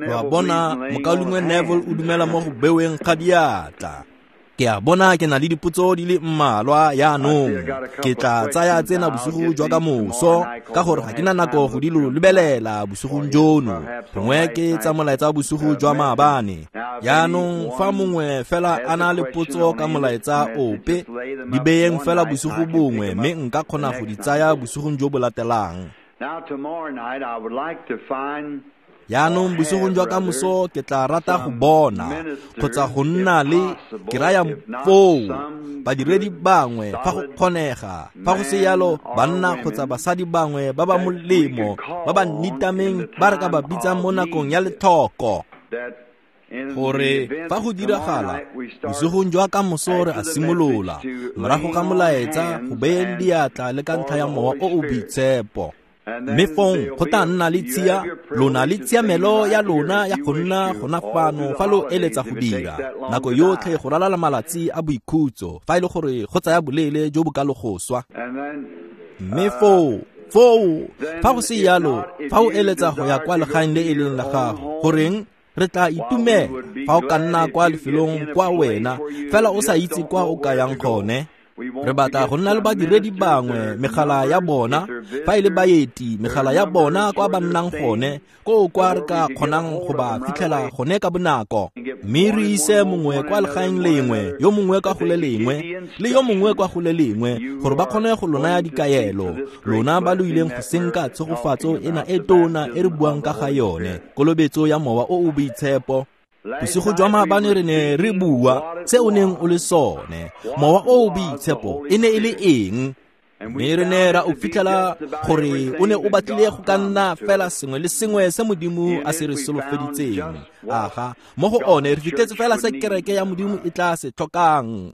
Wa bona, mokaulengwe Neville o dumela mo go beweng ga diatla. Ke a bona ke na le dipotso di le mmalwa jaanong. Ke tla tsaya tsena bosigo jwa ka moso, ka gore ga ke na nako go di lo lebelela bosigong jono. Gongwe ke tsa molaetsa bosigo jwa maabane. Jaanong fa mongwe fela a na le potso ka molaetsa ope, di beyeng fela bosigo bongwe mme nka kgona go di tsaya bosigong jo bo latelang. Jaanong bosigong jwa kamoso ke tla rata go bona kgotsa go nna le ke raya foo badiredi bangwe fa go kgonega, fa go se yalo banna kgotsa basadi bangwe ba ba molemo ba ba nitameng ba re ka ba bitsang mo nakong ya letlhoko. Gore fa go diragala bosigong jwa kamoso re a simolola morago ga molaetsa go beyeng diatla le ka ntlha ya mowa o o boitshepo. Mme fong go tla nna le tshia, lona le tshiamelo ya lona ya go nna gona fano fa lo eletsa go dira nako yotlhe go ralala malatsi a boikhutso, fa e le gore go tsaya boleele jo bo ka lo go swa. Mme foo fa go se yalo, fa o eletsa go ya kwa legaeng le e leng la gago, goreng re tla itumela fa o ka nna kwa lefelong kwa wena fela o sa itse kwa o ka yang gone. Re batla go nna le badiredi bangwe megala ya bona, fa e le baeti megala ya bona kwa ba nnang gone, koo kwa re ka kgonang go ba fitlhela gone ka bonako. Mme re ise mongwe kwa legaeng lengwe, yo mongwe kwa go le lengwe, le yo mongwe kwa go le lengwe, gore ba kgone go lo naya dikaelo. Lona ba lo ileng go senka tshegofatso ena e tona e re buang ka ga yone, kolobetso ya mowa o o boitshepo. Bosigo jwa maabane re ne re bua se o neng o le sone, mowa o o boitshepo e ne e le eng? Mme re ne ra o fitlhela gore o ne o batlile go ka nna fela sengwe le sengwe se Modimo a se re solofeditseng. Aga, mo go one re fitlhetse fela se kereke ya Modimo e tla se tlhokang.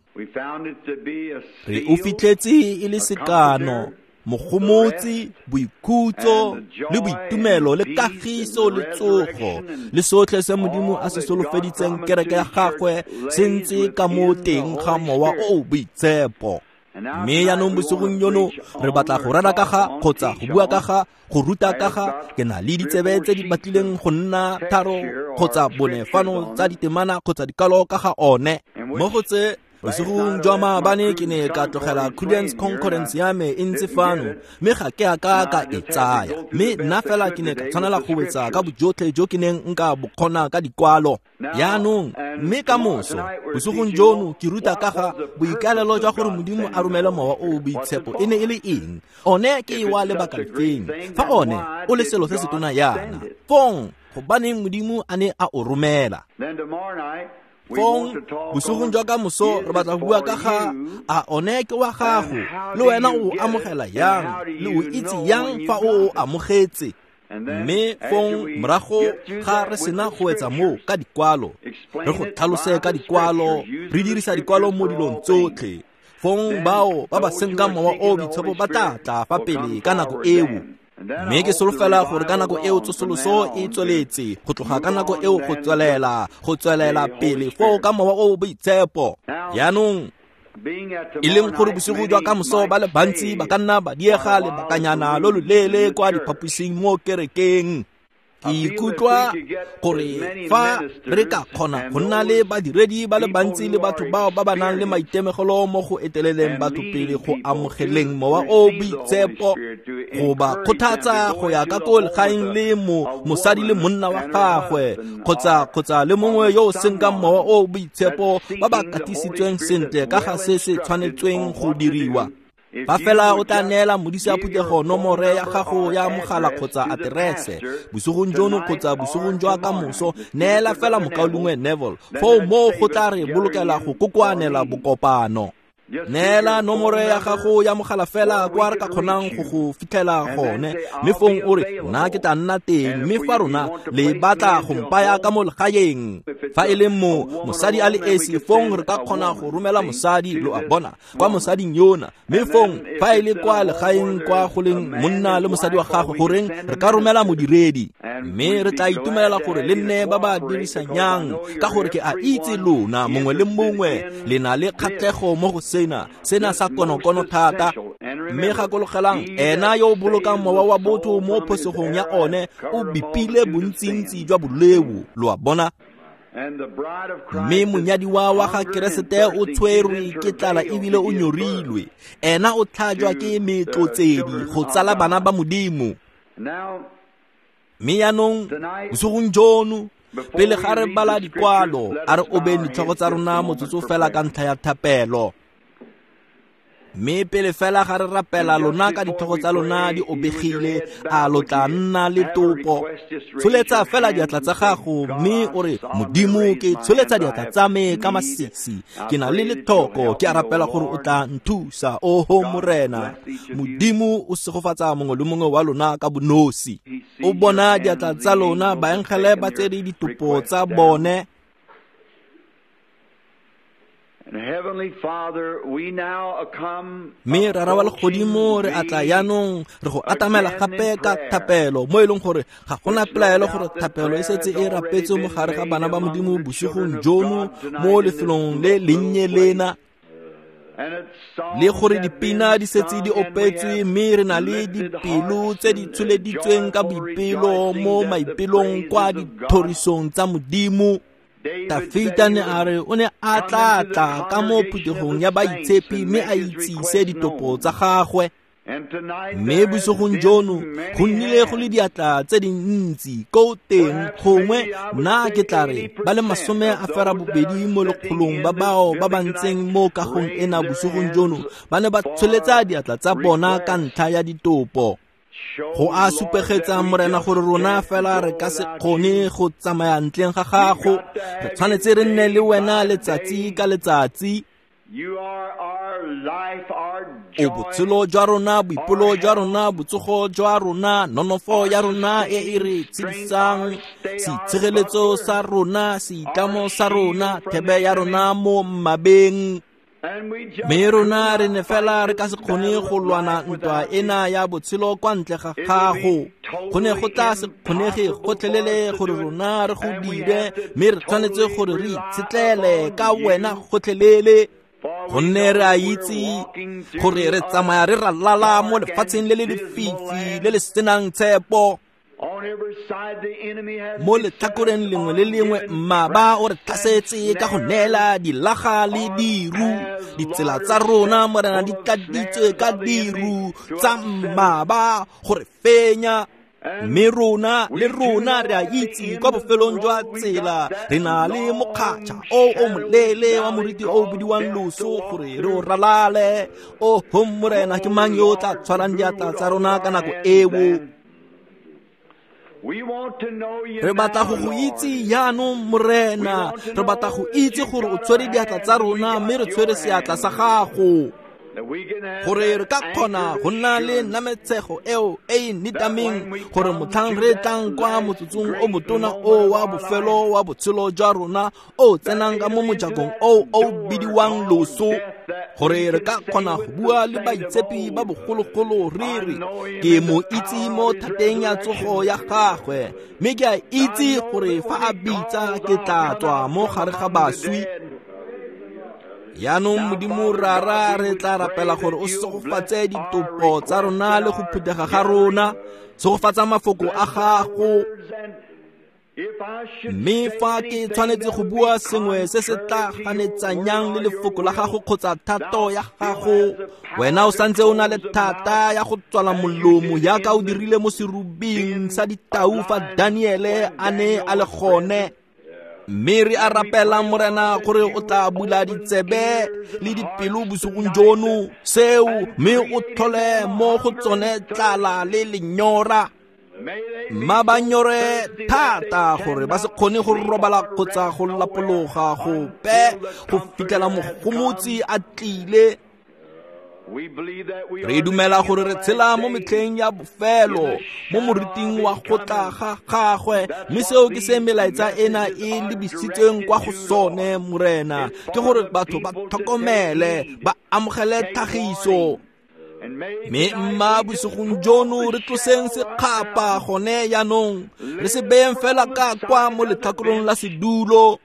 Re o fitlhetse e le sekano, mogomotsi, boikhutso le boitumelo le kagiso le tsogo le sotlhe se Modimo a se solofeditseng kereke ya gagwe se ntse ka mo teng ga mowa o o boitshepo. Mme jaanong bosigong jono re batla go rera ka ga kgotsa go bua ka ga go ruta ka ga. Ke na le ditsebe tse di batlileng go nna 3 kgotsa 4 fano tsa ditemana kgotsa dikalo ka ga one. Mo go tse bosigong jwa maabane ke ne ka tlogela Prudence Concordance ya me e ntse fano, mme ga ke a ka ka e tsaya. Mme nna fela ke ne ka tshwanela go wetsa ka bojotlhe jo ke neng nka bo kgona ka dikwalo. Jaanong, mme ka moso bosigong jono ke ruta ka ga boikaelelo jwa gore Modimo a romele mowa o o boitshepo e ne e le eng. One ke wa lebaka lefeng? Fa one o le selo se se tona yana, fong gobaneng Modimo a ne a o romela? Fong bosigong jwa ka moso re batla go bua ka ga a one ke wa gago, le wena o amogela yang, le o itse yang fa o o amogetse. Mme fong morago ga re sena go etsa moo ka dikwalo, re go tlhalose ka dikwalo, re dirisa dikwalo mo dilong tsotlhe. Fong bao ba ba senkang mowa o boitshepo ba tla tla fa pele ka nako eo. Mme ke solofela gore ka nako eo tsosoloso e tsweletse go tloga ka nako eo go tswelela pele foo ka mowa o boitshepo. Jaanong e leng gore bosigo jwa kamoso ba le bantsi ba ka nna ba diega lebakanyana lo loleele kwa diphaposing mo kerekeng. Ke ikutlwa gore fa re ka kgona go nna le badiredi ba le bantsi le batho bao ba ba nang le maitemogelo mo go eteleleng batho pele go amogeleng mowa o boitshepo, go ba kgothatsa go ya ka ko legaeng le mosadi le monna wa gagwe kgotsa le mongwe yo o senkang mowa o boitshepo ba ba katisitsweng sentle ka ga se se tshwanetsweng go diriwa. Fa fela o tla neela modisa phuthego nomore ya gago ya mogala kgotsa aterese bosigong jono kgotsa bosigong jwa kamoso, neela fela mokaulengwe Neville foo moo go tla re bolokela go kokoanela bokopano. Neela nomore ya gago ya mogala fela kwa re ka kgonang go go fitlhela gone, mme fong o re nna ke tla nna teng, mme fa rona le batla go mpaya ka mo legaeng. Fa e le mo mosadi a le esi, fong re ka kgona go romela mosadi, lo a bona, kwa mosading yona. Mme fong fa e le kwa legaeng kwa go leng monna le mosadi wa gagwe, goreng re ka romela modiredi. Mme re tla itumelela gore le nne ba ba dirisanyang, ka gore ke a itse lona mongwe le mongwe le na le kgatlhego mo go sena, sena sa konokono thata. Mme gakologelang, ena yo o bolokang mowa wa botho mo phosegong ya one o bipile bontsintsi jwa boleo, lo a bona. Mme monyadiwa wa ga Keresete o tshwerwe ke tlala ebile o nyorilwe. Ena o tlhajwa ke metlotsedi go tsala bana ba Modimo. Mme jaanong bosigong jono, pele ga re bala dikwalo, a re obeng ditlhogo tsa rona motsotso fela ka ntlha ya thapelo. Mme pele fela ga re rapela, lona ka ditlhogo tsa lona di obegile, a lo tla nna le topo. Tsholetsa fela diatla tsa gago mme o re, Modimo, ke tsholetsa diatla tsa me ka masisi, ke na le lethoko, ke a rapela gore o tla nthusa. Oho Morena Modimo, o segofatsa mongwe le mongwe wa lona ka bonosi. O bona diatla tsa lona, baengele ba tsere ditopo tsa bone. Mme Rara wa legodimo, re atla jaanong re go atamela gape ka thapelo, mo e leng gore ga gona pelaelo gore thapelo e setse e rapetswe mo gare ga bana ba Modimo bosigong jono mo lefelong le lennye lena, le gore dipina di setse di opetswe, mme re na le dipelo tse di tsholeditsweng ka boipelo mo maipelong kwa dithorisong tsa Modimo. Dafita ne a re o ne a tla tla ka mo phuthegong ya baitshepi mme a itsise ditopo tsa gagwe. Mme bosigong jono go nnile go le diatla tse dintsi ko teng, gongwe nna ke tla re ba le 80 mo lekgolong ba bao ba ba ntseng mo kagong ena bosigong jono ba ne ba tsholetsa diatla tsa bona ka ntlha ya ditopo. Go a supegetsa Morena gore rona fela re ka se kgone go tsamaya ntleng ga gago. Re tshwanetse re nne le wena letsatsi ka letsatsi. O botshelo jwa rona, boipelo jwa rona, botsogo jwa rona, nonofo ya rona e e re tshedisang, seitshireletso sa rona, seitlamo sa rona, thebe ya rona mo mmabeng. Mme rona re ne fela re ka se kgone go lwana ntwa ena ya botshelo kwa ntle ga gago. Go ne go tla se kgonege gotlhelele gore rona re go dire, mme re tshwanetse gore re itshetlele ka wena gotlhelele. Gonne re a itse gore re tsamaya re ralala mo lefatsheng le le lefifi le le senang tshepo. Mo letlhakoreng lengwe le lengwe mmaba o re tlhasetse ka go neela dilaga le diru. Ditsela tsa rona, Morena, di tladitswe ka diru tsa mmaba gore fenya. Mme rona le rona re a itse kwa bofelong jwa tsela re na le mokgatšha o o moleele wa moriti o bidiwang loso gore re o ralale. Oho Morena, ke mang yo o tla tshwarang diatla tsa rona ka nako eo? Re batla go go itse jaanong Morena, re batla go itse gore o tshwere diatla tsa rona mme re tshwere seatla sa gago, gore re ka kgona go nna le nametshego eo e e nitameng, gore motlhang re tlang kwa motsotsong o motona o wa bofelo wa botshelo jwa rona o tsenang ka mo mojakong o o bidiwang loso, gore re ka kgona go bua le baitshepi ba bogologolo re re, ke mo itse mo thateng ya tsogo ya gagwe, mme ke a itse gore fa a bitsa ke tla tswa mo gare ga baswi. Jaanong Modimo Rara, re tla rapela gore o segofatse ditopo tsa rona le go phuthega ga rona, segofatsa mafoko a gago. Mme fa ke tshwanetse go bua sengwe se se tla ganetsanyang le lefoko la gago kgotsa thato ya gago, wena o santse o na le thata ya go tswala molomo jaaka o dirile mo serubing sa ditau fa Daniele a ne a le gone. Mme re a rapela Morena gore o tla bula ditsebe le dipelo bosigong jono seo, mme o tlhole mo go tsone tlala le lenyora. Mma ba nyore thata gore ba se kgone go robala kgotsa go lapologa gope go fitlhela mogomotsi a tlile. Re dumela gore re tshela mo metlheng ya bofelo, mo moriting wa go tla ga gagwe, mme seo ke se melaetsa ena e lebisitsweng kwa go sone Morena, ke gore batho ba tlhokomele, ba amogele tlhagiso. Mme mma bosigong jono re tloseng sekgapa gone jaanong, re se beyeng fela ka kwa mo letlhakorong la sedulo.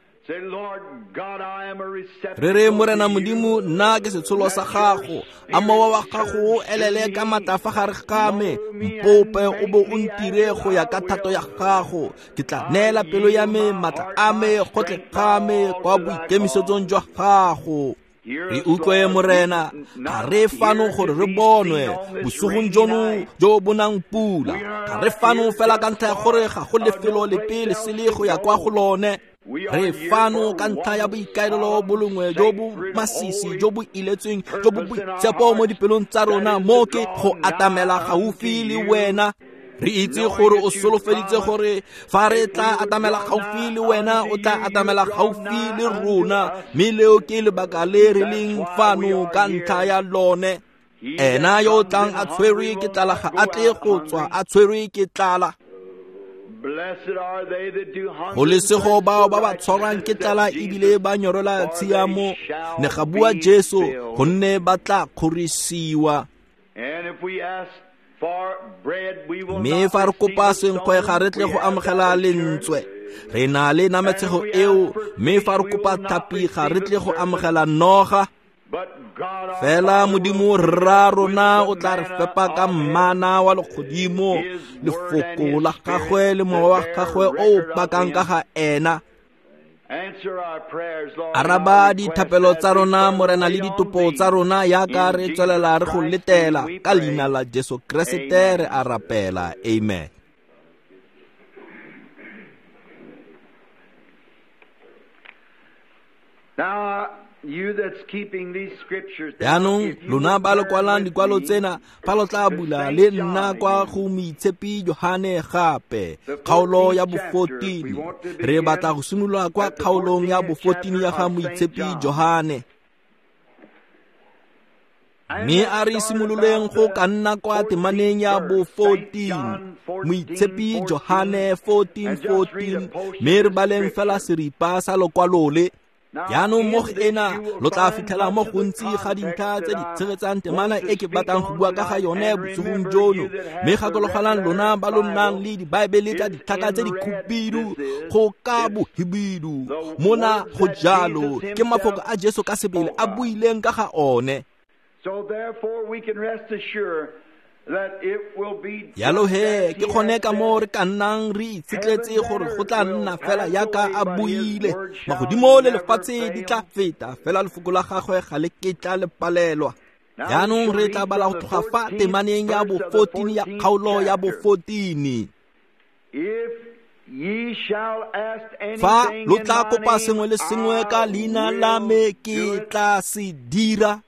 Re re, Morena Modimo, nna ke setsholo sa gago, a mowa wa gago o elele ka maatla fa gare ga me, mpope o bo o ntire go ya ka thato ya gago. Ke tla neela pelo ya me, maatla a me, gotlhe ga me kwa boikemisetsong jwa gago. Re utlwe, Morena, ga re fano gore re bonwe bosigong jono jo bo nang pula. Ga re fano fela ka ntlha ya gore ga go lefelo lepe le sele go ya kwa go lone. Re fano ka ntlha ya boikaelelo bo longwe jo bo masisi, jo bo iletsweng, jo bo boitshepo mo dipelong tsa rona, mo ke go atamela gaufi le wena. Re itse gore o solofeditse gore fa re tla atamela gaufi le wena, o tla atamela gaufi le rona, mme leo ke lebaka le re leng fano ka ntlha ya lone. Ena yo o tlang a tshwerwe ke tlala ga a tle go tswa a tshwerwe ke tlala. Go lesego bao ba ba tshwarwang ke tlala ebile ba nyorela tshiamo, ne ga bua Jesu, gonne ba tla kgorisiwa. Mme fa re kopa senkgwe ga re tle go amogela lentswe, re na le nametshego eo. Mme fa re kopa tlhapi ga re tle go amogela noga. Fela Modimo rra rona o tla re fepa ka mmana wa legodimo, lefoko la gagwe le mowa wa gagwe o o pakang ka ga ena. Araba dithapelo tsa rona, Morena, le ditopo tsa rona yaka re tswelela re go letela. Ka leina la Jesu Keresete re a rapela, amen. Jaanong lona ba lo kwalang dikwalo tsena, fa lo tla bula le nna kwa go Moitshepi Johane gape, kgaolo ya bo-14. Re batla go simolola kwa kgaolong ya bo-14 ya ga Moitshepi Johane. Mme a re simololeng go ka nna kwa temaneng ya bo-14, Moitshepi Johane 14:14, mme re baleng fela seripa sa lokwalo le. Jaanong mo go ena lo tla fitlhela mo gontsi ga dintlha tse di tshegetsang temana e ke batlang go bua ka ga yone bosigong jono. Mme gakologelang lona ba lo nnang le dibaebele tsa ditlhaka tse di khubidu go ka bohibidu, mona go jalo ke mafoko a Jesu ka sebele a buileng ka ga one. Jalo he ke gone ka moo re ka nnang re itshetletse gore go tla nna fela yaka a buile. Magodimo le lefatshe di tla feta, fela lefoko la gagwe ga le ketla le palelwa. Jaanong re tla bala go tloga fa temaneng ya bo-14 ya kgaolo ya bo-14. Fa lo tla kopa sengwe le sengwe ka leina la me, ke tla se dira.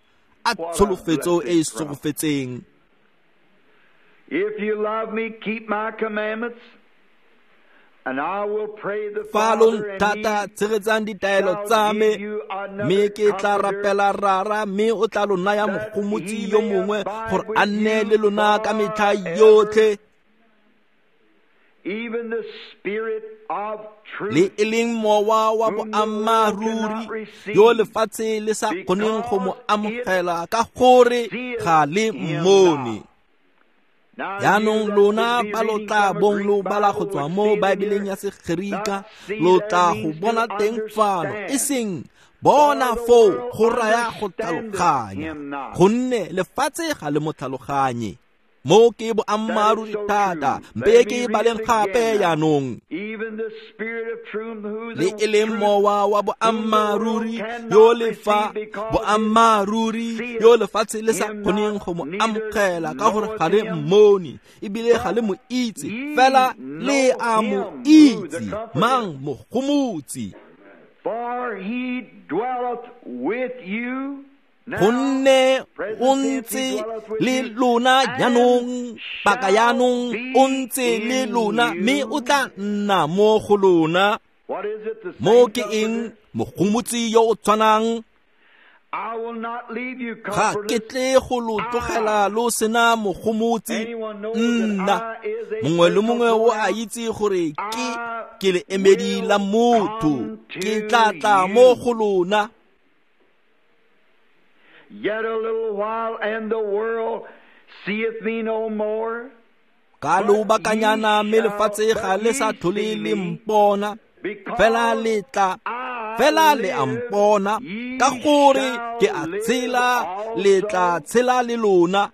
A tsholofetso e e segofetseng. If you love me, keep my commandments, and I will pray the Fa lo Father, and nthata, he tshegetsang ditaelo shall tsa me, give you another mme ke tla comforter, rapela Rara, mme o tla lo naya that mogomotsi he yo may mongwe abide gore a with nne you le lona ka metlha forever, yotlhe, even the Spirit of le truth, e leng mowa wa whom the world boammaaruri cannot receive, yo lefatshe le sa kgoneng go mo because it amogela ka gore seeth ga le him mmone. not. Now you Jaanong that lona would be ba lo reading tla from a bong Greek lo bala go Bible tswa would mo see it Baebeleng here. ya Segerika, Not see lo there tla go means to bona teng fano, e understand. seng bona For the foo world go raya go understandeth tlhaloganya, him not. gonne lefatshe ga le mo tlhaloganye. Mo ke That is boammaaruri so thata, true. mpe Let ke me read baleng it gape again now. jaanong. Even the Spirit of truth, who Le the e leng truth, mowa wa whom the world boammaaruri yo cannot lefa receive because it boammaaruri seeth yo lefatshe le sa him kgoneng not, go mo neither amogela ka gore knoweth ga le him. mmone ebile ga le But mo itse, ye fela le know a mo him who the itse, Comforter, mang mogomotsi. for he dwelleth with you now, Gonne o present tense, he ntse dwelleth with le you, lona and jaanong, paka shall jaanong o be ntse le in lona, mme o you. tla nna mo go lona. What is it? The Mo same ke eng? Comforter? Mogomotsi yo o tshwanang. I will not leave you Ga ke comfortless. tle go lo tlogela lo sena mogomotsi. Anyone knows that Nna I is a mongwe le personal mongwe o a pronoun. itse gore ke I ke le emedi la will motho, come ke to tla tla mo you. go lona. Yet a little while, and the world seeth me no more. Ka lobakanyana mme lefatshe ga le sa tlhole le mpona, fela le tla, fela le a mpona, ka gore ke a tshela, le tla tshela le lona.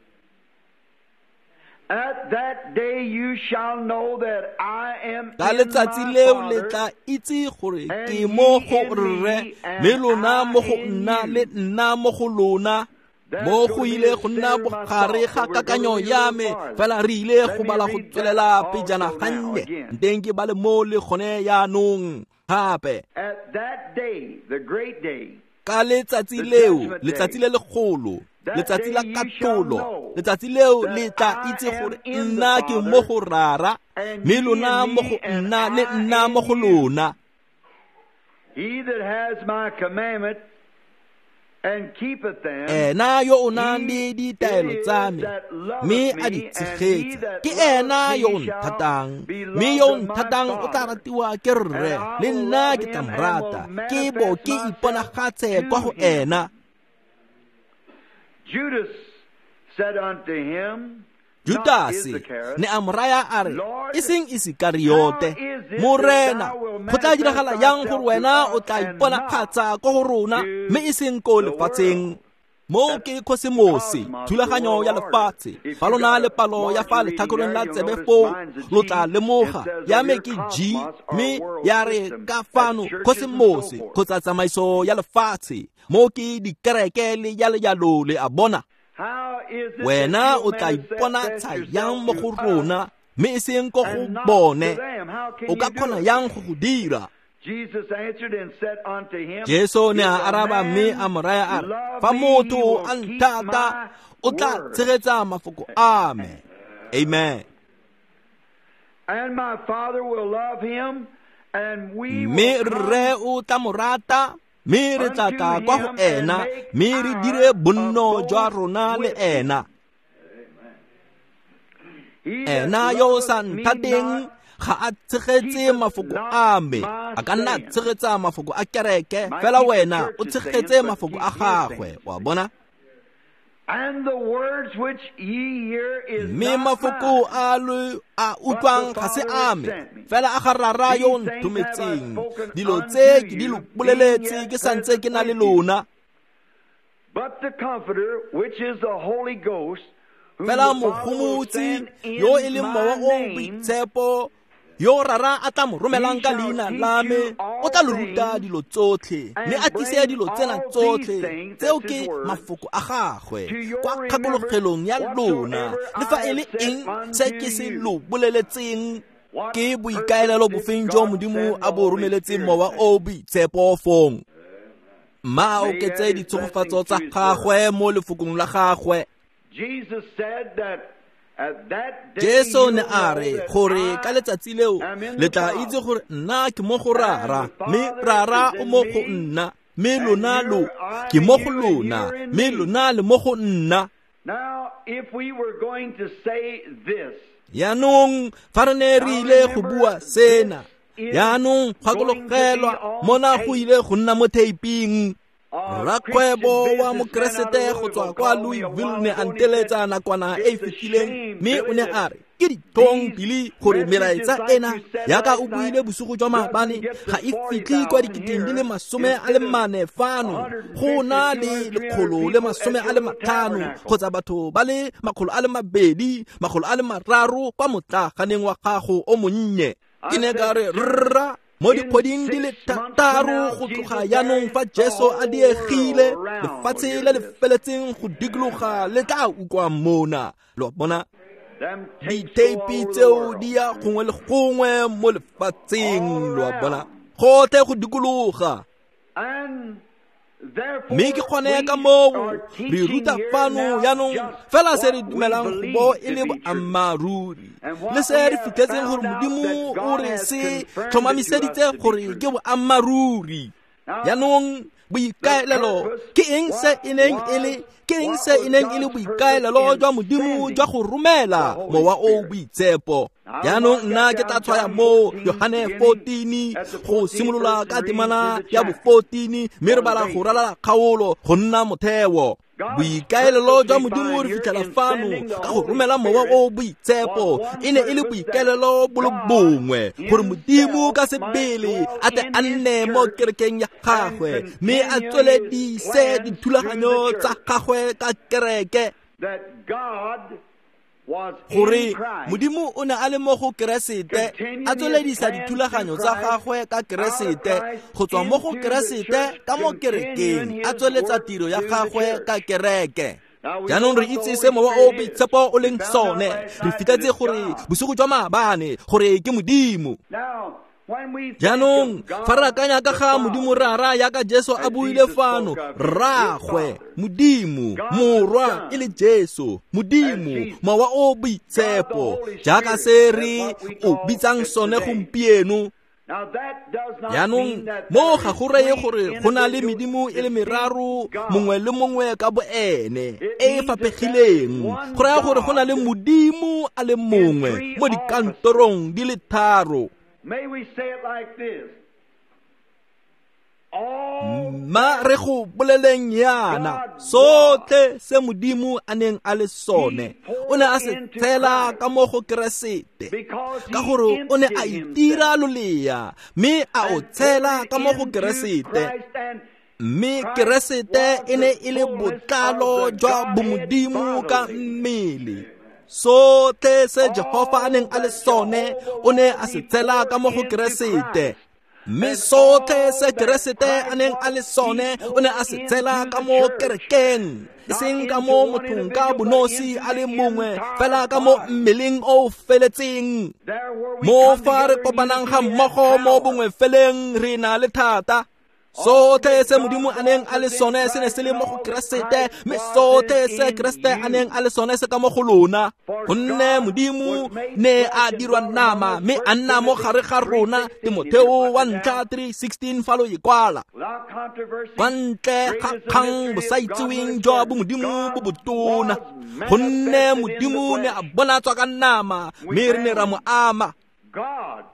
At that day you shall know that I am Ka in letsatsi my leo le Father, tla itse gore and ke mo ye go in rre, me, and mme lona mo go I in nna you. le nna mo go lona. That's Mo going go to be ile the go nna center of my bogare thought, ga but we're gonna kakanyo read a ya little me, farther. fela re ile Let go me bala go read that tswelela pejana also now gannye. again. Nteng ke bale mo le gone yaanong gape. At that day, the great day, Ka letsatsi the leo, judgment letsatsi day, le legolo, that letsatsi day la you shall katlholo, know letsatsi leo that le tla I itse am gore in the nna ke mo Father, go Rara, and mme ye lona in mo go me, and nna le I nna mo in go you. lona. He that has my commandment and keepeth them, Ena yo o nang he le ditaelo it tsa is me, that mme loveth a di me, and he tshegetsa, that ke loveth ena yo o me shall nthatang, be mme yo o loved of my nthatang o tla Father. ratiwa ke And rre, I le will nna love ke tla him mo and will rata, ke bo manifest ke myself iponagatse kwa to go him. ena. Judas said unto him, not Judase Iscariot, ne a mo raya a re, Lord, e seng how Isikariyote, is it that Morena, thou wilt go tla manifest diragala yang thyself gore to wena o us tla and not iponagatsa ko go rona, to mme e seng ko the lefatsheng? world? Mo That's ke khosemose, cosmos, the thulaganyo world ya order. lefatshe. If Fa you lona got le a palo ya fa larger reading letlhakoreng there, la you'll tsebe notice foo, mine's a lo G. tla It lemoga says ya over me here ke G, cosmos or mme world ya re system. ka That's fano churches and so khosemose forth. kgotsa tsamaiso ya lefatshe. Mo ke dikereke le jalo-jalo, le a bona. How is it that Wena you'll o tla manifest iponatsha yourself yang mo to go us rona, mme e seng ko go and not to bone? them? How can O ka you do kgona it? yang go go dira? Jesus answered and said unto him, Jesu ne If a a araba mme a man mo raya a re, love fa me, he motho will a keep nthata, my o tla word. tshegetsa mafoko a me. Amen. And my Father will love him, and we Mme will come rre o tla mo rata, mme re tla unto tla kwa go him and ena, make mme re dire our bonno jwa abode rona le with him. ena. He that Ena yo o sa loveth me nthateng not ga a tshegetse keepeth mafoko not a me. my A ka nna a sayings. tshegetsa mafoko a kereke, Might fela keep the wena o church's tshegetse sayings, but mafoko keep a his gagwe. sayings. Wa bona? And the words which ye hear is Mme not mafoko mine, a lo a but the utlwang ga se Father which a me, sent me. fela a ga Rara yo o These things have I nthometseng. spoken Dilo unto tse ke di lo you, being boleletse yet ke sa ntse present ke na le with you. lona. But the Comforter, which is the Holy Ghost, whom Fela the Father will mogomotsi send yo e in leng my mowa o o name, boitshepo, yo Rara a tla mo he romelang ka shall leina teach la me, you o all tla lo ruta things dilo tsotlhe, mme and a tlise bring dilo tsena all these tsotlhe. things, Tseo that's his ke words, mafoko a gagwe to your kwa remembrance kgakologelong ya lona, whatsoever le fa I e le have said eng se unto ke se you. lo boleletseng. What Ke purpose boikaelelo did bofeng jo God Modimo send a the bo Holy romeletseng Spirit mowa then? o o boitshepo fong? Mma a May he add oketse his ditshegofatso blessing tsa to his word. gagwe mo lefokong la gagwe. Jesus said that at that day Jesu ne you'll a know re that gore ka I letsatsi leo am in le the tla itse Father, gore nna ke mo go and Rara, the mme Father Rara is o in mo go me, nna, mme and lona lo you're I'm ke in mo go you, and lona, you're in mme me. lona le mo go nna. Now, if we were going to say this, Yaanong fa re ne re now ile go remember bua this sena, is yaanong going to be gakologelwa on mona go tape. ile go nna mo theiping. A Christian Rakgwebo wa businessman out of Mokeresete go tswa Louisville kwa called me a Louisville while ne ago a and he said, nteletsa nakwana e e It's a fetileng, shame, mme o Billy, ne that a re ke ditlhong these Billy gore messages melaetsa like ena you said yaka last o night buile bosigo jwa doesn't maabane get ga to e fitlhe kwa 40,000 diketeng di le here masome a le instead of mane fano, go 150, na le 200, 300 lekgolo le people at masome your a le little matlhano tabernacle. kgotsa batho ba le makgolo a le mabedi, makgolo a le mararo kwa motlaganeng wa gago o monnye. Ke I ne ka said, re Sir, rra, mo in dikgweding di le 6 months from thataro now, go tloga Jesus yaanong tarries, fa the Jesu a whole diegile, world around will lefatshe hear le le this. feletseng go dikologa le tla utlwa mona. Lo a bona? Them tapes go all Ditheipi over the tseo world. di ya gongwe le gongwe mo lefatsheng, All lo a bona, around. gotlhe go dikologa. And Mme ke therefore gone ka we moo are re teaching ruta here fano now yaanong just fela se re what we dumelang go bo believe e to le be true. boammaaruri, And le what se we re have fitlhetseng gore found out Modimo that o God re has se confirmed it to us tlhomamiseditse to be gore true. ke boammaaruri. Now, Yaanong the boikaelelo purpose, ke eng se what e neng e le was ke eng what se e was neng e le God's purpose boikaelelo in jwa Modimo jwa sending go the romela Holy mowa o Spirit? boitshepo? Now, Yaanong mark nna that ke tla down, tshwaya John mo 14, Yohane beginning 14 at the go 14th simolola verse ka and reading temana through the ya bo chapter 14, mme re for the bala go basis. ralala kgaolo go nna motheo. Boikaelelo jwa Modimo re fitlhela fano ka go romela Mowa o Boitshepo e ne e le boikaelelo bo le bongwe, gore Modimo ka sebele a tle a nne mo kerekeng ya gagwe mme a tsweledise dithulaganyo tsa gagwe ka kereke. Gore Modimo o ne a le mo go Keresete a tsweledisa dithulaganyo tsa gagwe ka Keresete, go tswa mo go Keresete ka mo kerekeng a tsweletsa tiro ya gagwe ka kereke. Jaanong re itse se Mowa o Boitshepo o leng sone. Re fitlhetse gore bosigo jwa maabane gore ke Modimo. Jaanong fa re akanya ka ga Modimo Rara yaka Jesu a buile fano, Rraagwe Modimo Morwa e le Jesu, Modimo Mowa o Boitshepo, jaaka se re o bitsang sone gompieno. Jaanong mo ga go reye gore go na le medimo e le meraro, mongwe le mongwe ka boene, e e faphegileng. Go raya gore go na le Modimo a le mongwe mo dikantorong di le tharo. Ma re go boleleng yana, sotlhe se Modimo a neng a le sone o ne a se tshela ka mo go Keresete, ka gore o ne a itira lolea mme a o tshela ka mo go Keresete. Mme Keresete e ne e le botlalo jwa bomodimo ka mmele. Sotlhe se Jehofa a neng a le sone o ne a se tshela ka mo go Keresete. Mme sotlhe se Keresete a neng a le sone o ne a se tshela ka mo kerekeng, e seng ka mo mothong ka bonosi a le mongwe, fela ka mo mmeleng o feletseng. Mo fa re kopanang ga mmogo mo bongwe feleng re na le thata. Sotlhe se Modimo a neng a le sone se ne se le mo go Keresete, mme sotlhe se Keresete a neng a le sone se ka mo go lona. Gonne Modimo ne a dirwa nama mme a nna mo gare ga rona. Timotheo wa ntlha 3:16 fa lo e kwala. Kwa ntle ga kgang bosaitseweng jwa bomodimo bo botona, gonne Modimo ne a bonatswa ka nama mme re ne ra mo ama.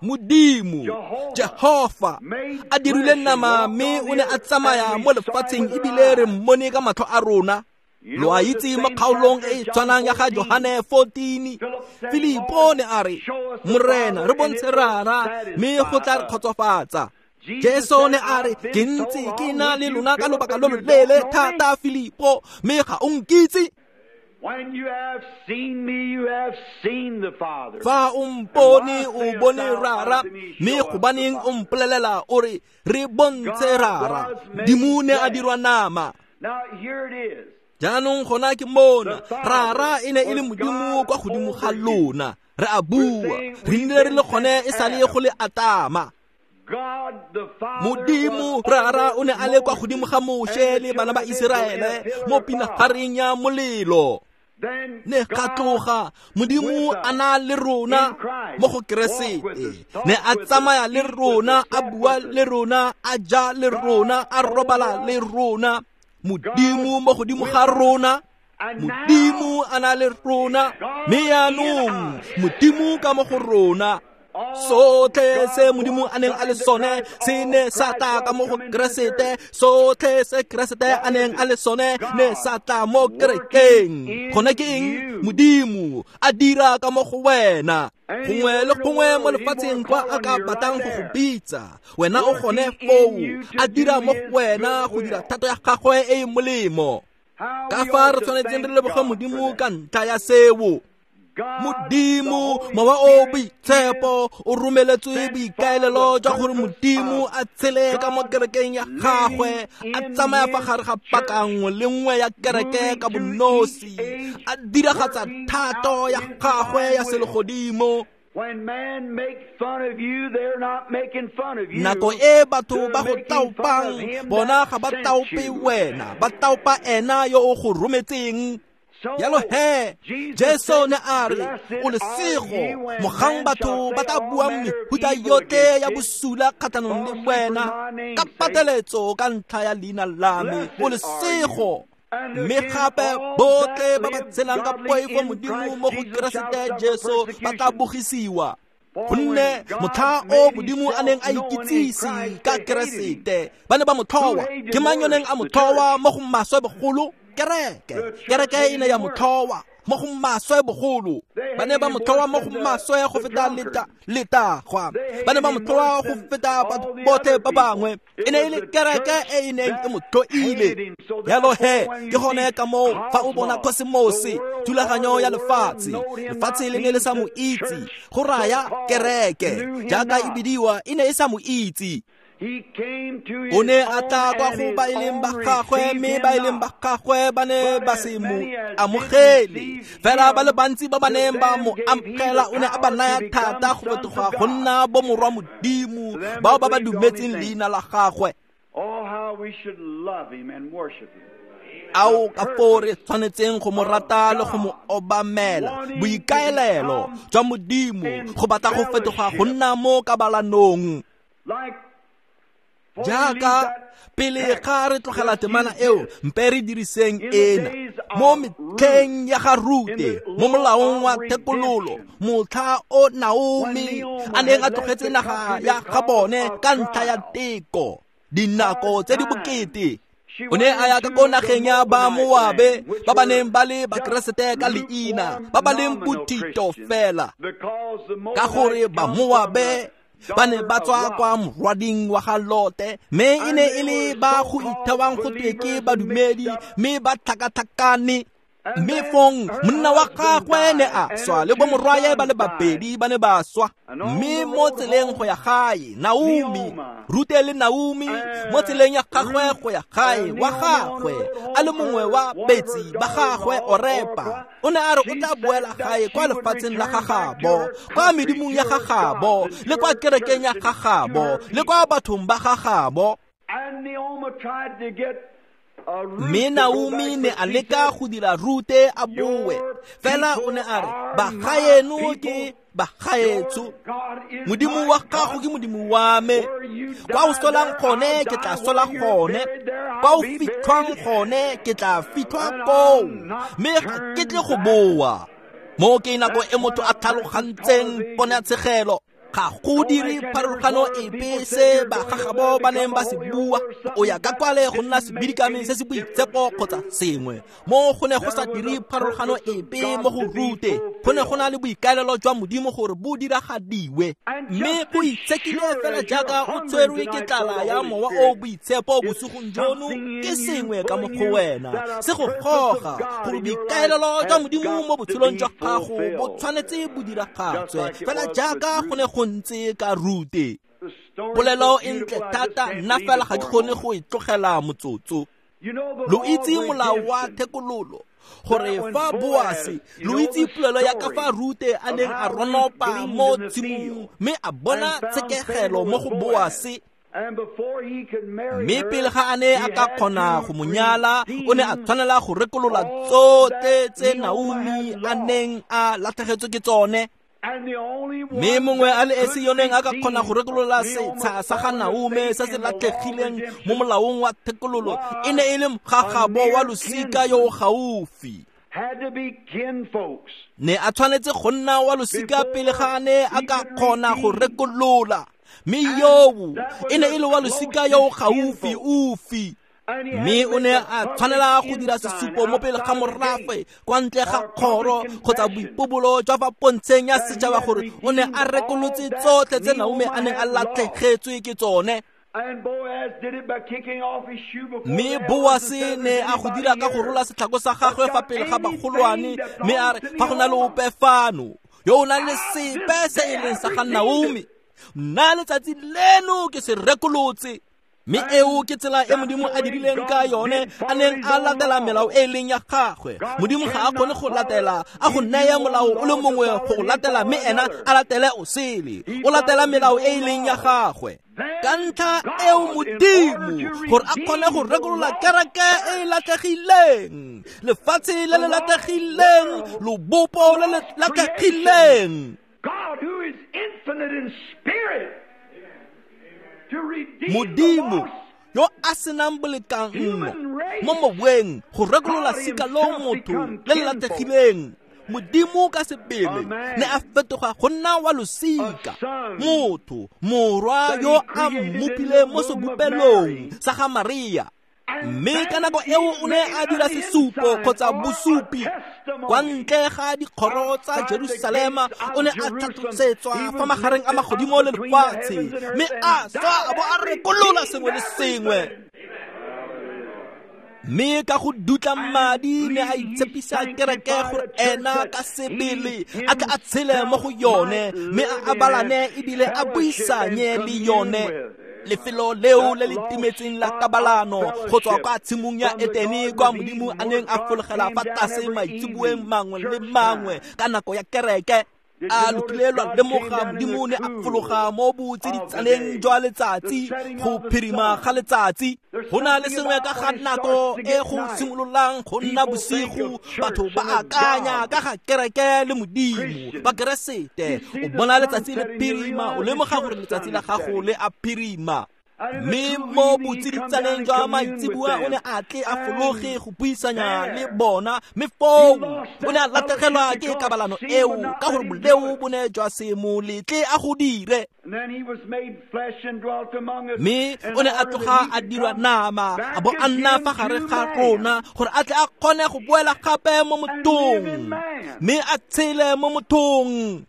Modimo Jehofa a dirile nama mme o ne a tsamaya mo lefatsheng ebile re mmone ka matlho a rona. Lo a itse mo kgaolong e e tshwanang ya ga Johane 14, Filipo ne a re, Morena re bontshe Rara mme go tla re kgotsofatsa. Jesu ne a re, ke ntse ke na le lona ka lobaka lo loleele thata, Filipo, mme ga o nkitse. When you have seen me, you have seen the Father. Fa o mpone o bone Rara, mme gobaneng o mpolelela o re re bontshe Rara? Modimo ne a dirwa nama. Now here it is. Jaanong gona ke mona, Rara e ne e le Modimo kwa godimo ga lona. Re a bua, re nnile re le gone e sale go le Atama. Modimo Rara o ne a le kwa godimo ga Moshe le bana ba Iseraele mo pinagareng ya molelo. Ne ga tloga Modimo a na le rona mo go Keresete, ne a tsamaya le rona, a bua le rona, a ja le rona, a robala le rona. Modimo mo godimo ga rona, Modimo a na le rona, mme jaanong Modimo ka mo go rona. Sotlhe se Modimo a neng a le sone se ne sa tla ka mo go Keresete. Sotlhe se Keresete a neng a le sone ne sa tla mo kerekeng. Gone ke eng? Modimo a dira ka mo go wena. Gongwe le gongwe mo lefatsheng kwa a ka batlang go go bitsa, wena o gone foo, a dira mo go wena go dira thato ya gagwe e e molemo. Ka fa re tshwanetseng re leboge Modimo ka ntlha ya seo. Modimo Mowa o Boitshepo o romeletswe boikaelelo jwa gore Modimo a tshele ka mo kerekeng ya gagwe, a tsamaya fa gare ga paka nngwe le nngwe ya kereke ka bonosi, a diragatsa thato ya gagwe ya selegodimo. Nako e batho ba go taopang, bona ga ba taope wena, ba taopa ena yo o go rometseng. Yalo he, Jesu ne a re, o lesego mogang batho ba tla buang mehuta yotlhe ya bosula kgatlhanong le wena ka pateletso ka ntlha ya leina la me, o lesego. Mme gape botlhe ba ba tshelang ka poifo Modimo mo go Keresete Jesu ba tla bogisiwa. Gonne motlha o Modimo a neng a ikitsise ka Keresete, ba ne ba mo tlhoa. Ke mang yo neng a mo tlhoa mo go maswe bogolo? kereke. Kereke e ne ya mo tlhoa mo go maswe bogolo. Ba ne ba mo tlhoa mo go maswe go feta letagwa. Ba ne ba mo tlhoa go feta batho botlhe ba bangwe. E ne e le kereke e e neng e mo tlhoile. Jalo he, ke gone ka moo fa o bona kosmose, thulaganyo ya lefatshe, lefatshe le ne le sa mo itse, go raya kereke jaaka e bidiwa e ne e sa mo itse. O ne a tla kwa go ba e leng ba gagwe, mme ba e leng ba gagwe ba ne ba se mo amogele. Fela ba le bantsi ba ba neng ba mo amogela, o ne a ba naya thata go fetoga go nna bomorwa Modimo, bao ba ba dumetseng leina la gagwe. Ao ka foo re tshwanetseng go mo rata le go mo obamela. Boikaelelo jwa Modimo go batla go fetoga go nna mo kabalanong. Jaaka pele ga re tlogela temana eo, mpe re diriseng ena mo metlheng ya ga Rute, mo molaong wa thekololo, motlha o Naomi a neng a tlogetse naga ya ga bone ka ntlha ya teko, dinako tse di bokete. O ne a ya ka ko nageng ya ba Moabe, ba ba neng ba le Bakeresete ka leina, ba ba leng bothito fela, ka gore ba Moabe ba ne ba tswa kwa morwading wa ga Lote, mme e ne e le ba go ithewang go twe ke badumedi, mme ba tlhakatlhakane. Mme fong monna wa gagwe ne a swa, le bomorwaye ba le babedi ba ne ba swa. Mme mo tseleng go ya gae, Naomi, Rute le Naomi, mo tseleng ya gagwe go ya gae wa gagwe, a le mongwe wa betsi ba gagwe Orepa, o ne a re o tla boela gae kwa lefatsheng la gagabo, kwa medimong ya gagabo, le kwa kerekeng ya gagabo, le kwa bathong ba gagabo. Mme Naomi ne a leka go dira Rute a boe, fela o ne a re, bagaeno ke bagaetsho, Modimo wa gago ke Modimo wa me, kwa o solang gone ke tla sola gone, kwa o fitlhwang gone ke tla fitlhwa koo, mme ga ke tle go boa. Mo ke nako e motho a tlhalogantseng ponatshegelo. Ga go dire pharologano epe se bagagabo ba neng ba se bua, o ya ka kwale go nna sebidikame se se boitshepo kgotsa sengwe. Mo go ne go sa dire pharologano epe mo go Rute, go ne go na le boikaelelo jwa Modimo gore bo diragadiwe. Mme go itshekile fela jaaka o tshwerwe ke tlala ya mowa o boitshepo bosigong jono, ke sengwe ka mo go wena se go goga gore boikaelelo jwa Modimo mo botshelong jwa gago bo tshwanetse bo diragatswe fela jaaka go ne go ntse ka Rute. Polelo e ntle thata, nna fela ga ke kgone go e tlogela motsotso. Lo itse molao wa thekololo, gore fa Boase, lo itse polelo ya ka fa Rute a neng a ronopa mo tshimong mme a bona tshekegelo mo go Boase. Mme pele ga a ne a ka kgona go mo nyala, o ne a tshwanela go rekolola tsotlhe tse Naomi a neng a latlhegetswe ke tsone. Mme mongwe a le esi yo neng a ka kgona go rekolola setsha sa ga Naomi se se latlhegileng mo molaong wa thekololo e ne e le mogagabo wa losika yo o gaufi. Ne a tshwanetse go nna wa losika pele ga a ne a ka kgona go rekolola, mme yoo e ne e le wa losika yo o gaufi ufi. Mme o ne a tshwanela go dira sesupo mo pele ga morafe kwa ntle ga kgoro kgotsa boipobolo jwa fa pontsheng ya setšhaba gore o ne a rekolotse tsotlhe tse Naomi a neng a latlhegetswe ke tsone. Mme Boase ne a go dira ka go rola setlhako sa gagwe fa pele ga bagolwane, mme a re, fa go na le ope fano yo o nang le sepe se e leng sa ga Naomi, nna letsatsi leno ke se rekolotse. Mme eo ke tsela e Modimo a dirileng ka yone, a neng a latela melao e leng ya gagwe. Modimo ga a kgone go latela, a go naya molao o le mongwe go latela, mme ena a latele o sele. O latela melao e leng ya gagwe. Ka ntlha eo Modimo, gore a kgone go rekolola kereke e e latlhegileng, lefatshe le le latlhegileng, lobopo le le latlhegileng. God who is infinite in spirit, Modimo yo a senang bolekanngo mo moweng go rekolola sika lo motho le le latlhegileng, Modimo ka sebele ne a fetoga go nna wa losika, motho, morwa yo a mmopileng mo sebopelong sa ga Maria. Mme ka nako eo o ne a dira sesupo kgotsa bosupi kwa ntle ga dikgoro tsa Jerusalema. O ne a tlhatlosetswa fa magareng a magodimo le lefatshe, mme a swa a bo a rekolola sengwe le sengwe. Mme ka go dutla madi ne a itshepisa kereke gore ena ka sebele a tle a tshele mo go yone, mme a abalane ebile a buisanye le yone. Lefelo leo le le timetseng la kabalano go tswa kwa tshimong ya Etene, kwa Modimo a neng a fologela fa tlase maitseboeng mangwe le mangwe ka nako ya kereke. A lokile lwa lemoga Modimo ne a fologa mo botsiditsaneng jwa letsatsi, go phirima ga letsatsi. Go na le sengwe ka ga nako e go simololang go nna bosigo, batho ba akanya ka ga kereke le Modimo ba Keresete. O bona letsatsi le phirima, o lemoga gore letsatsi la gago le a phirima. Mme mo botsiditsaneng jwa maitseboa o ne a tle a fologe go buisanya le bona, mme foo o ne a latlhegelwa ke kabalano eo ka gore boleo bo ne jwa se mo letle a go dire. Mme o ne a tloga a dirwa nama, a bo a nna fa gare ga rona gore a tle a kgone go boela gape mo mothong, mme a tshele mo mothong,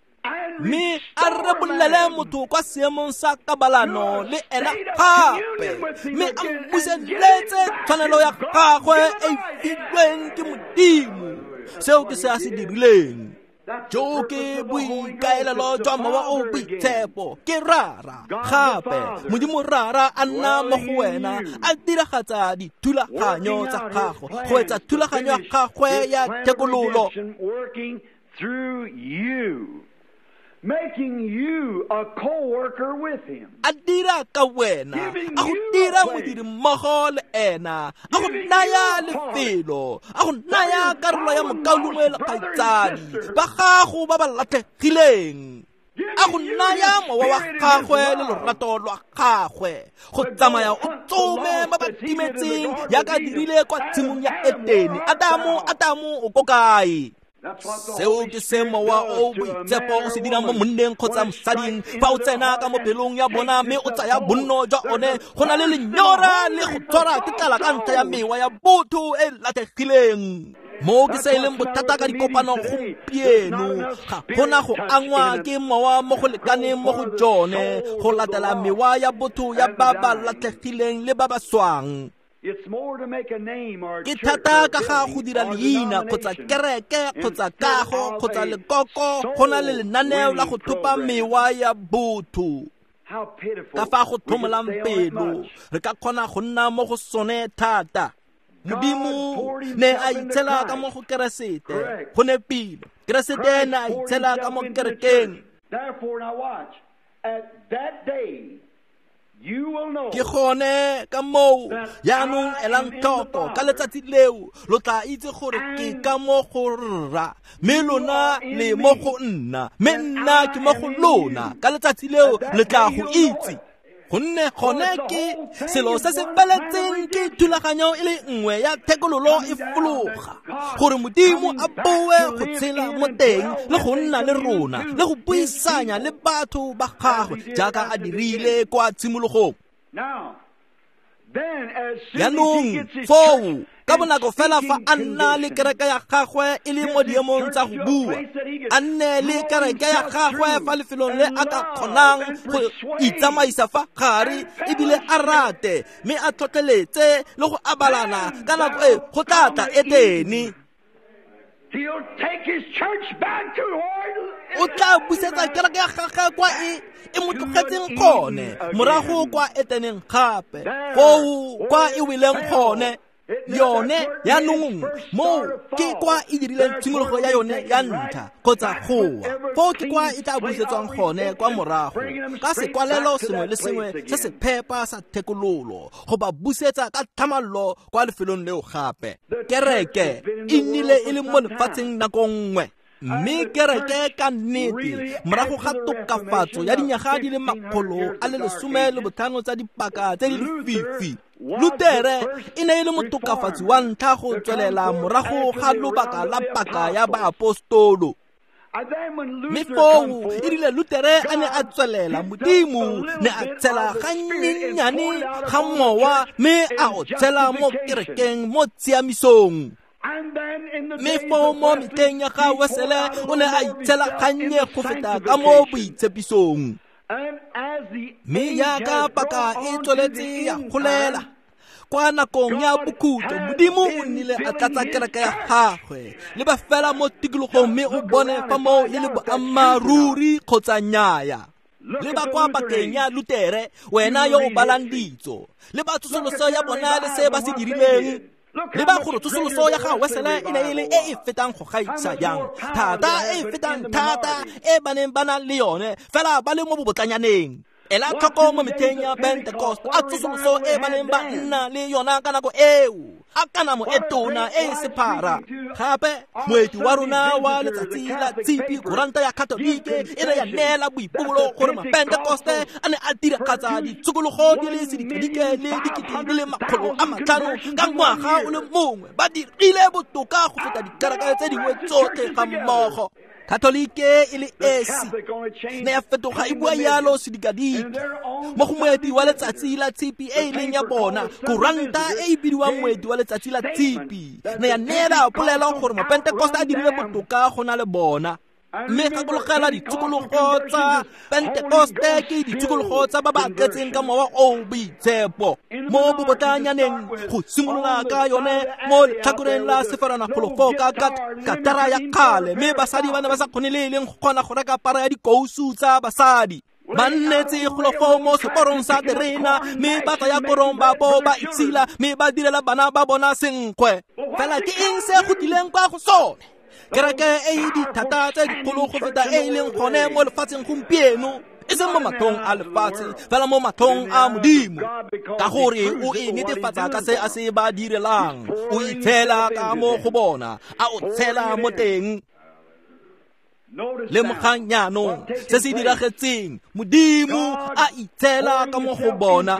mme a rebolele motho kwa seemong sa kabalano le ena gape, mme a mmuseletse tshwanelo ya gagwe e filweng ke Modimo. Seo ke se a se dirileng. Jo ke boikaelelo jwa Mowa o Boitshepo, ke Rara gape. Modimo Rara a nna mo go wena, a diragatsa dithulaganyo tsa gago, go etsa thulaganyo ya gagwe ya thekololo. Making you a co-worker with him. A dira ka wena, a go dira modiri mmogo le ena, a go naya lefelo, a go naya karolo ya mokaulengwe le kgaitsadi ba gago ba ba latlhegileng, a go naya mowa wa gagwe le lorato lwa gagwe go tsamaya o tsome ba ba timetseng yaka dirile kwa tshimong ya Etene. Adamo, Adamo, o ko kae? Seo ke se Mowa o Boitshepo o se dirang mo monneng kgotsa mosading fa o tsena ka mo pelong ya bona mme o tsaya bonno jwa one. Go na le lenyora le go tshwara ke tlala ka ntlha ya mewa ya botho e latlhegileng. Mo ke se e leng bothata ka dikopano gompieno, ga gona go angwa ke mowa mo go lekaneng mo go jone go latela mewa ya botho ya ba ba latlhegileng le ba ba swang. Ke thata ka ga go dira leina kgotsa kereke kgotsa kago kgotsa lekoko, go na le lenaneo la go thopa mewa ya botho. Ka fa go tlhomolang pelo, re ka kgona go nna mo go sone thata. Modimo ne a itshela ka mo go Keresete, go nepile. Keresete ne a itshela ka mo kerekeng. Ke gone ka moo jaanong elang tlhoko ka letsatsi leo lo tla itse gore ke ka mo go Rra, mme lona le mo go nna, mme nna ke mo go lona. Ka letsatsi leo le tla go itse, gonne gone ke selo se se feletseng, ke thulaganyo e le nngwe ya thekololo e fologa gore Modimo a boe go tshela mo teng le go nna le rona le go buisanya le batho ba gagwe jaaka a dirile kwa tshimologong. Jaanong foo ka bonako fela fa a nna le kereke ya gagwe e le mo diemong tsa go bua, a nne le kereke ya gagwe fa lefelong le a ka kgonang go itsamaisa fa gare ebile a rate, mme a tlhotlheletse le go abalana ka nako e go tla tla Etene. O tla busetsa kereke ya gagwe kwa e mo tlogetseng gone, morago kwa Eteneng gape, foo kwa e weleng gone. Yone yaanong moo ke kwa e dirileng tshimologo ya yone ya ntlha kgotsa goa, foo ke kwa e tla busetswang gone kwa morago ka sekwalelo sengwe le sengwe se se phepa sa thekololo go ba busetsa ka tlhamallo kwa lefelong leo gape. Kereke e nnile e le mo lefatsheng nako nngwe, mme kereke ka nnete morago ga tokafatso ya dinyaga di le 115 tsa dipaka tse di lefifi, Lutere e ne e le motokafatsi wa ntlha go tswelela morago ga lobaka la paka ya baapostolo. Mme foo e rile Lutere a ne a tswelela, Modimo ne a tshela gannyennyane ga mowa mme a o tshela mo kerekeng mo tshiamisong. Mme foo mo metlheng ya ga Wesele o ne a itshela gannye go feta ka mo boitshepisong. Mme jaaka paka e tsweletse ya golela kwa nakong ya bokhutlo, Modimo o nnile a tlatsa kereke ya gagwe le ba fela mo tikologong, mme o bone fa moo e le boammaaruri kgotsa nnyaya. Le ba kwa pakeng ya Lutere, wena yo o balang ditso, le ba tsosoloso ya bona le se ba se dirileng, le ba gore tsosoloso ya ga Wesele e ne e le e e fetang go gaisa jang thata, e e fetang thata e ba neng ba na le yone fela ba le mo bobotlanyaneng. Ela tlhoko mo metlheng ya Pentecost, a tsosoloso e ba neng ba nna le yona ka nako eo, a kanamo e tona e e sephara. Gape moeti wa rona wa letsatsi la tshipi, kuranta ya Katolike, e ne ya neela boipobolo gore Mapentekoste a ne a diragatsa ditshokologo di le sedikadike le 2,500 ka ngwaga o le mongwe. Ba dirile botoka go feta dikereke tse dingwe tsotlhe ga mmogo. Katolike e le esi ne ya fetoga e bua yalo sedikadike mo go moeti wa letsatsi la tshipi e e leng ya bona, kuranta e e bidiwang moeti wa letsatsi la tshipi, ne ya neela polelo gore Mapentekoste a dirile botoka go na le bona. Mme gakologela ditshokologo tsa Pentekoste ke ditshokologo tsa ba ba tletseng ka mowa o boitshepo mo bobotlanyaneng, go simolola ka yone mo letlhakoreng la sefaranagolofo ka katara ya kgale, mme basadi ba ne ba sa kgone le e leng go kgona go reka para ya dikousu tsa basadi. Ba nnetse golofo mo seporong sa terena, mme ba tsaya korong ba bo ba itshila, mme ba direla bana ba bona senkgwe. Fela ke eng se go tlileng kwa go sone? Kereke e e dithata tse dikgolo go feta e e leng gone mo lefatsheng gompieno, e seng mo matlhong a lefatshe, fela mo matlhong a Modimo, ka gore o e netefatsa ka se a se ba direlang. O itshela ka mo go bona, a o tshela mo teng. Lemogang jaanong se se diragetseng, Modimo a itshela ka mo go bona.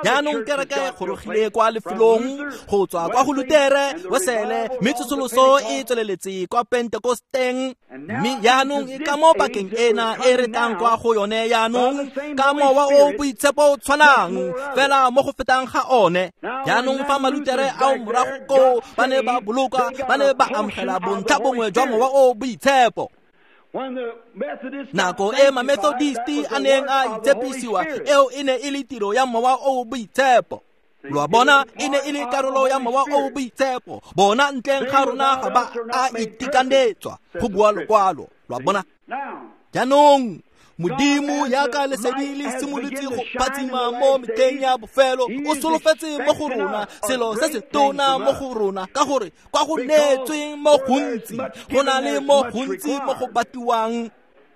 Jaanong kereke e gorogile kwa lefelong go tswa kwa go Lutere, Wesele, mme tsosoloso e tsweleletse kwa Pentekosteng. Mme jaanong e ka mo pakeng ena e re tlang kwa go yone jaanong, ka mowa o boitshepo o tshwanang fela mo go fetang ga one. Jaanong fa Malutere ao morago koo ba ne ba boloka, ba ne ba amogela bontlha bongwe jwa mowa o boitshepo. Nako e Mamethodisti a neng a itshepisiwa, eo e ne e le tiro ya mowa o boitshepo. Lo a bona, e ne e le karolo ya mowa o boitshepo. Bona ntleng ga rona ga ba a itekanetswa, go bua lokwalo. Lo a bona? Jaanong Modimo jaaka lesedi le simolotse go phatsima mo metlheng ya bofelo, o solofetse mo go rona selo se se tona mo go rona, ka gore kwa go neetsweng mo gontsi go na le mo gontsi mo go batiwang.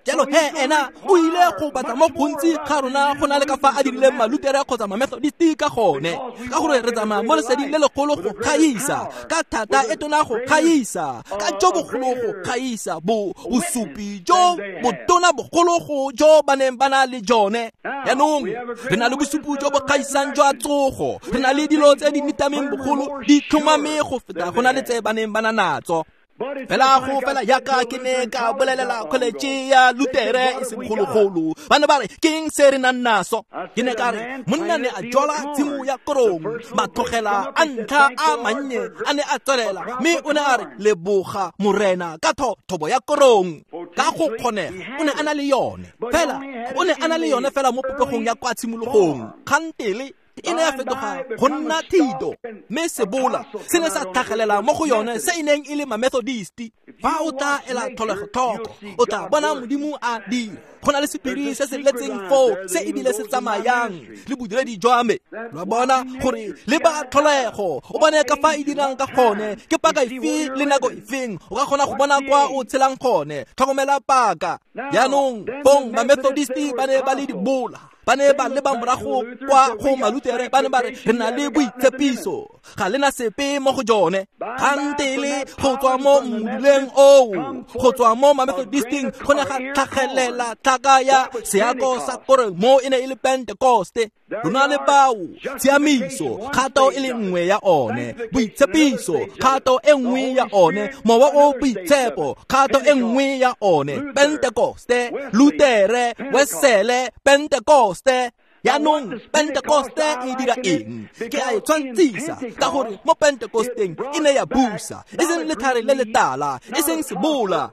Jalo he ena o ile go batla mo gontsi ga rona go na le ka fa a dirileng Malutere kgotsa Mamethodisti ka gone, ka gore re tsamaya mo leseding le legolo go gaisa, ka thata e tona go gaisa, ka jo bogolo go gaisa, bosupi jo botona bogolo go jo ba neng ba na le jone. Jaanong re na le bosupi jo bo gaisang jwa tsogo, re na le dilo tse di nitameng bogolo di tlhomame go feta go na le tse ba neng ba na natso. Fela go fela jaaka ke ne ka bolelela kholetše ya Lutere e segologolo, ba ne ba re ke eng se re nang naso? Ke ne ka re monna ne a jwala tshimo ya korong, matlogela a ntlha a mannye a ne a tswelela, mme o ne a re leboga Morena ka thobo ya korong. Ka go kgonega o ne a na le yone, fela o ne a na le yone fela mo popegong ya kwa tshimologong. Kgantele e ne ya fetoga go nna thito, mme sebola se ne sa tlhagelela mo go yone se e neng e le Mamethodisti. Fa o tla ela tlholego tlhoko, o tla bona Modimo a dira. Go na le sephiri se se letseng foo se ebile se tsamayang le bodiredi jwa me. Lo a bona gore le ba tlholego, o bone ka fa e dirang ka gone, ke paka efe le nako efeng, o ka kgona go bona kwa o tshelang gone. Tlhokomela paka. Jaanong bong Mamethodisti ba ne ba le dibola, ba ne ba leba morago kwa go Malutere, ba ne ba re re na le boitshepiso, ga le na sepe mo go jone. Kgantele go tswa mo mmuduleng oo, go tswa mo Mamethodisting, go ne ga tlhagelela tlhaka ya seako sa korong, mo e ne e le Pentekoste. Lona le bao, tshiamiso, kgato e le nngwe ya one, boitshepiso, kgato e nngwe ya one, mowa o boitshepo, kgato e nngwe ya one, Pentekoste, Lutere, Wesele, Pentekoste. Jaanong Pentekoste e dira eng? Ke a e tshwantshisa ka gore mo Pentekosteng e ne ya busa, e seng letlhare le letala, e seng sebola.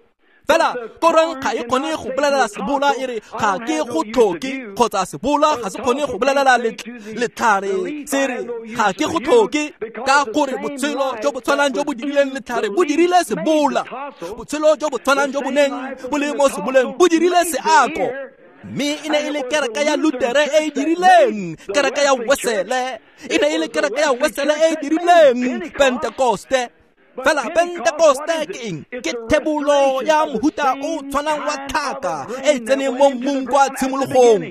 Fela korong ga e kgone go bolelela sebola e re ga ke go tlhoke, kgotsa sebola ga se kgone go bolelela letlhare se re ga ke go tlhoke, ka gore botshelo jo bo tshwanang jo bo dirileng letlhare bo dirile sebola, botshelo jo bo tshwanang jo bo neng bo le mo seboleng bo dirile seako. Mme e ne e le kereke ya Lutere e e dirileng kereke ya Wesele, e ne e le kereke ya Wesele e e dirileng Pentekoste. Fela Pentekoste ke eng? Ke thebolo ya mohuta o tshwanang wa tlhaka e e tseneng mo mmung kwa tshimologong,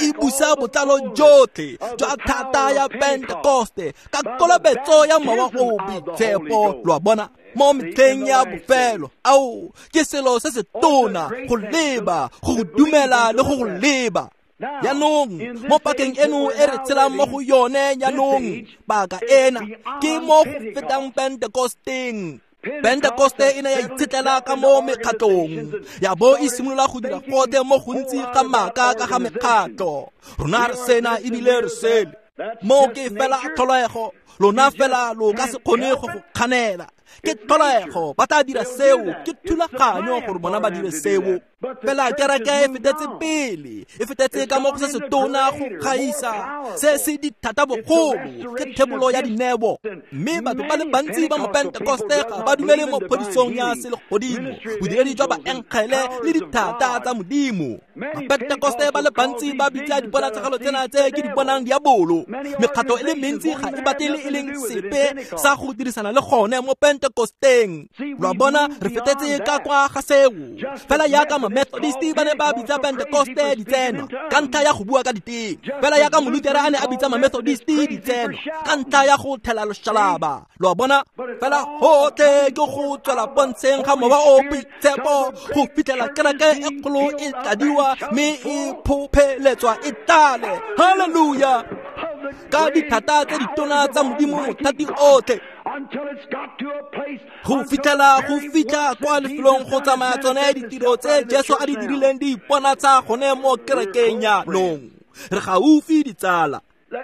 e busa botlalo jotlhe jwa thata ya Pentekoste ka kolobetso ya mowa o boitshepo. Lo a bona mo metlheng ya bofelo, ao ke selo se se tona go leba, go dumela le go leba. Jaanong mo pakeng eno e re tshelang mo go yone jaanong, paka ena ke mo go fetang Pentekosteng. Pentekoste e ne ya itshetlela ka mo mekgatlong, ya bo e simolola go dira gotlhe mo gontsi ga maaka ka ga mekgatlo. Rona re sena ebile re sele, mo ke fela tlholego, lona fela lo ka se kgone go go kganela. Ke tlholego, ba tla dira seo, ke thulaganyo gore bona ba dire seo. Fela kereke e fetetse pele, e fetetse ka mo go se se tona go gaisa, se se dithata bogolo, ke thebolo ya dineo. Mme batho ba le bantsi ba mo Pentekoste ga ba dumele mo phodisong ya selegodimo, bodiredi jwa baengele le dithata tsa Modimo. Bapentekoste ba le bantsi ba bitsa diponatshegelo tsena tse ke di bonang diabolo. Mekgatlo e le mentsi ga e batle le e leng sepe sa go dirisana le gone mo Pentekosteng. Lo a bona, re fetetse ka kwa ga seo. Fela jaaka Methodisti ba ne ba bitsa Pentekoste ditseno ka ntlha ya go bua ka diteme, fela jaaka Molutere a ne a bitsa Mamethodisti ditseno ka ntlha ya go thela loshalaba. Lo a bona, fela gotlhe ke go tswela pontsheng ga mowa o boitshepo go fitlhela kereke e kgolo e tladiwa mme e phopheletswa e tlale. Haleluya! Ka dithata tse ditona tsa Modimo mothati otlhe, go fitlhela go fitlha kwa lefelong go tsamaya tsone ditiro tse Jesu a di dirileng di iponatsa gone mo kerekeng jaanong. Re gaufi ditsala.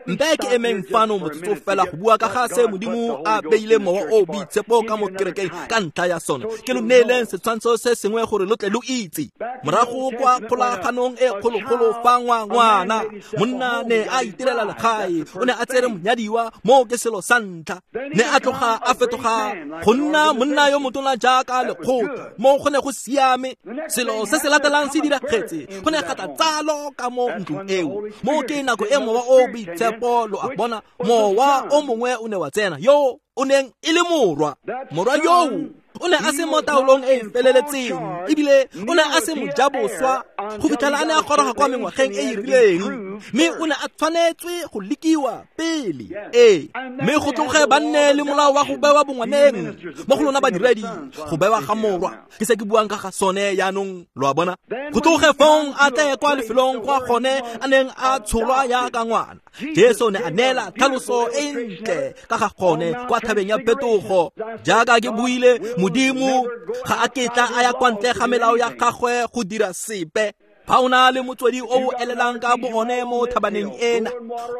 Nte ke emeng fano motsotso fela go bua ka ga se Modimo a beile mowa o boitshepo ka mo kerekeng ka ntlha ya sone. Ke lo neeleng setshwantsho se sengwe gore lo tle lo itse. Morago kwa kgolaganong e kgologolo fa ngwana monna ne a itirela legae, o ne a tsere monyadiwa, mo ke selo sa ntlha. Ne a tloga a fetoga go nna monna yo motona jaaka lekgotla, mo go ne go siame. Selo se se latelang se diragetse, go ne ga tla tsalo ka mo ntlong eo. Mo ke nako e mowa o boitshepo, lo a bona, mowa o mongwe o ne wa tsena, yo o neng e le morwa. Morwa yoo o ne a se mo taolong e e feleletseng, ebile o ne a se mojaboswa go fitlhela a ne a goroga kwa mengwageng e e rileng, mme o ne a tshwanetswe go lekiwa pele. Ee, mme go tloge ba nne le molao wa go bewa bongwaneng mo go lona badiredi, go bewa ga morwa, ke se ke buang ka ga sone jaanong, lo a bona. Go tloge fong a tle kwa lefelong kwa gone a neng a tsholwa jaaka ngwana. Jesu ne a neela tlhaloso e ntle ka ga gone kwa thabeng ya phetogo. Jaaka ke buile, Modimo ga a ketla a ya kwa ntle ga melao ya gagwe go dira sepe. Fa o na le motswedi o o elelang ka bo one mo thabaneng ena,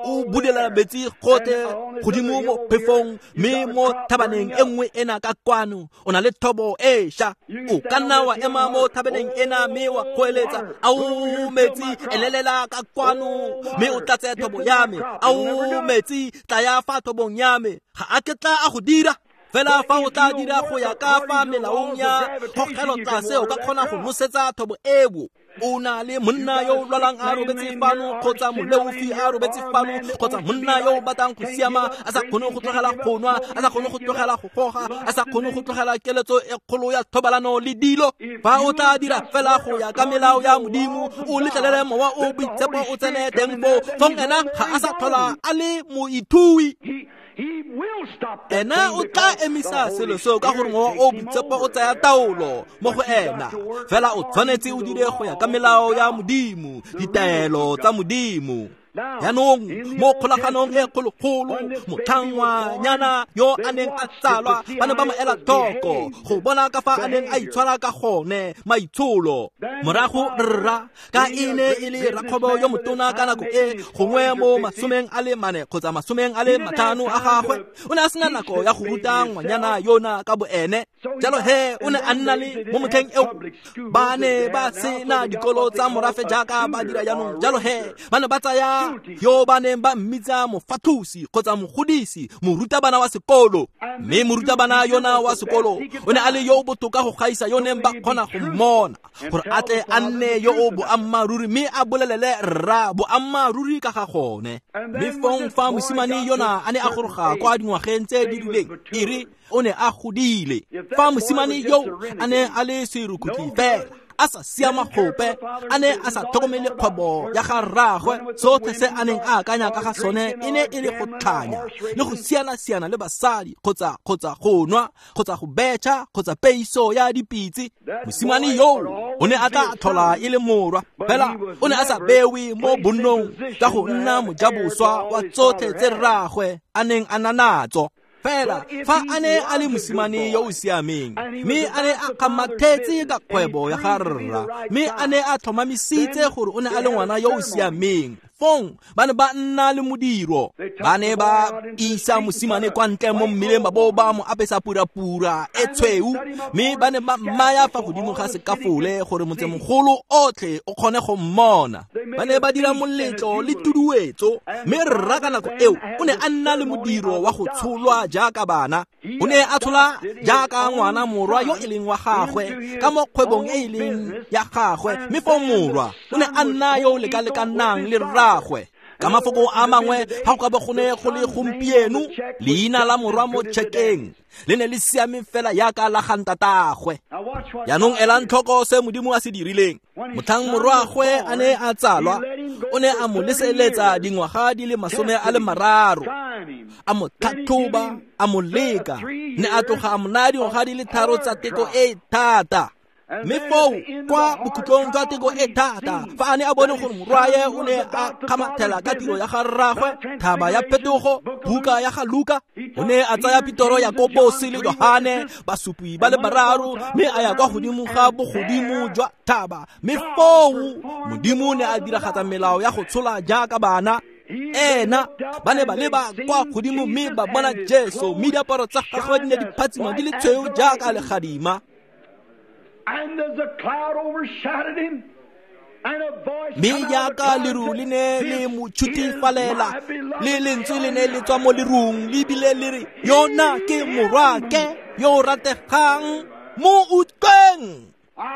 o bulela metsi gotlhe godimo mo phefong, mme mo thabaneng e nngwe ena ka kwano o na le thobo e ša. O ka nna wa ema mo thabaneng ena mme wa goeletsa, ao metsi elelela ka kwano mme o tlatse thobo ya me, ao metsi tlaya fa thobong ya me. Ga a ketla a go dira. Fela fa o tla dira go ya ka fa melaong ya kgogelo tlase, o ka kgona go nosetsa thobo eo. O na le monna yo o lwalang a robetse fano, kgotsa moleofi a robetse fano, kgotsa monna yo o batlang go siama a sa kgone go tlogela go nwa, a sa kgone go tlogela go goga, a sa kgone go tlogela keletso e kgolo ya thobalano le dilo. Fa o tla dira fela go ya ka melao ya Modimo, o letlelele mowa o boitshepo o tsene teng foo, fong ena ga a sa tlhola a le moithui. Ena o tla emisa selo seo ka gore Mowa o Boitshepo o tsaya taolo mo go ena. Fela o tshwanetse o dire go ya ka melao ya Modimo, ditaelo tsa Modimo. Jaanong mo kgolaganong e kgologolo, motlhangwanyana yo a neng a tsalwa ba ne ba mo ela tlhoko go bona ka fa a neng a itshwara ka gone, maitsholo. Morago rra ka e ne e le rakgwebo yo motona ka nako e gongwe mo 44 kgotsa 45 a gagwe, o ne a sena nako ya go ruta ngwanyana yona ka boene. Jalo he o ne a nna le mo motlheng eo ba ne ba sena dikolo tsa morafe jaaka ba dira jaanong. Jalo he ba ne ba tsaya yo ba neng ba mmitsa mofathusi kgotsa mogodisi, morutabana wa sekolo. Mme morutabana yona wa sekolo o ne a le yo o botoka go gaisa yo neng ba kgona go mmona, gore a tle a nne yo o boammaaruri mme a bolelele rra boammaaruri ka ga gone. Mme fong fa mosimane yona a ne a goroga kwa dingwageng tse di rileng, e re o ne a godile. Fa mosimane yo a ne a le serukutlhi fela, a sa siama gope, a ne a sa tlhokomele kgwebo ya ga rraagwe, sotlhe se a neng a akanya ka ga sone e ne e le go tlhanya le go siana-siana le basadi, kgotsa go nwa, kgotsa go betšha, kgotsa peiso ya dipitse. Mosimane yo o ne a tla tlhola e le morwa, fela o ne a sa bewe mo bonnong ka go nna mojaboswa wa tsotlhe tse rraagwe a neng a na natso. Fela fa a ne a le mosimane yo o siameng, mme a ne a kgamathetse ka kgwebo ya ga rra, mme a ne a tlhomamisitse gore o ne a le ngwana yo o siameng, fong ba ne ba nna le modiro. Ba ne ba isa mosimane kwa ntle mo mmileng ba bo ba mo apesa purapura e tshweu, mme ba ne ba mmaya fa godimo ga sekafole gore motsemogolo otlhe o kgone go mmona. Ba ne ba dira moletlo le tuduetso, mme rra ka nako eo o ne a nna le modiro wa go tsholwa jaaka bana. O ne a tshola jaaka ngwana morwa yo e leng wa gagwe ka mo kgwebong e e leng ya gagwe, mme fo morwa o ne a nna yo o lekalekanang le rraagwe. Ka mafoko a mangwe, ga go ka bo go ne go le gompieno, leina la morwa mo tšhekeng le ne le siame fela jaaka la ga ntatagwe. Jaanong elang tlhoko se Modimo a se dirileng. Motlhang morwagwe a ne a tsalwa, o ne a mo leseletsa dingwaga di le 30, a mo tlhatlhoba, a mo leka, ne a tloga a mo naya dingwaga di le 3 tsa teko e thata. Mme foo kwa bokhutlong jwa teko e thata, fa a ne a bone gore morwaye o ne a kgamathela ka tiro ya ga rraagwe, thaba ya phetogo, buka ya ga Luka, o ne a tsaya Petoro, Jakobose le Johane, basupi ba le bararo, mme a ya kwa godimo ga bogodimo jwa thaba. Mme foo Modimo ne a diragatsa melao ya go tshola jaaka bana. Ena ba ne ba leba kwa godimo mme ba bona Jesu, mme diaparo tsa gagwe di ne di phatsima di le tshweu jaaka legadima. Mme jaaka leru le ne le mo tshutifalela, le lentswe le ne le tswa mo lerung le bile le re, yona ke morwake yo o rategang, mo utlweng.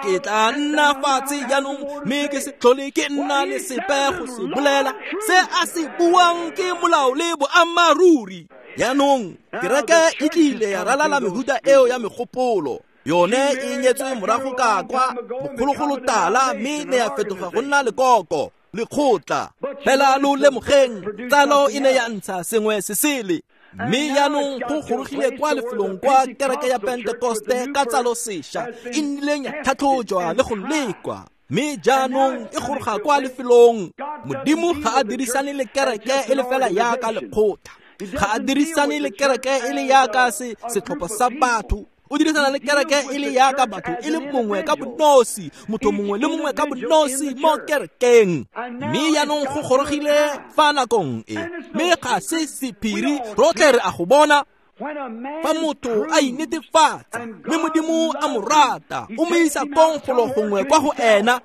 Ke tla nna fatshe jaanong mme ke se tlhole ke nna le sepe go se bolela. Se a se buang ke molao le boammaaruri. Jaanong kereke e tlile ya ralala mehuta eo ya megopolo. Yone e nyetswe morago ka kwa bogologolo tala, mme ne ya fetoga go nna lekoko, lekgotla. Fela lo lemogeng, tsalo e ne ya ntsha sengwe se sele. Mme jaanong go gorogile kwa lefelong kwa kereke ya Pentekoste ka tsalo sešwa e nnileng ya tlhatlhojwa le go lekwa. Mme jaanong e goroga kwa lefelong. Modimo ga a dirisane le kereke e le fela jaaka lekgotla, ga a dirisane le kereke e le jaaka setlhopha sa batho. O dirisana le kereke e le jaaka batho e le mongwe ka bonosi, motho mongwe le mongwe ka bonosi mo kerekeng. Mme jaanong go gorogile fa nakong e, mme ga se sephiri, rotlhe re a go bona. Fa motho a inetefatsa mme Modimo a mo rata, o mo isa kong golo gongwe kwa go ena.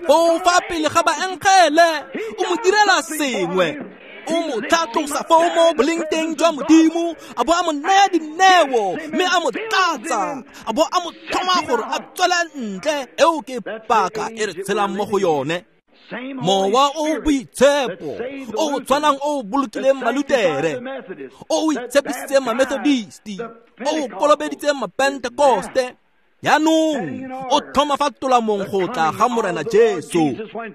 Foo fa pele ga baengele, o mo direla sengwe. O mo tlhatlosa foo mo boleng teng jwa Modimo, a bo a mo naya dineo, mme a mo tlatsa, a bo a mo tlhoma gore a tswele ntle. Eo ke paka e re tshelang mo go yone. Mowa o Boitshepo o o tshwanang o o bolokileng Malutere, o o itshepisitseng Mamethodisti, o o kolobeditseng Mapentekoste, Jaanong o tlhoma fa tolamong go tla ga Morena Jesu,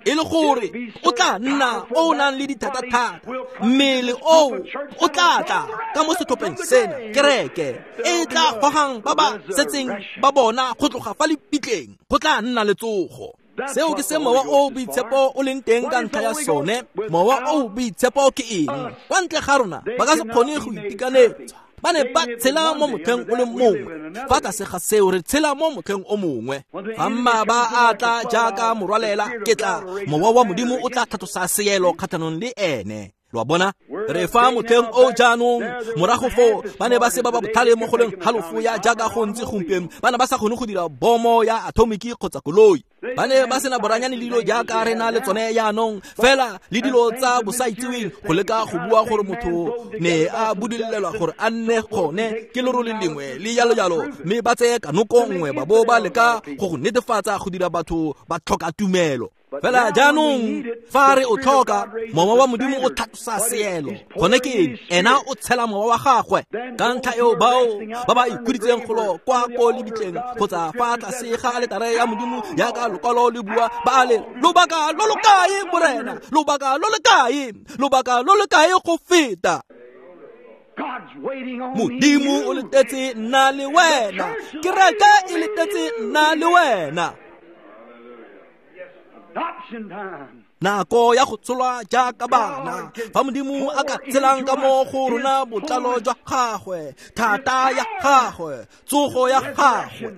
e le gore o tla nna o nang le dithata-thata. Mmele oo o tla tla ka mo setlhopheng sena, kereke e tla gogang ba ba setseng ba bona go tloga fa lepitleng, go tla nna le tsogo. Seo ke se Mowa o Boitshepo o leng teng ka ntlha ya sone. Mowa o Boitshepo ke eng? Kwa ntle ga rona ba ka se kgone go itekanetsa. Ba ne ba tshela mo motlheng o le mongwe, fa tlase ga seo re tshela mo motlheng o mongwe. Fa mmaba a tla jaaka morwalela, ke tla Mowa wa Modimo o tla tlhatlosa seelo kgatlhanong le ene. Lo a bona? Re fa motlheng o jaanong. Morago foo ba ne ba se ba ba botlhale mo go leng halofo ya jaaka go ntse gompieno. Ba ne ba sa kgone go dira bomo ya atomiki kgotsa koloi. Ba ne ba sena boranyane le dilo jaaka re na le tsone jaanong, fela le dilo tsa bosaitseweng go leka go bua gore motho ne a budulelwa gore a nne gone ke lerole lengwe le jalo jalo, mme ba tseye kanoko nngwe ba bo ba leka go go netefatsa go dira batho ba tlhoka tumelo. Fela jaanong fa re o tlhoka, Mowa wa Modimo o tlhatlosa seelo. Gone ke eng? Ena o tshela mowa wa gagwe. Ka ntlha eo bao ba ba ikhuditseng golo kwa ko lebitleng kgotsa fa tlase ga aletare ya Modimo jaaka lokwalo le bua, ba le lobaka lo lo kae, Morena? Lobaka lo le kae? Lobaka lo le kae go feta? Modimo o letetse nna le wena. Kereke e letetse nna le wena. Nako ya go tsholwa jaaka bana, fa Modimo a ka tshelang ka mo go rona botlalo jwa gagwe, thata ya gagwe, tsogo ya gagwe.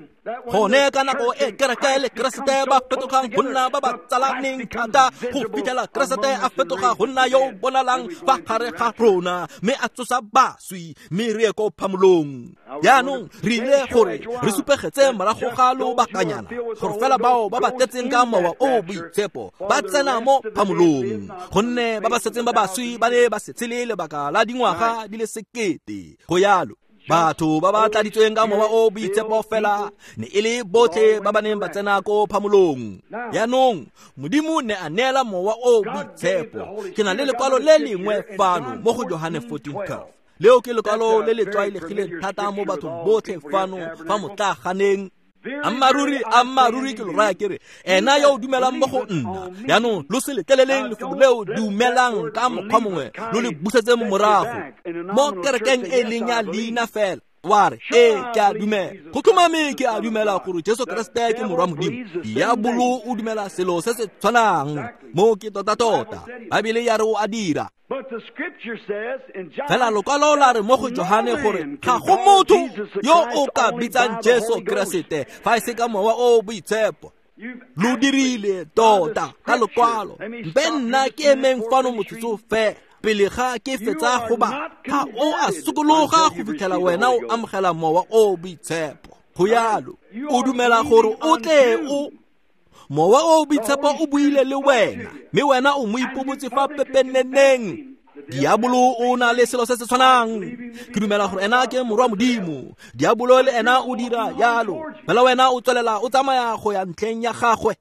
Gone ka nako e kereke le Keresete ba fetogang go nna ba ba tsalaneng thata, go fitlhela Keresete a fetoga go nna yo o bonalang fa gare ga rona, mme a tsosa baswi, mme re ye ko phamolong. Jaanong re ile gore re supegetse morago ga lobakanyana gore fela bao ba ba tletseng ka Mowa o Boitshepo ba tsena mo phamolong, gonne ba ba setseng ba baswi ba ne ba se tshele lebaka la dingwaga di le 1000. Go yalo. Batho ba ba tladitsweng ka Mowa o Boitshepo fela ne e le botlhe ba ba neng ba tsena ko phamolong. Jaanong Modimo ne a neela Mowa o Boitshepo. Ke na le lekwalo le lengwe fano mo go Johane 14:12. Leo ke lekwalo le le tlwaelegileng thata mo bathong botlhe fano fa motlaganeng. Ammaruri, ammaruri ke lo raya ke re, ena yo o dumelang mo go nna. Jaanong lo se letleleleng lefoko leo dumelang ka mokgwa mongwe, lo le busetseng morago mo kerekeng e leng ya leina fela. Wa re, ee, ke a dumela. Go tlhomame ke a dumela gore Jesu Keresete ke Morwa Modimo. Diabolo o dumela selo se se tshwanang. Mo ke tota-tota. Baebele ya re o a dira. Fela lokwalo la re mo go Johane gore ga go motho yo o ka bitsang Jesu Keresete fa e se ka Mowa o Boitshepo. Lo dirile tota ka lokwalo. Mpe nna ke emeng fano motsotso fela pele ga ke fetsa go ba. Ga o a sokologa go fitlhela wena o amogela Mowa o Boitshepo. Go yalo. O dumela gore o tle o Mowa o Boitshepo o buile le wena, mme wena o mo ipobotse fa pepeneneng. Diabolo o na le selo se se tshwanang. Ke dumela gore ena ke Morwa Modimo. Diabolo le ena o dira yalo. Fela wena o tswelela o tsamaya go ya ntlheng ya gagwe.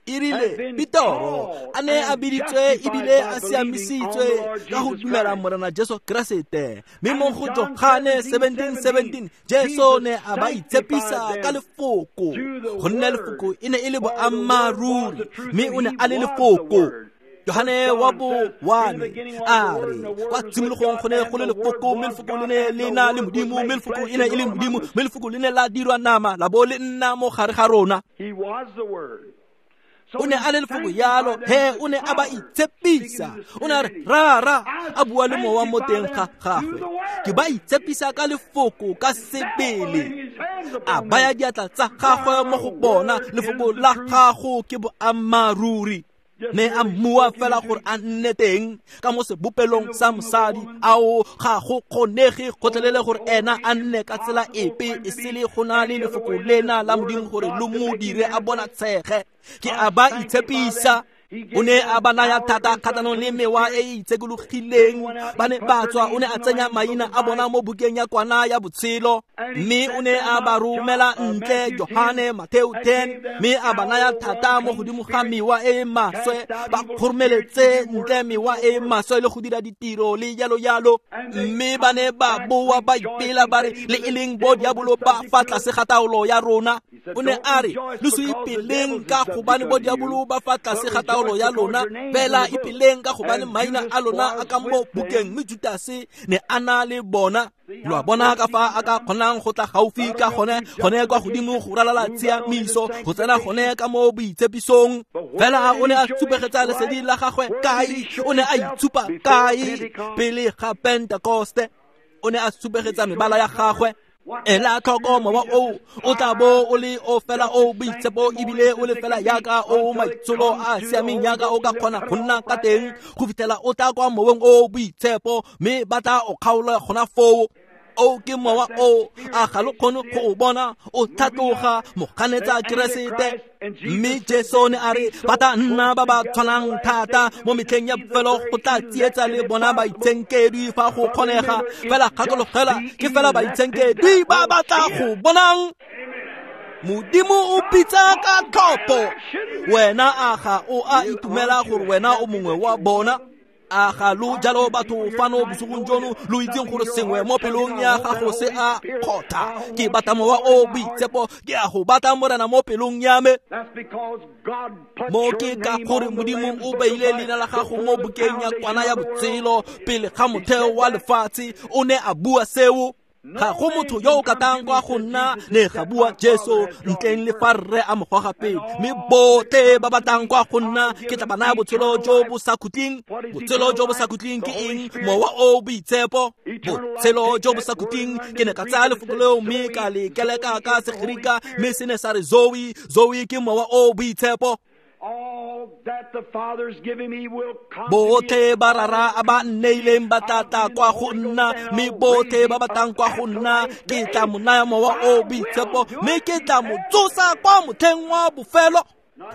E rile Petoro a ne a biditswe ebile a siamisitswe ka go dumela Morena Jesu Keresete, mme mo go Johane 17:17 Jesu ne a ba itshepisa ka lefoko, gonne lefoko e ne e le boammaaruri, mme o ne a le lefoko. Johane wa bo 1 a re, kwa tshimologong go ne go le lefoko, mme lefoko le ne le na le Modimo, mme lefoko e ne e le Modimo, mme lefoko le ne la dirwa nama la bo le nna mo gare ga rona. O ne a le lefoko yalo, he o ne a ba itshepisa. O ne a re, rara, a bua le mowa mo teng ga gagwe. Ke ba itshepisa ka lefoko ka sebele. A baya diatla tsa gagwe mo go bona, lefoko la gago ke boammaaruri. Ne a mmua fela gore a nne teng ka mo sebopelong sa mosadi. Ao ga go kgonege gotlhelele gore ena a nne ka tsela epe e sele go na le lefoko lena la Modimo gore lo mo dire a bona tshege. Ke a ba itshepisa. O ne a ba naya thata kgatlhanong le mewa e e itshekologileng. Ba ne ba tswa, o ne a tsenya maina a bona mo bukeng ya kwana ya botshelo, mme o ne a ba romela ntle, Johane, Mateo 10, mme a ba naya thata mo godimo ga mewa e e maswe, ba kgoromeletse ntle mewa e e maswe le go dira ditiro le jalo jalo. Mme ba ne ba boa ba ipela ba re, le e leng bo diabolo ba fa tlase ga taolo ya rona. O ne a re, lo se ipeleng ka gobane bo diabolo ba fa tlase ga taolo ya lona, fela ipeleng ka gobane maina a lona a ka mo bukeng. Mme Judase ne a na le bona. Lo a bona ka fa a ka kgonang go tla gaufi ka gone, gone kwa godimo go ralala tshiamiso, go tsena gone ka mo boitshepisong. Fela o ne a supegetsa lesedi la gagwe kae? O ne a itshupa kae? Pele ga Pentekoste o ne a supegetsa mebala ya gagwe. Ela tlhoko mowa oo o tla bo o le o fela o boitshepo ebile o le fela yaka o maitsholo a siameng yaka o ka kgona go nna ka teng go fitlhela o tla kwa moweng o boitshepo, mme ba tla o kgaola gona foo. O ke mowa o, a ga lo kgone go o bona o tlhatloga moganetsa Keresete. Mme Jesu ne a re ba tla nna ba ba tshwanang thata mo metlheng ya bofelo go tla tsietsa le bona baitshenkedwi fa go kgonega. Fela gakologela, ke fela baitshenkedwi ba ba tla go bonang. Modimo o bitsa ka tlhopho. Wena a ga o a itumela gore wena o mongwe wa bona? A ga lo jalo batho fano bosigong jono lo itseng gore sengwe mo pelong ya gago se a kgotha? Ke batla mowa o boitshepo, ke a go batla Morena mo pelong ya me. Mo ke ka gore Modimo o beile leina la gago mo bukeng ya kwana ya botshelo pele ga motheo wa lefatshe. O ne a bua seo. Ga go motho yo o ka tlang kwa go nna, ne ga bua Jesu, ntleng le fa rre a mo goga pele. Mme botlhe ba ba tlang kwa go nna ke tla ba naya botshelo jo bo sa khutleng. Botshelo jo bo sa khutleng ke eng? Mowa o boitshepo. Botshelo jo bo sa khutleng. Ke ne ka tsaya lefoko leo mme ka le keleka ka Segerika, mme se ne sa re Zoe. Zoe ke mowa o boitshepo. Botlhe ba rara a ba nneileng ba tla tla kwa go nna, mme botlhe ba ba tlang kwa go nna ke tla mo naya mowa o boitshepo, mme ke tla mo tsosa kwa motlheng wa bofelo.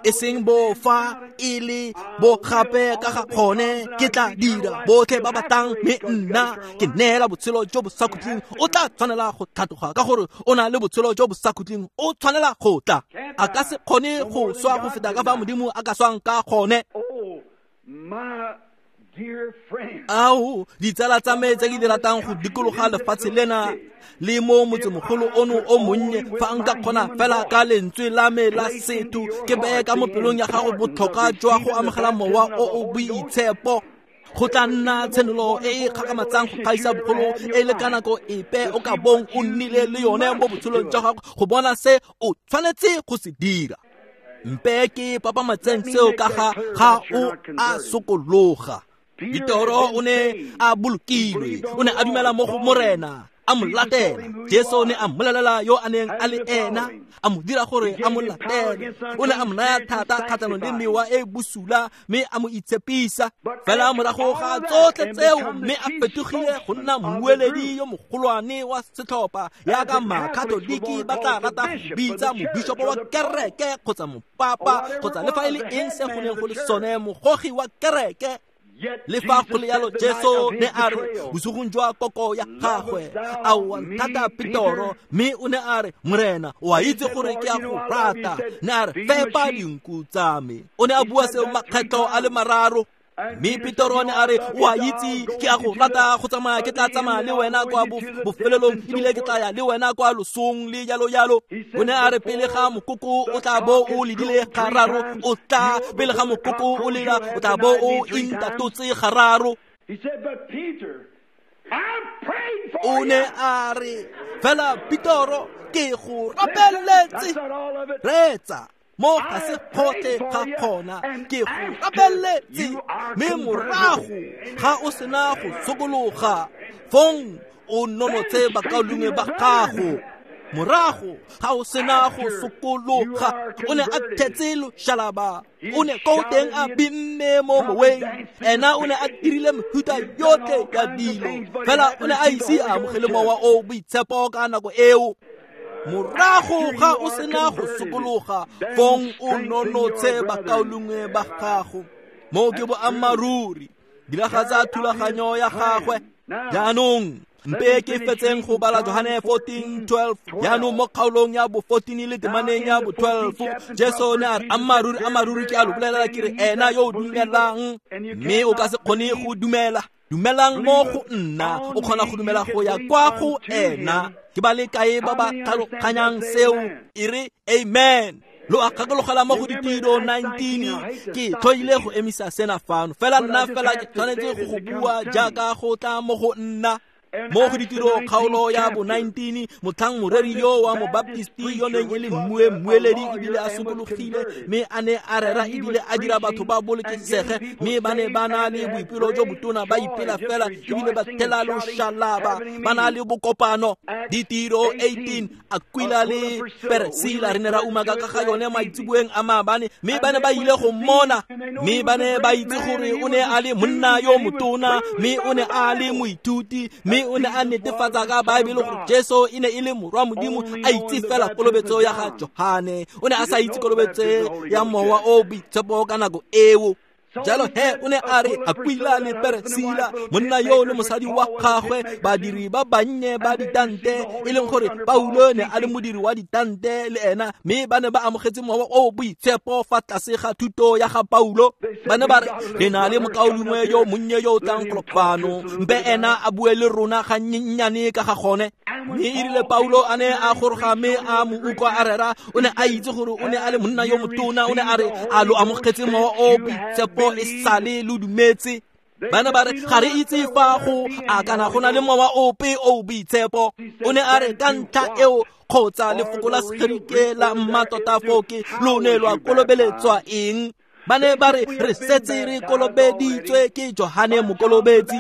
E seng bo fa e le bo gape ka ga kgone, ke tla dira botlhe ba ba tlang, mme nna ke neela botshelo jo bo sa khutleng. O tla tshwanela go tlhatloga ka gore o na le botshelo jo bo sa khutleng. O tshwanela go tla. A ka se kgone go swa go feta ka fa Modimo a ka swang ka gone. Ao, ditsala tsa me tse ke di ratang go dikologa lefatshe lena le mo motsemogolo ono o monnye, fa nka kgona fela ka lentswe la me la setho ke beye ka mo pelong ya gago botlhokwa jwa go amogela mowa o o boitshepo. Go tla nna tshenolo e e kgakgamatsang go gaisa bogolo e le ka nako epe o ka bong o nnile le yone mo botshelong jwa gago, go bona se o tshwanetse go se dira. Mpe ke papamatseng seo ka ga o a sokologa. Petoro o ne a bolokilwe, o ne a dumela mo go Morena, a mo latela. Jesu ne a mmolelela yo a neng a le ena, a mo dira gore a mo latele. O ne a mo naya thata kgatlhanong le mewa e bosula, mme a mo itshepisa. Fela morago ga tsotlhe tseo, mme a fetogile go nna mmueledi yo mogolwane wa setlhopha, yaka Makatoliki ba tla rata go bitsa mobishopo wa kereke kgotsa mopapa kgotsa le fa e le eng se go neng go le sone, mogogi wa kereke. Le fa go le yalo, Jesu ne a re bosigong jwa koko ya gagwe, a wa nthata Petoro, mme o ne a re, Morena, o a itse gore ke a go rata. Ne a re, fepa dinku tsa me. O ne a bua seo makgetlo a le mararo. Mme Petoro ne a re, o a itse ke a go rata, go tsamaya ke tla tsamaya le wena kwa bofelelong, ebile ke tla ya le wena kwa losong le jalo jalo. O ne a re, pele ga mokoko o tla bo o ledile gararo, o tla pele ga mokoko o lela o tla bo o intatotse gararo. O ne a re, fela Petoro, ke go rapeletse. Reetsa, mo ga se kgotlhe ga kgona, ke go rapeletse, mme morago ga o sena go sokologa, fong o nonotshe bakaulengwe ba gago. Morago ga o sena go sokologa, o ne a thetse loshalaba, o ne ko teng a binne mo moweng. Ena o ne a dirile mehuta yotlhe ya dilo, fela o ne a ise a amogele mowa o boitshepo ka nako eo. Morago ga o sena go sokologa, fong o nonotshe bakaulengwe ba gago. Moo ke boammaaruri. Diragatsa thulaganyo ya gagwe. Jaanong mpe ke fetseng go bala Johane 14:12. Jaanong mo kgaolong ya bo 14 le temaneng ya bo 12, Jesu ne a re, ammaaruri ammaaruri ke a lo bolelela ke re, ena yo o dumelang, mme o ka se kgone go dumela, dumelang mo go nna, o kgona go dumela go ya kwa go ena. Ke ba le kae ba ba tlhaloganyang seo? E re amen. Lo a gakologela mo go Ditiro 19. Ke tlhoile go emisa sena fano, fela nna fela ke tshwanetse go bua jaaka go tla mo go nna. Mo go Ditiro kgaolo ya bo 19, motlhang moreri yo wa mobaptisti yo neng e le mmueledi ebile a sokologile, mme a ne a rera ebile a dira batho ba bolokesege, mme ba ne ba na le boipelo jo botona, ba ipela fela ebile ba thela loshalaba, ba na le bokopano. Ditiro 18, Aquila le Priscilla re ne ra umaka ka ga yone maitseboeng a maabane, mme ba ne ba ile go mmona, mme ba ne ba itse gore o ne a le monna yo motona, mme o ne a le moithuti, mme o ne a netefatsa ka Baebele gore Jesu e ne e le morwa Modimo, a itse fela kolobetso ya ga Johane. O ne a sa itse kolobetso ya Mowa o Boitshepo ka nako eo. Jalo he o ne a re Aquila le Priscilla, monna yo le mosadi wa gagwe, badiri ba bannye ba ditante, e leng gore Paulo ne a le modiri wa ditante le ena, mme ba ne ba amogetse Mowa o Boitshepo fa tlase ga thuto ya ga Paulo. Ba ne ba re, re na le mokaulengwe yo monnye yo o tlang golo fano, mpe ena a bue le rona gannyennyane ka ga gone. Mme e rile Paulo a ne a goroga mme a mo utlwa a rera, o ne a itse gore o ne a le monna yo motona. O ne a re, a lo amogetse Mowa o Boitshepo e sale lo dumetse? Ba ne ba re, ga re itse fa go a kana go na le mowa ope o boitshepo. O ne a re, ka ntlha eo, kgotsa lefoko la Segerike la mmatota foo ke lo ne lwa kolobeletswa eng? Ba ne ba re, re setse re kolobeditswe ke Johane Mokolobetsi.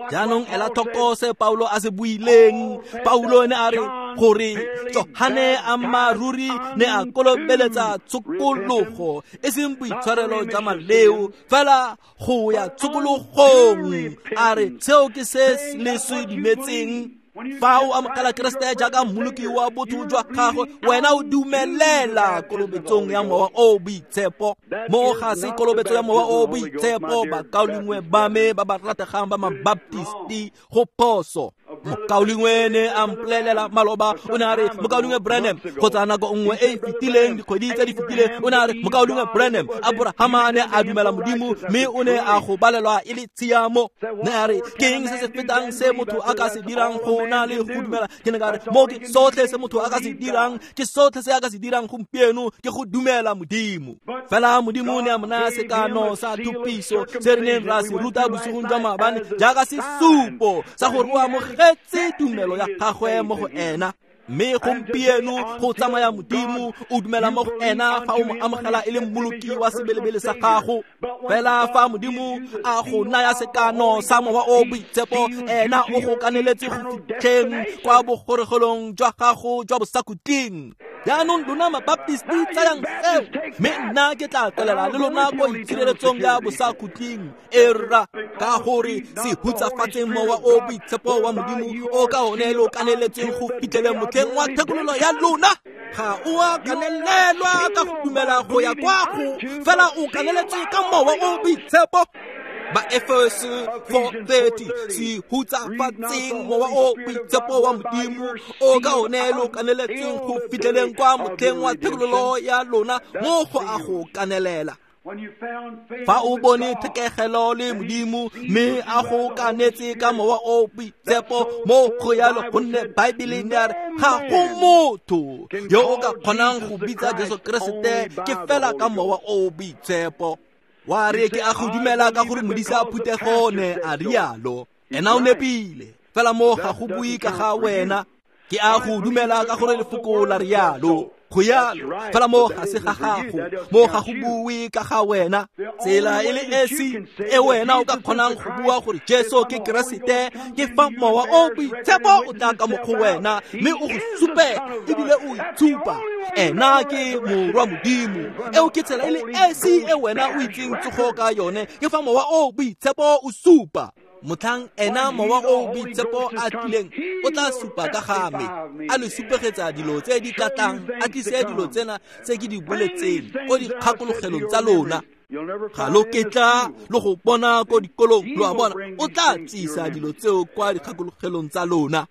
Jaanong ela tlhoko se Paulo a se buileng. Paulo ne a re gore Johane ammaaruri ne a kolobeletsa tshokologo, e seng boitshwarelo jwa maleo, fela go ya tshokologong. A re seo ke se le se dumetseng. Fa o amogela Keresete jaaka mmoloki wa botho jwa gagwe, wena o dumelela kolobetsong ya Mowa o Boitshepo. Mo ga se kolobetso ya Mowa o Boitshepo, bakaulengwe ba me ba ba rategang ba mabaptisti, go phoso. Mokaulengwe ne a mpolelela maloba, o ne a re, mokaulengwe Branham, kgotsa nako nngwe e e fetileng, dikgwedi tse di fetileng, o ne a re, mokaulengwe Branham, Aborahama ne a dumela Modimo, mme o ne a go balelwa e le tshiamo. Ne a re, ke eng se se fetang se motho a ka se dirang go na le go dumela? Ke ne ka re, mo ke sotlhe se motho a ka se dirang, ke sotlhe se a ka se dirang gompieno, ke go dumela Modimo. Fela Modimo ne a mo naya sekano sa thupiso se re neng ra se ruta bosigong jwa maabane jaaka sesupo sa gore o amogetse tumelo ya gagwe mo go ena. Mme gompieno go tsamaya Modimo, o dumela mo go ena fa o mo amogela e le mmoloki wa sebelebele sa gago. Fela fa Modimo a go naya sekano sa Mowa o Boitshepo, ena o go kaneletse go fitlheng kwa bogoregelong jwa gago jwa bosakhutleng. Jaanong lona mabaptisti tsayang seo, mme nna ke tla tswelela le lona ko itshireletsong ya bosakhutleng. Erra, ka gore se hutsafatseng Mowa o Boitshepo wa Modimo o ka one lo kaneletseng go fitlheleng motlheng wa thekololo ya lona. Ga o a kanelelwa ka go dumela go ya kwa go, fela o kaneletswe ka Mowa o Boitshepo. Ba Efeso 4:30, se hutsafatseng Mowa o Boitshepo wa Modimo o ka one lo kaneletseng go fitlheleng kwa motlheng wa thekololo ya lona, mo go a go kanelela. Fa o bone thekegelo le Modimo, mme a go kanetse ka Mowa o Boitshepo, mo go yalo, gonne Baebele ne a re ga go motho yo o ka kgonang go bitsa Jesu Keresete ke fela ka Mowa o Boitshepo. Wa re, ke a go dumela ka gore modisa phuthego ne a rialo. Ena o nepile, fela mo ga go bue ka ga wena. Ke a go dumela ka gore lefoko la rialo. Go yalo, fela mo ga se ga gago, mo ga go bue ka ga wena. Tsela e le esi e wena o ka kgonang go bua gore Jesu ke Keresete ke fa Mowa o Boitshepo o tla ka mo go wena, mme o go supe ebile o itshupa ena ke morwa Modimo. Eo ke tsela e le esi e wena o itseng tsogo ka yone, ke fa Mowa o Boitshepo o supa. Motlhang ena mowa o boitshepo a tlileng o tla supa ka ga me, a le supegetsa dilo tse di tla tlang, a tlise dilo tsena tse ke di boletseng ko dikgakologelong tsa lona. Ga lo ketla lo go bona ko dikolong, lo a bona, o tla tsisa dilo tseo kwa dikgakologelong tsa lona.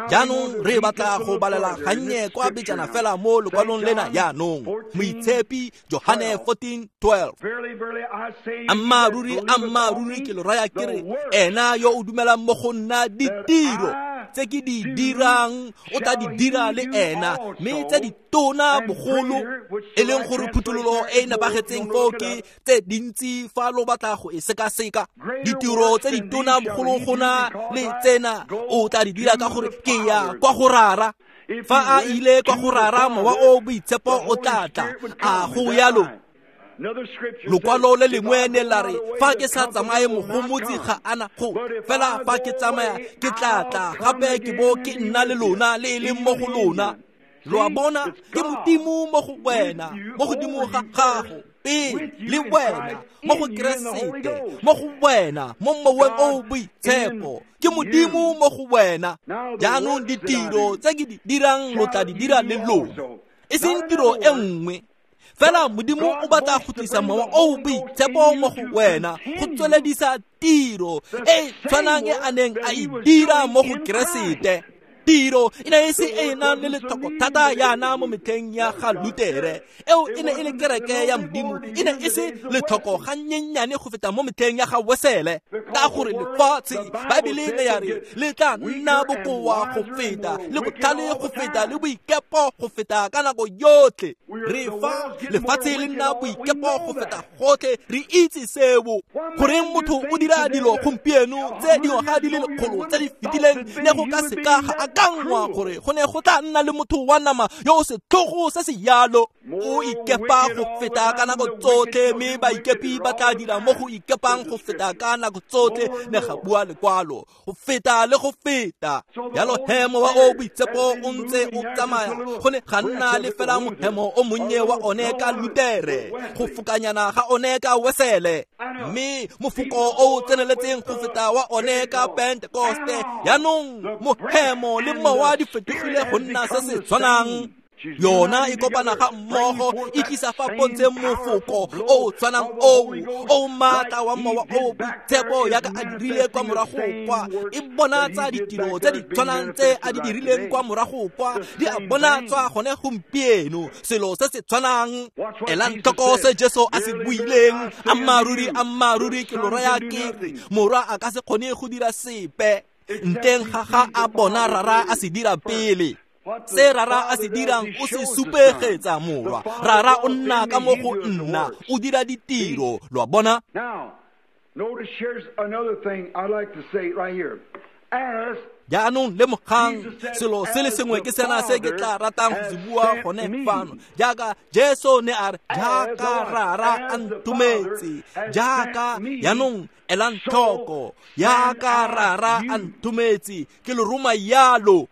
Jaanong re batla go balela gannye kwa bejana fela mo lekwalong lena jaanong. Moitshepi Johane 14:12. Ammaaruri, ammaaruri ke lo raya ke re, ena yo o dumelang mo go nna, ditiro tse ke di dirang o tla di dira le ena, mme tse di tona bogolo, e leng gore phuthololo e e nepagetseng foo ke tse dintsi fa lo batla go e sekaseka. Ditiro tse di tona bogolo go na le tsena o tla di dira ka gore ke ya kwa go Rara. Fa a ile kwa go Rara, mowa o boitshepo o tla tla. A go yalo? Lokwalo le lengwe ne la re, fa ke sa tsamaye mogomotsi ga ana go, fela fa ke tsamaya ke tla tla gape ke bo ke nna le lona le e leng mo go lona. Lo a bona, ke Modimo mo go wena, mo godimo ga gago pele le wena, mo go Keresete, mo go wena, mo moweng o boitshepo. Ke Modimo mo go wena. Jaanong ditiro tse ke di dirang lo tla di dira le lona, e seng tiro e nngwe. Fela Modimo o batla go tlisa mowa o boitshepo mo go wena go tsweledisa tiro e tshwanang e a neng a e dira mo go Keresete. Tiro e ne e se e nang le letlhoko thata yana mo metlheng ya ga Lutere, eo e ne e le kereke ya Modimo, e ne e se letlhoko gannyenyane go feta mo metlheng ya ga Wesele, ka gore lefatshe, Baebele ne ya re, le tla nna bokoa go feta, le botlhale go feta, le boikepo go feta ka nako yotlhe. Re fa lefatshe le nna boikepo go feta gotlhe, re itse seo. Goreng motho o dira dilo gompieno tse dingwaga di le lekgolo tse di fetileng ne go ka seka ga akangwa gore go ne go tla nna le motho wa nama yo o setlhogo se se yalo. O ikepa go feta ka nako tsotlhe, mme baikepi ba tla dira mo go ikepang go feta ka nako tsotlhe, ne ga bua lekwalo, go feta le go feta. Jalo he mowa o boitshepo o ntse o tsamaya, go ne ga nna le fela mohemo o monnye wa one ka Lutere, go fokanyana ga one ka Wesele, mme mofoko o tseneletseng go feta wa one ka Pentekoste. Jaanong mohemo le mowa di fetogile go nna se se tshwanang. Yona e kopana ga mmogo, e tlisa fa pontsheng mofoko o tshwanang oo o maatla wa mowa o boitshepo yaka a dirile kwa morago kwa. E bonatsa ditiro tse di tshwanang tse a di dirileng kwa morago kwa, di a bonatswa gone gompieno, selo se se tshwanang. Elang tlhoko se Jesu a se buileng, ammaaruri, ammaaruri ke lo raya ke re, morwa a ka se kgone go dira sepe ntleng ga ga a bona Rara a se dira pele. Se Rara a se dirang o se supegetsa morwa. Rara o nna ka mo go nna, o dira ditiro. Lo a bona? Jaanong lemogang selo se le sengwe ke sena se ke tla ratang go se bua gone fano. Jaaka Jesu ne a re, jaaka Rara a nthometse, jaaka, jaanong elang tlhoko, jaaka Rara a nthometse, ke lo roma yalo.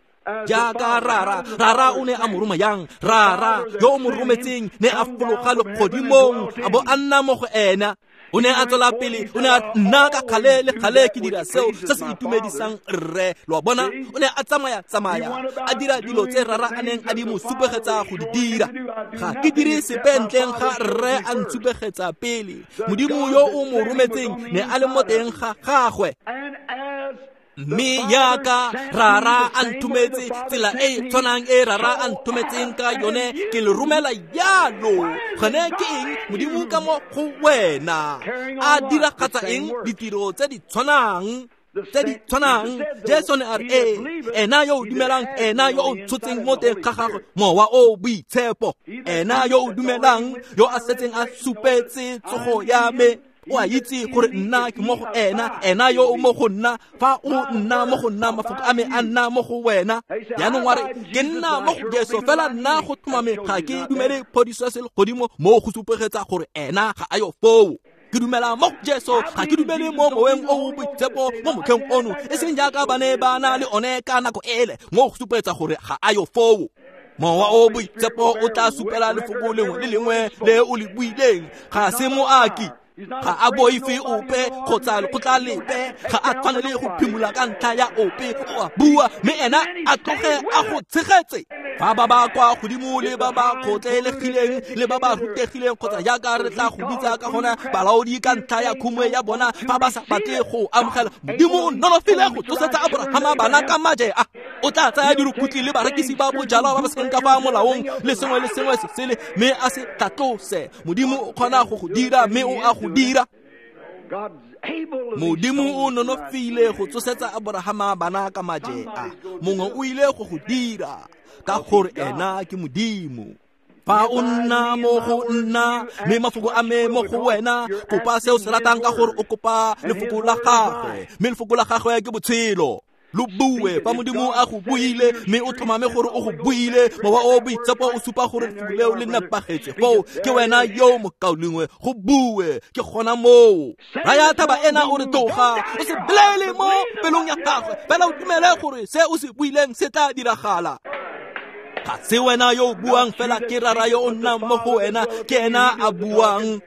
Jaaka Rara, Rara o ne a mo roma yang? Rara yo o mo rometseng ne a fologa legodimong, a bo a nna mo go ena. O ne a tswela pele, o ne a nna ka kgale le kgale ke dira seo se se itumedisang rre. Lo a bona? O ne a tsamaya tsamaya, a dira dilo tse Rara a neng a di mo supegetsa go di dira. Ga ke dire sepe ntleng ga rre a ntshupegetsa pele. Modimo yo o mo rometseng ne a le mo teng ga gagwe. Mme yaka Rara a nthometse, tsela e tshwanang e Rara a nthometseng ka yone, ke le romela yalo. Gone ke eng? Modimo ka mo go wena a diragatsa eng? Ditiro tse di tshwanang, tse di tshwanang. Jesu ne a re, ee, ena yo o dumelang, ena yo o tshotseng mo teng ga gagwe mowa o boitshepo, ena yo o dumelang, yo a setseng a supetse tsogo ya me, o a itse gore nna ke mo go ena, ena yo o mo go nna. Fa o nna mo go nna, mafoko a me a nna mo go wena. Jaanong wa re, ke nna mo go Jesu, fela nna go tlhomame ga ke dumele phodiso ya selegodimo mo go supegetsa gore ena ga a yo foo. Ke dumela mo go Jesu, ga ke dumele mo moweng o boitshepo mo motlheng ono, e seng jaaka ba ne ba na le one ka nako ele, mo go supegetsa gore ga a yo foo. Mowa o boitshepo o tla supela lefoko lengwe le lengwe le o le buileng, ga se moaki. Ga a boife ope kgotsa lekgotla lepe, ga a tshwanele go phimola ka ntlha ya ope, o a bua mme ena a tloge a go tshegetse. Fa ba ba kwa godimo le ba ba kgotlelegileng le ba ba rutegileng kgotsa jaaka re tla go bitsa ka gona balaodi ka ntlha ya khumo ya bona, fa ba sa batle go amogela, Modimo o nonofile go tsosetsa Aborahama bana ka maje a. O tla tsaya dirukutlhi le barekisi ba bojalwa ba ba seng ka fa molaong le sengwe le sengwe se sele, mme a se tlhatlose. Modimo o kgona go go dira, mme o a go dira. Modimo o nonofile go tsosetsa Aborahama bana ka maje a. Mongwe o ile go go dira ka gore ena ke Modimo. Fa o nna mo go nna, mme mafoko a me mo go wena, kopa se o se ratang ka gore o kopa lefoko la gagwe, mme lefoko la gagwe ke botshelo. Lo bue fa Modimo a go buile, mme o tlhomame gore o go buile. Mowa o boitshepo o supa gore lefoko leo le nepagetse. Foo ke wena yo mokaulengwe, go bue ke gona moo. Raya thaba ena o re tloga, o se bolele mo pelong ya gagwe, fela o dumele gore se o se buileng se tla diragala. Ga se wena yo o buang, fela ke Rara yo o nnang mo go wena, ke ena a buang.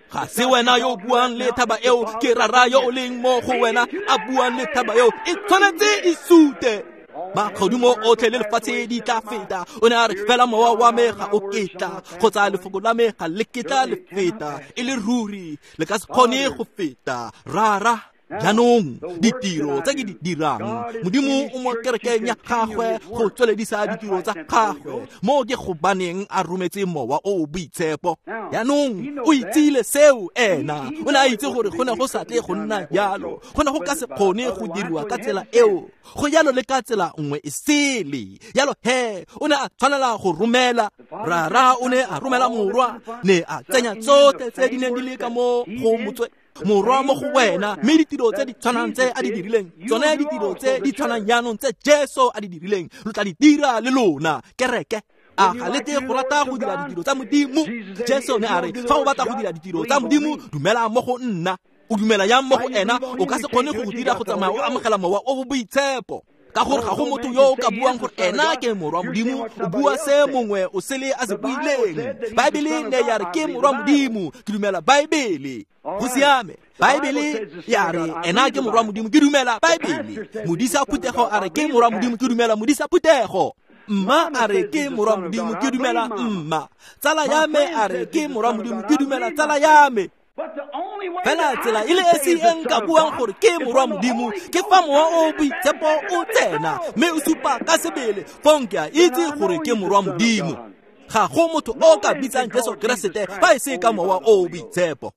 Ga se wena yo o buang le thaba eo, ke Rara yo o leng mo go wena a buang le thaba eo. E tshwanetse e sute. Magodimo otlhe le lefatshe di tla feta. O ne a re fela mowa wa me ga o ketla, kgotsa lefoko la me ga le ketla le feta. E le ruri le ka se kgone go feta. Rara, jaanong ditiro tse ke di dirang, Modimo o mo kerekeng ya gagwe go tsweledisa ditiro tsa gagwe. Mo ke gobaneng a rometse Mowa o o Boitshepo. Jaanong o itsile seo ena, o ne a itse gore go ne go sa tle go nna jalo, go ne go ka se kgone go diriwa ka tsela eo, go jalo le ka tsela nngwe e sele. Jalo he o ne a tshwanela go romela. Rara o ne a romela Morwa, ne a tsenya tsotlhe tse di neng di le ka mo go motswe Morwa mo go wena, mme ditiro tse di tshwanang tse a di dirileng, tsone ditiro tse di tshwanang jaanong tse Jesu a di dirileng, lo tla di dira le lona. Kereke, a ga le tle go rata go dira ditiro tsa Modimo? Jesu ne a re fa o batla go dira ditiro tsa Modimo, dumela mo go nna. O dumela yang mo go ena? O ka se kgone go go dira go tsamaya o amogela Mowa o Boitshepo, ka gore ga go motho yo o ka buang gore ena ke Morwa Modimo. O bua se mongwe o sele a se buileng. Baebele ne ya re ke Morwa Modimo, ke dumela Baebele. Go siame, Baebele ya re ena ke Morwa Modimo, ke dumela Baebele. Modisa phuthego a re ke Morwa Modimo, ke dumela modisa phuthego. Mma a re ke Morwa Modimo, ke dumela mma. Tsala ya me a re ke Morwa Modimo, ke dumela tsala ya me. Fela tsela e le esi e nka buang gore ke Morwa Modimo ke fa Mowa o Boitshepo o tsena mme o supa ka sebele, fong ke a itse gore ke Morwa Modimo. Ga go motho o ka bitsang Jesu Keresete fa e se ka Mowa o Boitshepo.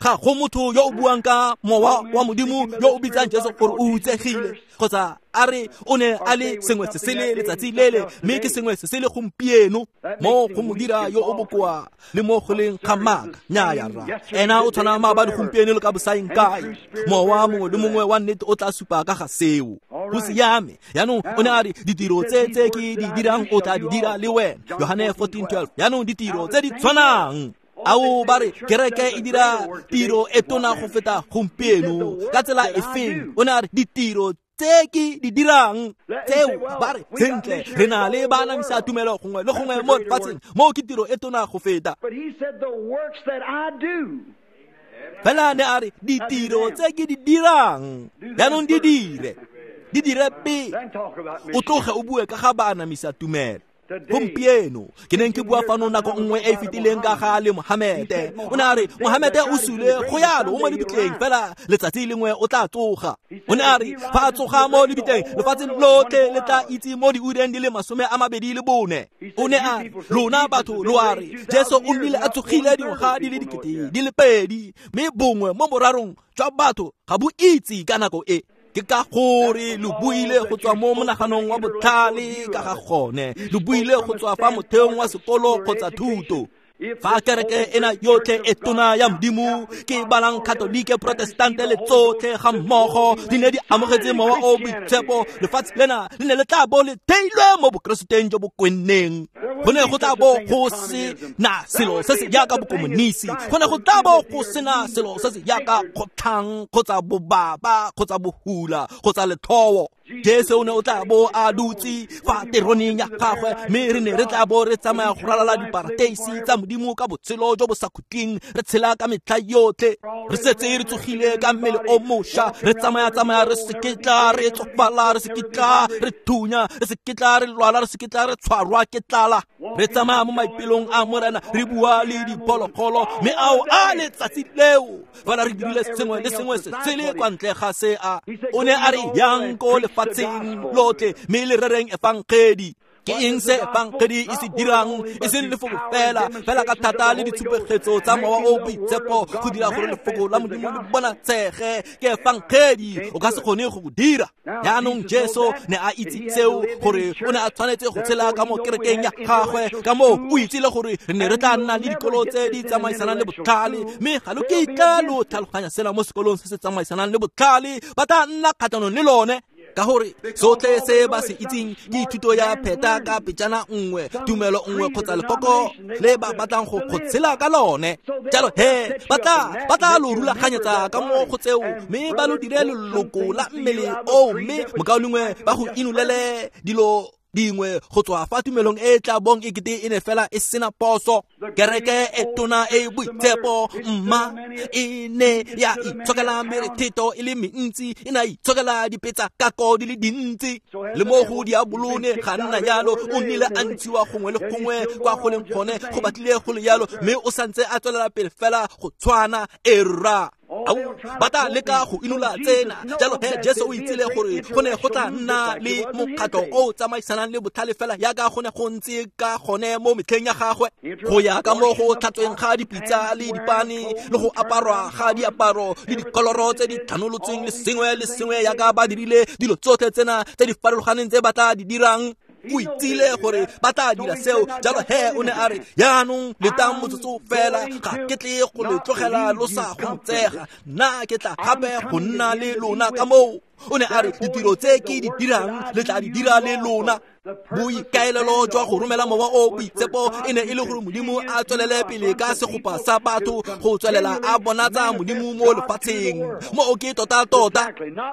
Ga go motho yo o buang ka Mowa wa Modimo yo o bitsang Jesu gore o hutsegile, kgotsa a re o ne a le sengwe se sele letsatsi lele, mme ke sengwe se sele gompieno. Mo go mo dira yo o bokoa le mo go leng ga maaka. Nnyaya rra, ena o tshwana maabane, gompieno le ka bosaeng kae. Mowa mongwe le mongwe wa nnete o tla supa ka ga seo. Go siame. Jaanong o ne a re ditiro tse tse ke di dirang o tla di dira le wena. Yohane 14:12. Jaanong ditiro tse di tshwanang. Ao ba re kereke e dira tiro e tona go feta gompieno ka tsela e feng? O ne a re ditiro tse ke di dirang tseo, ba re sentle re na le baanamisa tumelo gongwe le gongwe mo lefatsheng, moo ke tiro e tona go feta. Fela ne a re ditiro tse ke di dirang jaanong di dire pele, o tloge o bue ka ga baanamisa tumelo. Gompieno ke neng ke bua fano nako nngwe e e fetileng ka ga le Mohamete. O ne a re Mohamete o sule go yalo o mo lebitleng, fela letsatsi lengwe o tla tsoga. O ne a re fa a tsoga mo lebitleng, lefatshe lotlhe le tla itse mo diureng di le 24. O ne a re lona batho lo a re Jesu o nnile a tsogile dingwaga di le 2000, mme bongwe mo borarong jwa batho ga bo itse ka nako e. Ke ka gore lo buile go tswa mo monaganong wa botlhale ka ga gone, lo buile go tswa fa motheong wa sekolo kgotsa thuto. Fa kereke ena yotlhe e tona ya Modimo, ke balang Katolike, Protestante le tsotlhe ga mmogo, di ne di amogetse Mowa o Boitshepo, lefatshe lena le ne le tla bo le theilwe mo bokereseteng jo bo kwenneng. Go ne go tla bo go se na selo se se jaaka bokomonisi, go ne go tla bo go sena selo se se jaaka kgotlhang kgotsa bobaba kgotsa bohula kgotsa letlhowo. Jesu o ne o tla bo a dutse fa teroneng ya gagwe, mme re ne re tla bo re tsamaya go ralala diparateisi tsa Modimo ka botshelo jo bo sa khutleng, re tshela ka metlha yotlhe, re setse re tsogile ka mmele o mošwa, re tsamaya-tsamaya re seketla, re tsofala, re seketla, re thunya, re seketla, re lwala, re seketla, re tshwarwa ke tlala, re tsamaya mo maipelong a Morena, re bua le diphologolo, mme ao a letsatsi leo fela re dirile sengwe le sengwe se sele kwa ntle ga se a o ne a re yang ko lefatsheng lotlhe mme le rereng efangedi. Ke eng se efangedi e se dirang? E seng lefoko fela, fela ka thata le ditshupegetso tsa Mowa o Boitshepo go dira gore lefoko la Modimo le bonatshege. Ke efangedi, o ka se kgone go go dira. Jaanong Jesu ne a itse seo, gore o ne a tshwanetse go tshela ka mo kerekeng ya gagwe, ka moo o itsile gore re ne re tla nna le dikolo tse di tsamaisanang le botlhale, mme ga lo kitla lo tlhaloganya sena mo sekolong se se tsamaisanang le botlhale, ba tla nna kgatlhanong le lone. Ka gore sotlhe se ba se itseng ke thuto ya pheta ka pejana nngwe, tumelo nngwe kgotsa lekoko le ba batlang go tshela ka lone. Jalo he ba tla lo rulaganyetsa ka mo go tseo, mme ba lo dire leloko la mmele oo, mme mokaulengwe ba go inolele dilo dingwe go tswa fa tumelong e tla bong e kete e ne fela e sena poso. Kereke e tona e boitshepo mma e ne ya itshokela merethetho e le mentsi, e ne ya itshokela dipetsa kako di le dintsi, le mo go diabolo ne ga nna jalo, o nnile a ntshiwa gongwe le gongwe kwa go leng gone, go batlile go le jalo, mme o santse a tswelela pele fela go tshwana. Erra ao ba tla leka go inola tsena. Jalo he Jesu o itsile gore go ne go tla nna le mokgatlho o tsamaisanang le botlhale fela yaka go ne go ntse ka gone mo metlheng ya gagwe, go ya ka mo go tlhatsweng ga dipitsa le dipane le go aparwa ga diaparo le dikoloro tse di tlhanolotsweng le sengwe le sengwe yaka ba dirile dilo tsotlhe tsena tse di farologaneng tse ba tla di dirang. O itsile gore ba tla dira seo. Jalo he o ne a re, jaanong letang motsotso fela, ga ke tle go le tlogela lo sa gomotsega, nna ke tla gape go nna le lona ka moo. O ne a re, ditiro tse ke di dirang le tla di dira le lona. Boikaelelo jwa go romela Mowa o Boitshepo e ne e le gore Modimo a tswelele pele ka segopa sa batho go tswelela a bonatsa Modimo mo lefatsheng. Mo ke tota-tota,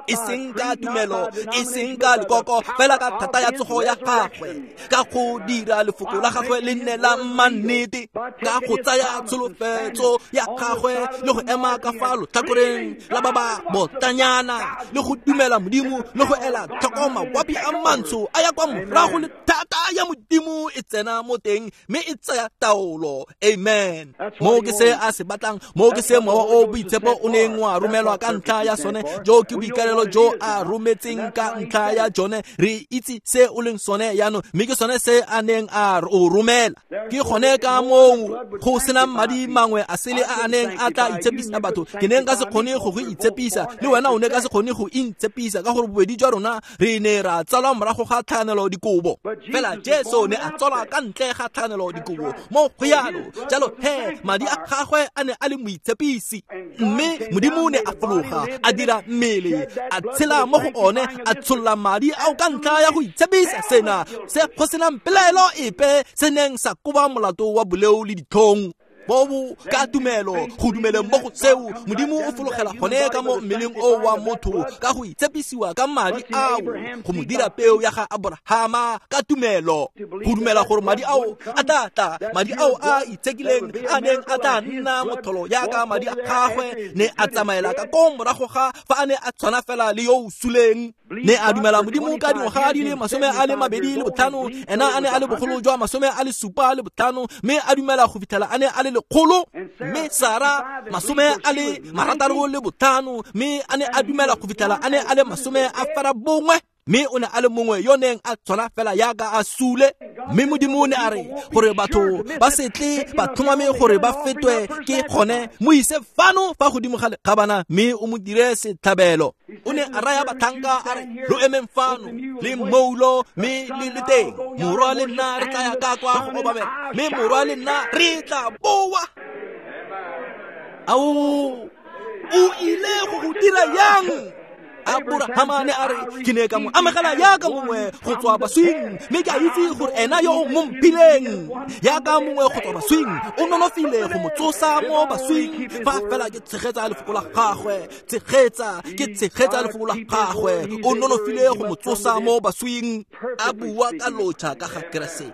e seng ka tumelo, e seng ka lekoko, fela ka thata ya tsogo ya gagwe, ka go dira lefoko la gagwe le nne la mannete, ka go tsaya tsholofetso ya gagwe le go ema ka fa lotlhakoreng la ba ba botanyana, le go dumela Modimo le go ela tlhoko mawapi a mantsho a ya kwa morago le thata ya Modimo e tsena mo teng mme e tsaya taolo. Amen. Mo ke se a se batlang, mo ke se Mowa o Boitshepo o neng wa romelwa ka ntlha ya sone, jo ke boikalelo jo a rometseng ka ntlha ya jone. Re itse se o leng sone jaanong, mme ke sone se a neng a o romela. Ke gone ka moo go sena madi mangwe a sele a a neng a tla itshepisa batho. Ke ne nka se kgone go go itshepisa, le wena o ne ka se kgone go intshepisa, ka gore bobedi jwa rona re ne ra tsalwa morago ga tlhakanelo dikobo. Fela Jesu ne a tsalwa ka ntle ga tlhakanelo dikobo mo go yalo. Jalo he madi a gagwe a ne a le moitshepisi, mme Modimo ne a fologa a dira mmele, a tshela mo go one, a tsholla madi ao ka ntlha ya go itshepisa sena se go senang pelaelo epe se neng sa koba molato wa boleo le ditlhong. Bobo ka tumelo go dumeleng mo go seo, Modimo o fologela gone ka mo mmeleng o wa motho ka go itshepisiwa ka madi ao, go mo dira peo ya ga Aborahama ka tumelo, go dumela gore madi ao a tla tla, madi ao a itshekileng a neng a tla nna motholo yaka madi a gagwe ne a tsamaela ka ko morago ga fa a ne a tshwana fela le yo o suleng. Ne a dumela Modimo ka dingwaga di le 25, ena a ne a le bogolo jwa 75, mme a dumela go fitlhela a ne a le 100. Mme Sara 65, mme a ne a dumela go fitlhela a ne a le 90. Mme o ne a le mongwe yo neng a tshwana fela yaka a sule. Mme Modimo ne a re gore batho ba se tle ba tlhomame gore ba fetwe ke gone, mo ise fano fa godimo ga lekgabana mme o mo dire setlhabelo. O ne a raya batlhanka a re, lo emeng fano le mmoulo mme le le teng, morwa le nna re tla ya ka kwa go obamela, mme morwa le nna re tla boa. Ao, o ile go go dira yang? Aborahama ne a re ke ne ka mo amogela yaka mongwe go tswa baswing, mme ke a itse gore ena yo o mo mphileng yaka mongwe go tswa baswing o nonofile go mo tsosa mo baswing. Fa fela ke tshegetsa lefoko la gagwe, tshegetsa lefoko la gagwe, o nonofile go mo tsosa mo baswing. A bua ka lotšha ka ga Keresete,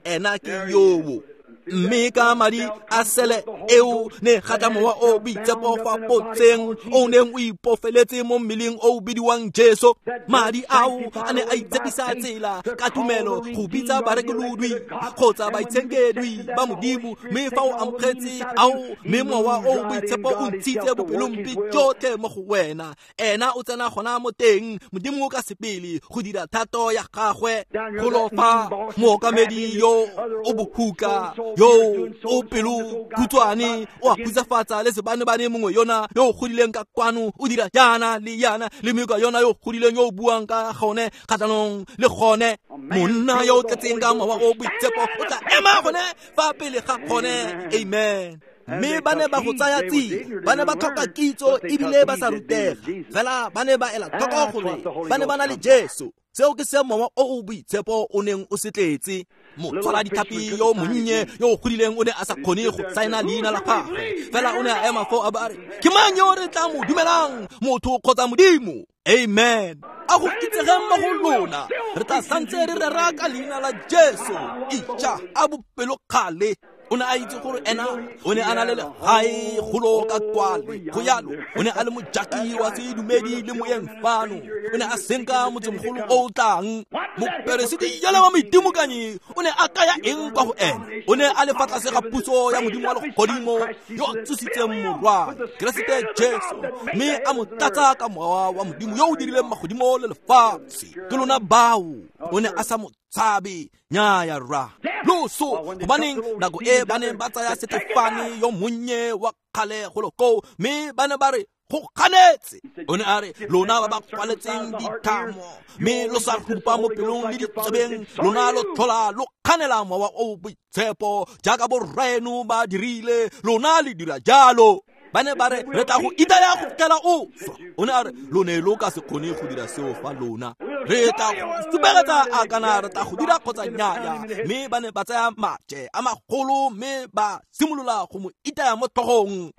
ena ke yoo. Mme ka madi a sele eo ne ga tla mowa o boitshepo fa potseng o neng o ipofeletse mo mmeleng o bidiwang Jesu. Madi ao a ne a itshepisa tsela ka tumelo go bitsa barekolodwi kgotsa baitshenkedwi ba Modimo. Mme fa o amogetse ao, mme mowa o boitshepo o ntshitse bopelompe jotlhe mo go wena, ena o tsena gona mo teng Modimo ka sepele go dira thato ya gagwe. Golo fa mookamedi yo o bohuka yo o pelo khutshwane o a khutsafatsa le sebanebane mongwe yona yo o godileng ka kwano o dira jaana le yana le mekwa yona yo o godileng yo o buang ka gone kgatlhanong le gone. Monna yo o tletseng ka mowa o boitshepo o tla ema gone fa pele ga gone. Amen. Mme ba ne ba go tsaya tsia, ba ne ba tlhoka kitso ebile ba sa rutega, fela ba ne ba ela tlhoko gore ba ne ba na le Jesu. Seo ke se mowa o o boitshepo o neng o se tletse. Motshwara ditlhapi yo monnye yo o godileng o ne a sa kgone go saena leina la gagwe, fela o ne a ema foo a ba a re, ke mang yo re tla mo dumelang, motho kgotsa Modimo? Amen. A go itsegeng mo go lona, re tla santse re rera ka leina la Jesu. Ija a bopelokgale. O ne a itse gore ena o ne a na le legae golo ka kwale go yalo. O ne a le mojaki wa sedumedi le moyeng fano, o ne a senka motsemogolo o o tlang. Moperesiti yale wa moitimokanyi o ne a kaya eng kwa go ena? O ne a le fa tlase ga puso ya Modimo wa legodimo yo o tsositseng morwa Keresete Jesu, mme a mo tlatsa ka mowa wa Modimo yo o dirileng magodimo le lefatshe. Ke lona bao. O ne a sa mo tshabe. Nnyaya rra. Loso, gobaneng nako e ba neng ba tsaya Setefane yo monnye wa kgale golo koo, mme ba ne ba re go ganetse. O ne a re, lona ba ba kwaletseng dithamo mme lo sa rupa mo pelong le ditsebeng, lona lo tlhola lo kganela mowa o boitshepo jaaka borraeno ba dirile, lona le dira jalo. Ba ne ba re re tla go itaya go fitlhela o swa. O ne a re, lo ne lo ka se kgone go dira seo fa lona. Re tla go supegetsa a kana re tla go dira kgotsa nnyaya. Mme ba ne ba tsaya maje a magolo mme ba simolola go mo itaya mo tlhogong.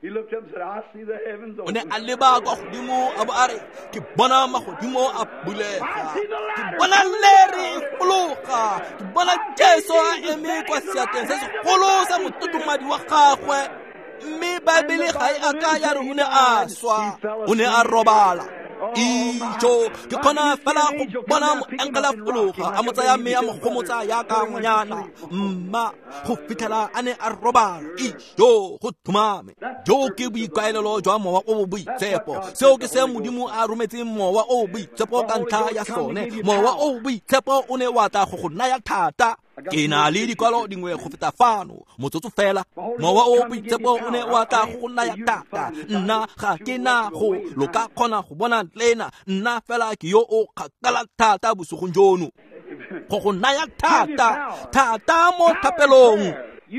O ne a leba kwa godimo a bo a re, ke bona magodimo a bulega, ke bona lere e fologa, ke bona Jesu a eme kwa seatleng se segolo sa mototomadi wa gagwe. Mme Baebele ga e a ka ya re o ne a swa, o ne a robala. Ijo, ke kgona fela go bona moengele a fologa a mo tsaya mme a mo gomotsa yaka ngwanyana mma go fitlhela a ne a robala. Ijo, go tlhomame. Jo ke boikaelelo jwa mowa o o boitshepo. Seo ke se Modimo a rometseng mowa o o boitshepo ka ntlha ya sone. Mowa o o boitshepo o ne wa tla go go naya thata. Ke na le dikwalo dingwe go feta fano, motsotso fela. Mowa o boitshepo o ne wa tla go naya thata. Nna ga ke na go lo ka kgona go bona lena, nna fela ke yo o kgakala thata bosigong jono. Go go naya thata, thata mo thapelong.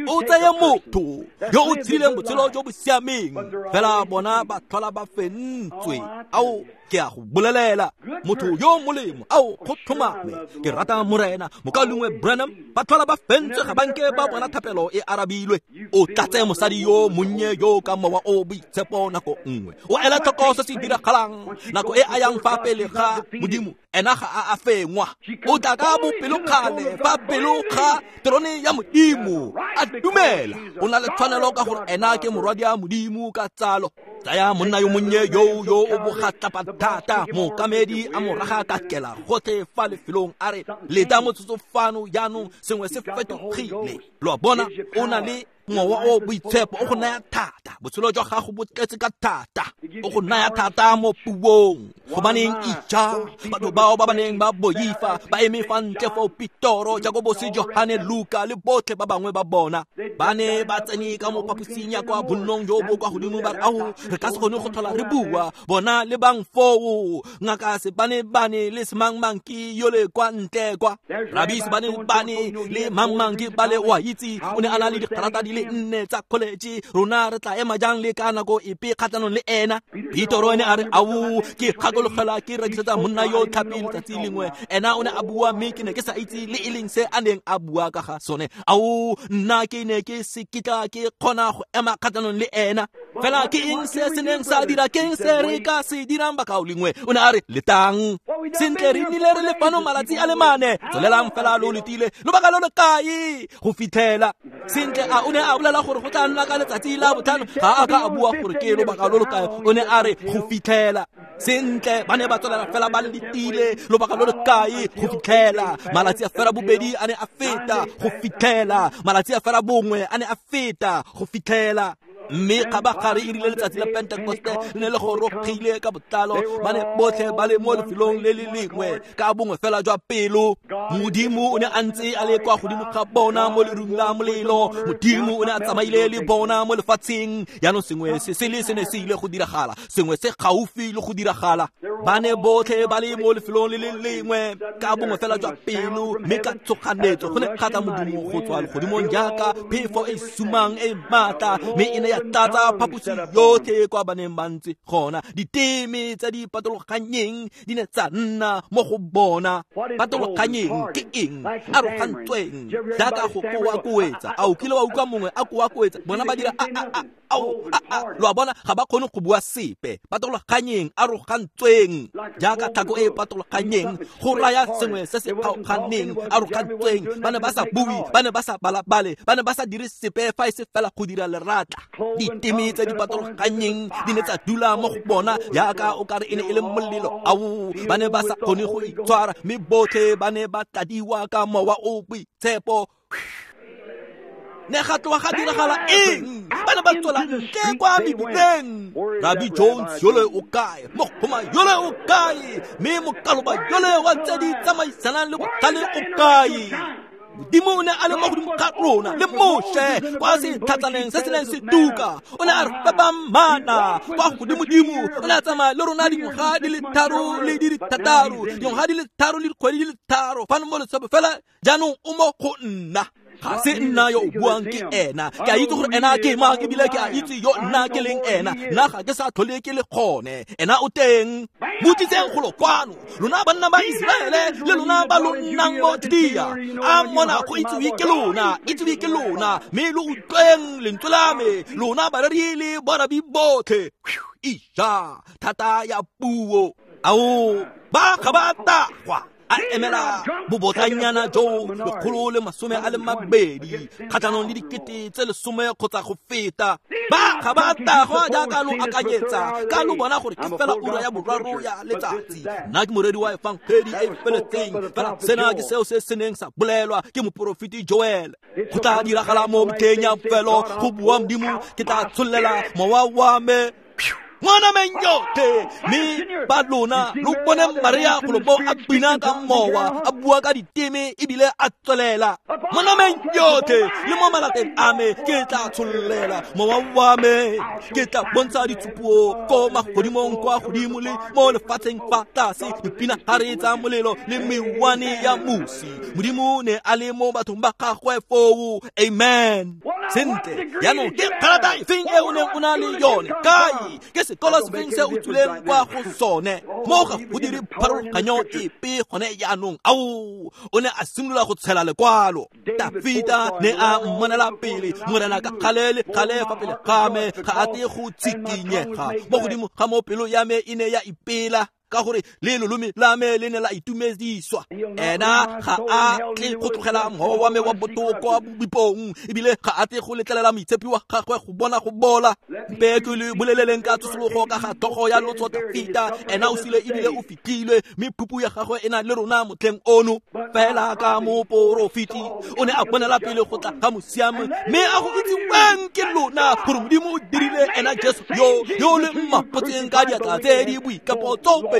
O tseye motho yo o tshileng botshelo jo bo siameng, fela bona ba tlhola ba fentswe. Ao, ke a go bolelela, motho yo molemo, ao, go tlhomame, ke rata Morena Mokaulengwe Branham, ba tlhola ba fentswe, ga banke ba bona thapelo e arabilwe. O tlatse mosadi yo monnye yo ka mowa o boitshepo nako nngwe, o ela tlhoko se se diragalang nako e a yang fa pele ga Modimo, ena ga a a fengwa. O tla ka bopelokgale fa pelo ga terone ya Modimo, a dumela o na le tshwanelo ka gore ena ke morwadi a Modimo ka tsalo. Tsaya monna yo monnye yo yo o bogatlapa thata, mookamedi a mo raga ka kela gotlhe fa lefelong a re, leta motsotso fano jaanong, sengwe se fetogile. Lo a bona, o na le mowa o boitshepo o go naya thata, botshelo jwa gago bo tletse ka thata, o go naya thata mo puong. Gobaneng ija, batho bao ba ba neng ba boifa ba eme fa ntle foo, Petoro, Jakobose, Johane, Luka le botlhe ba bangwe ba bona ba ne ba tsene ka mo phaposing ya kwa bonnong jo bo kwa godimo, ba re, ao, re ka se kgone go tlhola re bua. Bona le bang foo, ngaka Sebanebane le semangmang ke yole kwa ntle kwa, Rabi Sebanebane le mangmang ke bale, o a itse, o ne a na le dikarata di le le 4 tsa college, rona re tla ema jang le ka nako epe kgatlhanong le ena? Petro ene a re, ao, ke gakologela ke rekisetsa monna yo tlhapi letsatsi lengwe, ena o ne a bua mme ke ne ke sa itse le e leng se a neng a bua ka ga sone. Ao, nna ke ne ke se kitla ke kgona go ema kgatlhanong le ena. Fela ke eng se se neng sa dira, ke eng se re ka se dirang bakaulengwe? O ne a re, letang sentle, re nnile re le fano malatsi a le 4, tswelelang fela lo letile lobaka lo lo kae go fitlhela. Sentle, a o ne a bolela gore go tla nna ka letsatsi la botlhano? Ga a ka a bua gore ke lobaka lo lo kae, o ne a re go fitlhela. Sentle, ba ne ba tswelela fela ba letile lobaka lo lo kae go fitlhela. Malatsi a fela bobedi a ne a feta go fitlhela, malatsi a fela bongwe a ne a feta go fitlhela. Mme kgabagare e rile letsatsi la Pentekoste le ne le gorogile ka botlalo, ba ne botlhe ba le mo lefelong le le lengwe ka bongwe fela jwa pelo. Modimo o ne a ntse a le kwa godimo ga bona mo lerung la molelo, Modimo o ne a tsamaile le bona mo lefatsheng. Jaanong sengwe se sele se ne se ile go diragala, sengwe se gaufi le go diragala. Ba ne botlhe ba le mo lefelong le le lengwe ka bongwe fela jwa pelo, mme ka tshoganetso go ne ga tla modumo go tswa legodimong jaaka phefo e sumang e maatla, mme e ne ya tlatsa phaposi yotlhe kwa ba neng ba ntse gona. Diteme tse di patologanyeng di ne tsa nna mo go bona. Patologanyeng ke eng? Arogantsweng, jaaka go koakoetsa. A o kile wa utlwa mongwe a koakoetsa? Bona ba dira a a a ao a a, lo a bona, ga ba kgone go bua sepe. Patologanyeng, arogantsweng, jaaka tlhako e patologanyeng, go raya sengwe se se kgaoganeng. Arogantsweng, ba ne ba sa bue, ba ne ba sa balabale, ba ne ba sa dire sepe fa e se fela go dira leratla. Diteme tse di patologanyeng di ne tsa dula mo go bona jaaka o kare e ne e le molelo. Ao, ba ne ba sa kgone go itshwara, mme botlhe ba ne ba tladiwa ka mowa o boitshepo. Ne ga tloga ga diragala eng? Ba ne ba tswela ntle kwa mebileng. Rabbi Jones yole o kae? Mogoma yole o kae? Mme mokaloba yole wa tse di tsamaisanang le botlhale o kae? Modimo o ne a le mo godimo ga rona le Moshe kwa setlhatsaneng se se neng se tuka. O ne a re fepa mana kwa godimodimo. O ne a tsamaya le rona dingwaga di le 3 le di le 6, dingwaga di le 3 le dikgwedi di le 3 fano mo letshopo fela. Jaanong o mo go nna. Ga se nna yo o buang, ke ena. Ke a itse gore ena ke mang, ebile ke a itse yo nna ke leng ena. Nna ga ke sa tlhole ke le gone, ena o teng. Mo tliseng golo kwano, lona banna ba Iseraele le lona ba lo nnang mo Judea. A mona go itsiwe ke lona, itsiwe ke lona, mme lo utlweng lentswe la me, lona bareri le borabi botlhe. Ija, thata ya puo. Ao, ba ga ba tagwa. A emela bobotlanyana jo 120 kgatlhanong le 10 kgotsa go feta. Ba ga ba tagwa jaaka lo akanyetsa, ka lo bona gore ke fela ura ya 3 ya letsatsi. Nna ke moreri wa efangedi e feletseng, fela sena ke seo se se neng sa bolelwa ke moporofeti Joel. Go tla diragala mo metlheng ya bofelo, go bua Modimo, ke tla tshollela mowa wa me mo nameng yotlhe. Mme ba lona lo bone Maria golo mo a bina ka mowa, a bua ka diteme ebile a tswelela. Mo nameng yotlhe le mo malapeng a me ke tla tshollela mowa wa me, ke tla bontsha ditshupo ko magodimong kwa godimo le mo lefatsheng fa tlase, dipinagare tsa molelo le mewane ya mosi. Modimo ne a le mo bathong ba gagwe foo. Amen. Sentle, jaanong ke kgalata efeng e o neng o na le yone? Kae? Ke sekolo sefeng se o tswileng kwa go sone? Mo ga go dire pharologanyo epe gone jaanong. Ao, o ne a simolola go tshela lekwalo. Dafita ne a mmonela pele, Morena ka gale le gale fa pele ga me, ga a tle go tshikinyega. Mo godimo ga mo pelo ya me e ne ya ipela, ka gore le lolome la me le ne la itumediswa. Ena ga a tle go tlogela mowa wa me wa botoko bipong, ebile ga a tle go letlelela moitshepi wa gagwe go bona go bola. Mpe ke le boleleleng ka tsosologo ka ga tlhogo ya lotso Dafita. Ena o sule ebile o fitlhilwe, mme phupu ya gagwe e na le rona motlheng ono. Fela ka moporofeti o ne a bonela pele go tla ga mosiami, mme a go itsiweng ke lona gore Modimo o dirile ena Jesu yo le mmapotseng ka diatla tse di boikapo tsoopedi,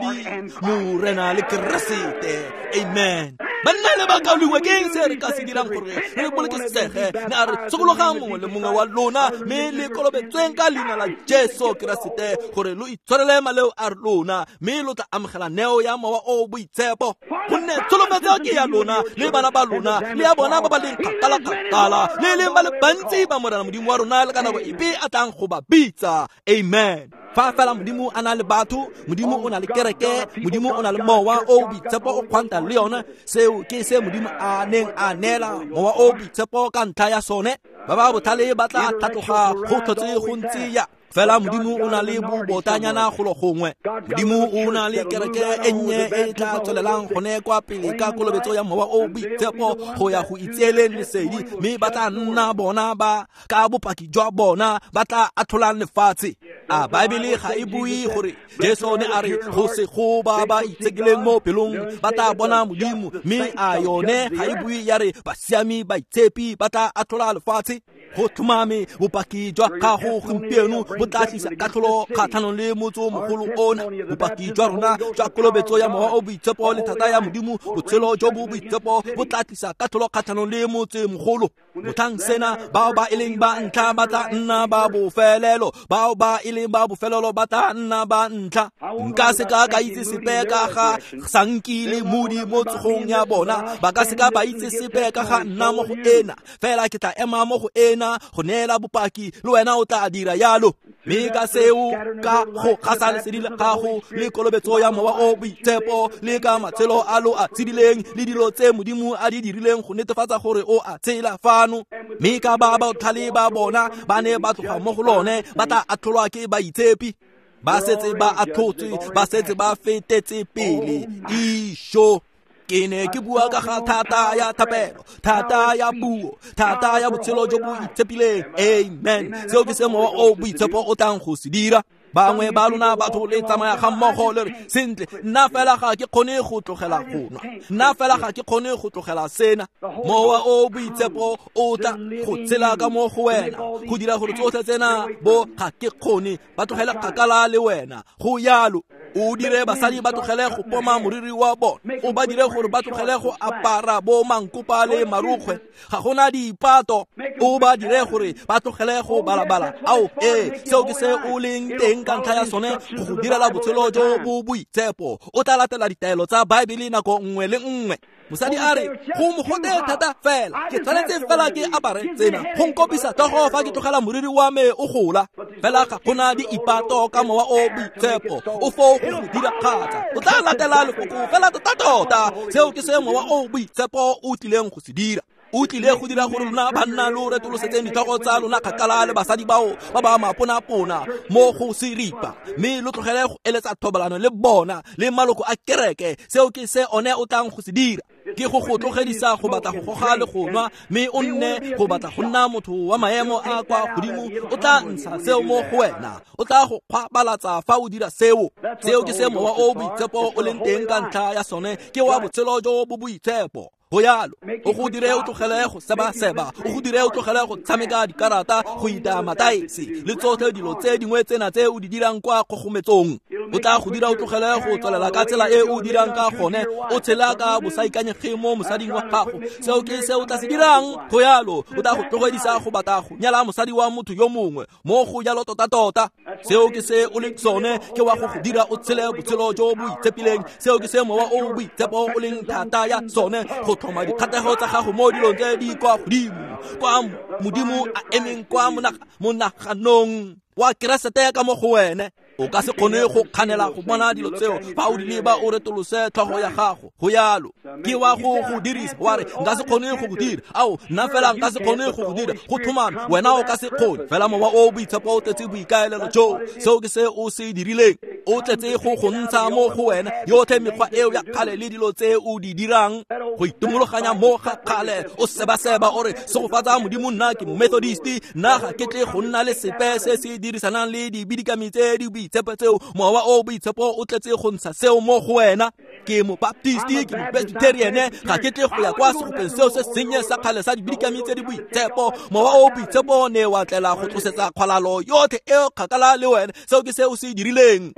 Morena le Keresete. Amen. Banna le bakaulengwe ke eng se re ka se dirang gore re bolokesege? Ne a re sokologang mongwe le mongwe wa lona mme le kolobetsweng ka leina la Jesu Keresete gore lo itshwarele maleo a lona mme lo tla amogela neo ya Mowa o Boitshepo. Gonne tsholofetso ke ya lona le bana ba lona le ya bona ba ba leng kgakala-kgakala le leng ba le bantsi ba Morena Modimo wa rona le ka nako epe a tlang go ba bitsa. Amen. Fa fela Modimo a na le batho, Modimo o na le kereke, Modimo o na le Mowa o Boitshepo o kgwanta le yone. Seo ke se Modimo a neng a neela Mowa o Boitshepo ka ntlha ya sone. Ba ba botlhale ba tla tlhatloga go tlhotse go ntse ya. Fela Modimo o na le bobotanyana golo gongwe. Modimo o na le kereke e nnye e tla tswelelang gone kwa pele ka kolobetso ya Mowa o Boitshepo go ya go itseeleng lesedi, mme ba tla nna bona ba ka bopaki jwa bona ba tla atlholang lefatshe. A Baebele ga e bue gore Jesu ne a re go se go ba ba itshekileng mo pelong ba tla bona Modimo, mme a yone ga e bue ya re basiami baitshepi ba tla atlhola lefatshe? Go tlhomame bopaki jwa gago gompieno bo tla tlisa katlholo kgatlhanong le motse o mogolo ona. Bopaki jwa rona jwa kolobetso ya Mowa o Boitshepo le thata ya Modimo, botshelo jo bo boitshepo bo tla tlisa katlholo kgatlhanong le motse mogolo. Motlhang sena bao ba e leng ba ntlha ba tla nna ba bofelelo, bao ba e leng ba bofelelo ba tla nna ba ntlha. Nka se ka ka itse sepe ka ga Sanki le Moody mo tsogong ya bona, ba ka se ka ba itse sepe ka ga nna mo go ena, fela ke tla ema mo go ena go neela bopaki, le wena o tla dira yalo. Mme ka seo, ka go gasa lesedi la gago le kolobetso ya Mowa o Boitshepo le ka matshelo a lo a tshedileng le dilo tse Modimo a di dirileng go netefatsa gore o a tshela fano, mme ka ba botlhale ba bona ba ne ba tloga mo go lone, ba tla atlholwa ke baitshepi. Ba setse ba atlhotswe, ba setse ba fetetse pele. Isho. Ke ne ke bua ka ga thata ya thapelo, thata ya puo, thata ya botshelo jo bo itshepileng. Amen. Seo ke se Mowa o Boitshepo o tlang go se dira. Bangwe ba lona batho le tsamaya ga mmogo le re, sentle, nna fela ga ke kgone go tlogela go nwa, nna fela ga ke kgone go tlogela sena. Mowa o Boitshepo o tla go tshela ka mo go wena go dira gore tsotlhe tsena bo ga ke kgone ba tlogele kgakala le wena. Go yalo. O dire basadi ba tlogele go poma moriri wa bona, o ba dire gore ba tlogele go apara bo mankopa le marukgwe, ga gona dipato. O ba dire gore ba tlogele go balabala. Ao, ee, seo ke se o leng teng ka ntlha ya sone, go go direla botshelo jo bo boitshepo. O tla latela ditaelo tsa Baebele nako nngwe le nngwe. Mosadi a re, go mogote thata fela, ke tshwanetse fela ke apare tsena go nkopisa tlhogo fa ke tlogela moriri wa me o gola. Fela ga gona di ipato ka Mowa o Boitshepo o foo go go dira kgatsa. O tla latela lefoko fela tota-tota. Seo ke se Mowa o Boitshepo o tlileng go se dira. O tlile go dira gore lona banna lo retolosetseng ditlhogo tsa lona kgakala le basadi bao ba ba maponapona mo go seripa, mme lo tlogele go eletsa thobalano le bona le maloko a kereke. Seo ke se one o tlang go se dira. Ke go go tlogedisa go batla go goga le go nwa, mme o nne go batla go nna motho wa maemo a kwa godimo. O tla ntsha seo mo go wena, o tla go kgwabalatsa fa o dira seo. Seo ke se Mowa o Boitshepo o leng teng ka ntlha ya sone, ke wa botshelo jo bo boitshepo. Go yalo. O go dire o tlogele go seba-seba, o go dire o tlogele go tshameka dikarata, go itaya mataese le tsotlhe dilo tse dingwe tsena tse o di dirang kwa kgogometsong. O tla go dira o tlogele go tswelela ka tsela e o dirang ka gone, o tshela ka bosaikanyege mo mosading wa gago. Seo ke se o tla se dirang. Go yalo. O tla go tlogedisa go batla go nyala mosadi wa motho yo mongwe. Mo go jalo tota-tota. Seo ke se o leng sone, ke wa go go dira o tshele botshelo jo bo itshepileng. Seo ke se Mowa o Boitshepo o leng thata ya sone, go tlhoma dikgatlhego tsa gago mo dilong tse di kwa godimo, kwa Modimo a emeng kwa monaganong wa Keresete ka mo go wene. O ka se kgone go kganela go bona dilo tseo fa o di leba o retolose tlhogo ya gago. Go yalo. Ke wa go go dirisa, wa re nka se kgone go go dira. Ao, nna fela nka se kgone go go dira. Go tlhomame, wena o ka se kgone. Fela Mowa o Boitshepo o tletse boikaelelo jo. Seo ke se o se dirileng. O tletse go go ntsha mo go wena yotlhe mekgwa eo ya kgale le dilo tse o di dirang, go itomologanya mo ga kgale. O seba-seba o re, segofatsa Modimo, nna ke Methodist, nna ga ke tle go nna le sepe se se dirisanang le dibidikami tse di boitshepo tseo. Mowa o Boitshepo o tletse go ntsha seo mo go wena. Ke mobaptisti, ke mopresbyteriane, ga ke tle go ya kwa segopeng seo se sennye sa kgale sa dibidikami tse di boitshepo. Mowa o boitshepo ne wa tlela go tlosetsa kgwalalo yotlhe eo kgakala le wena. Seo ke se o se dirileng.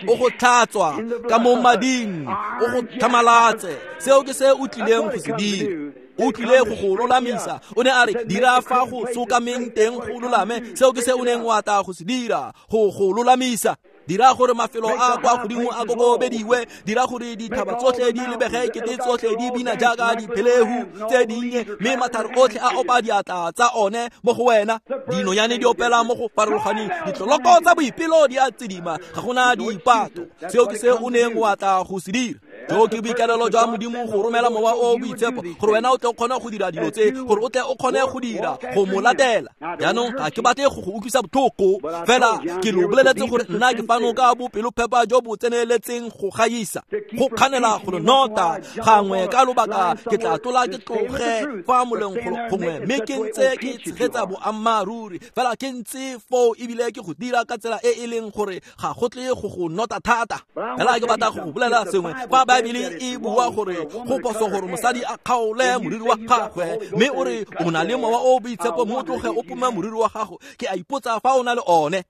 O go tlhatswa ka mo mading, o go tlhamalatse. Seo ke se o tlileng go se dira. O tlile go go lolamisa. O ne a re dira fa go sokameng teng go lolame. Seo ke se o neng wa tla go se dira, go go lolamisa. Dira gore mafelo a kwa godimo a kokobediwe, dira gore dithaba tsotlhe di lebege kete tsotlhe di bina jaaka diphelehu tse dinnye, mme mathare otlhe a opa diatla tsa one mo go wena. Dinonyane di opela mo go farologaneng, ditloloko tsa boipelo di a tsidima, ga gona diipato. Seo ke se o neng wa tla go se dira. Jo ke boikalelo jwa Modimo go romela mowa o boitshepo gore wena o tle o kgone go dira dilo tse, gore o tle o kgone go dira go mo latela. Jaanong ga ke batle go go utlwisa botlhoko, fela ke lo boleletse gore nna ke fano ka bopelophepa jo bo tseneletseng go gaisa, go kganela go nota gangwe ka lobaka. Ke tla tlola ke tloge fa moleng gongwe, mme ke ntse ke tshegetsa boammaaruri, fela ke ntse foo ebile ke go dira ka tsela e e leng gore ga go tle go go nota thata. Fela ke batla go go bolela sengwe. Fa Baebele e bua gore go phoso gore mosadi a kgaole moriri wa gagwe, mme o re o na le mowa o boitshepo, mo tloge o pome moriri wa gago, ke a ipotsa fa o na le one.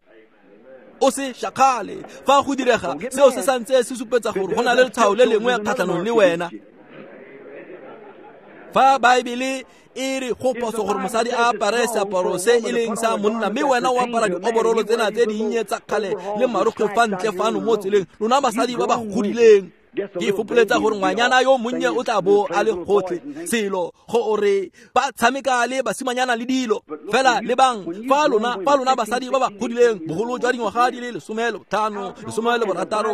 O se shakgale. Fa go direga seo se santse se supetsa gore go na le letshwao le lengwe kgatlhanong le wena. Fa Baebele e re go phoso gore mosadi a apare seaparo se e leng sa monna, mme wena o apara dioborolo tsena tse dinnye tsa kgale le marokgwe fa ntle fano mo tseleng, lona basadi ba ba godileng, ke fopoletsa gore ngwanyana yo monnye o tla bo a le gotlhe selo gore ba tshameka le basimanyana le dilo. Fela lebang, fa lona basadi ba ba godileng bogolo jwa dingwaga di le 15, 16, 18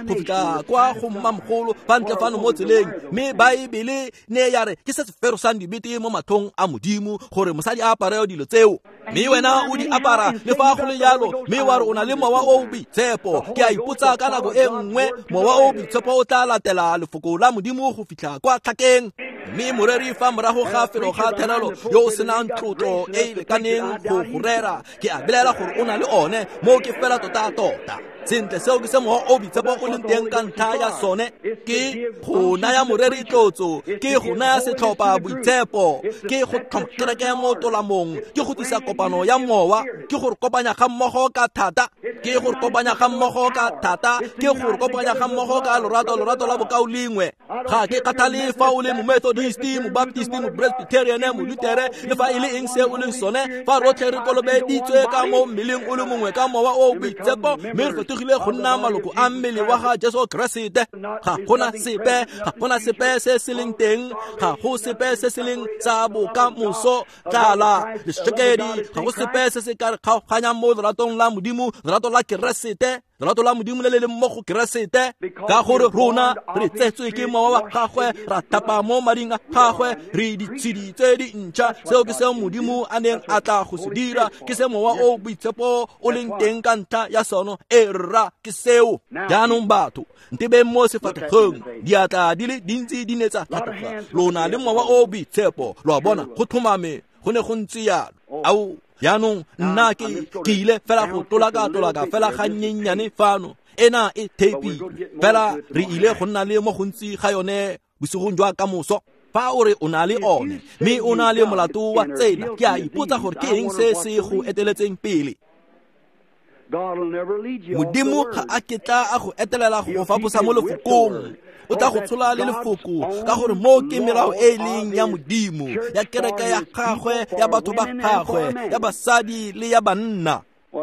go fitlha kwa go mmamogolo fa ntle fano mo tseleng, mme Baebele ne ya re ke se se ferosang dibete mo matlhong a Modimo gore mosadi a apare dilo tseo, mme wena o di apara le fa go le jalo, mme wa re o na le mowa o boitshepo. Ke a ipotsa ka nako e nngwe mowa o boitshepo o tla latela lefoko la Modimo go fitlha kwa tlhakeng. Mme moreri fa morago ga felo ga therelo yo o senang tlotlo e e lekaneng go go rera, ke a belela gore o na le one. Moo ke fela tota-tota. Sentle, seo ke se mowa o boitshepo o leng teng ka ntlha ya sone, ke go naya moreri tlotso, ke go naya setlhopha boitshepo, ke go tlhoma kereke mo tolamong, ke go tlisa kopano ya mowa, ke go re kopanya ga mmogo ka thata, ke go re kopanya ga mmogo ka thata, ke go re kopanya ga mmogo ka lorato, lorato la bokaulengwe. Ga ke kgathale fa o le momethodisti, mobaptisti, mopresbyteriane, molutere, le fa e le eng se o leng sone, fa rotlhe re kolobeditswe ka mo mmeleng o le mongwe ka mowa o boitshepo, mme re fetogile go nna maloko a mmele wa ga Jesu Keresete. Ga gona sepe, ga gona sepe se se leng teng, ga go sepe se se leng sa bokamoso, tlala, lešekedi, ga go sepe se se ka re kgaoganyang mo leratong la Modimo, lerato la Keresete, lerato la Modimo le le leng mo go Keresete, ka gore rona re tsetswe ke mowa wa gagwe, ra thapa mo mading a gagwe, re ditshedi tse di ntšha. Seo ke seo Modimo a neng a tla go se dira, ke se mowa o boitshepo o leng teng ka ntlha ya sono. E rra, ke seo. Jaanong batho, ntebeng mo sefatlhegong, diatla di le dintsi di ne tsa tlhatloga. Lona le mowa o boitshepo, lo a bona, go tlhomame go ne go ntse jalo. Ao, jaanong nna ke ile fela go tolaka fela ga nnyennyane fano. Ena e theipilwe, fela re ile go nna le mo gontsi ga yone bosigong jwa kamoso. Fa o re o na le one, mme o na le molato wa tsena, ke a ipotsa gore ke eng se se go eteletseng pele. Modimo ga a ketla a go etelela go faposa mo lefokong. O tla go tshola le lefoko, ka gore mo ke melao e e leng ya Modimo, ya kereke ya gagwe, ya batho ba gagwe, ya basadi le ya banna.